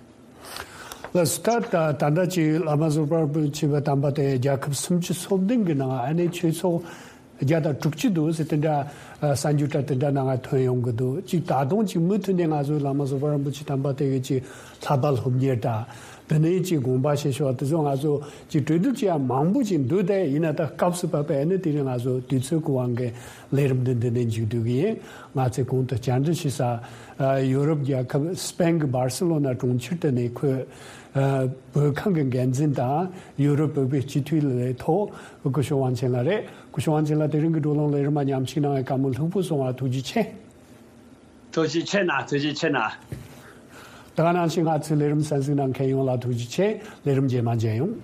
ལགས་སོ། ད་ད་ད་ལྟ་ཅིག་བླ་མ་བཟོད་པ་རིན་པོ་ཆེ་བ་དམ་པ་དེ་རྒྱལ་ཁབ་སུམ་ཅུ་སོ་བདུན་གྱི་ནང་ཨ་ནེ་ཆོས་ཚོགས་བརྒྱ་དང་དྲུག་ཅུ་འདུག་ཟེར་དེ་འདྲ་གསར་འགྱུར་འདྲ་དེ་འདྲ་ནང་ཐོན་ཡོང་གི་འདུག་ཅིག་ད་དུང་ཅིག་མུ་མཐུད་ནས་ང་ཚོའི་བླ་མ་བཟོད་པ་རིན་པོ་ཆེ་དམ་པ་དེ་གི་ཅིག་བསླབ་པ་སློབ་གཉེར་དང་དེ་ནས་ཅིག་དགོངས་པ་བཞེས་ཕྱོགས་དེ་ཚོ་ང་ཚོ་ཅིག་གྲོས་བསྡུར་བྱེད་ཡ་མང་པོ་ཅིག་འདུག་དེ་ཡིན་ན་ད་སྐབས་སུ་བབས་པའི་ཨ་ནེ་དེ་རིང་ང་ཚོ་དུས་ཚོད་ཀྱི་དབང་གིས་ལས་རིམ་འདི་འདི་ནས་མཇུག་བསྡུ་གི་ཡིན། ང་ཚོས་གོང་དུ་བཅར་འདྲི་ཞུས་ས། ཨ་ཡོ་རོབ་རྒྱལ་ཁབ་སྤེན་གྱི་སྦར་སེ་ལོ་ན་གྲོང་ཁྱེར་དུ་ནས་ཁོས་ཨ་བོད་ཁང་གི་འགན་འཛིན་དང་ཡོ་རོབ་བོད་པའི་སྤྱི་འཐུས་ལས་ཐོག་སྐུ་ཞབས་དབང་ཆེན་ལགས་རེད། སྐུ་ཞབས་དབང་ཆེན་ལགས་དེ་རིང་གི་བགྲོ་གླེང་ལས་རིམ་མ་མཉམ་ཞུགས་གནང་བའི་བཀའ་མོལ་ལྷུག་པོ་གསུང་བར་ཐུགས་རྗེ་ཆེ། ཐུགས་རྗེ་ཆེ་གནང་། ཐུགས་རྗེ་ཆེ་གནང་། ད་ག་ནང་བཞིན་ང་ཚོའི་ལས་རིམ་གསན་གཟིགས་གནང་མཁན་ཡོངས་ལ་ཐུགས་རྗེ་ཆེ། ལས་རིམ་རྗེས་མ་མཇལ་ཡོང་།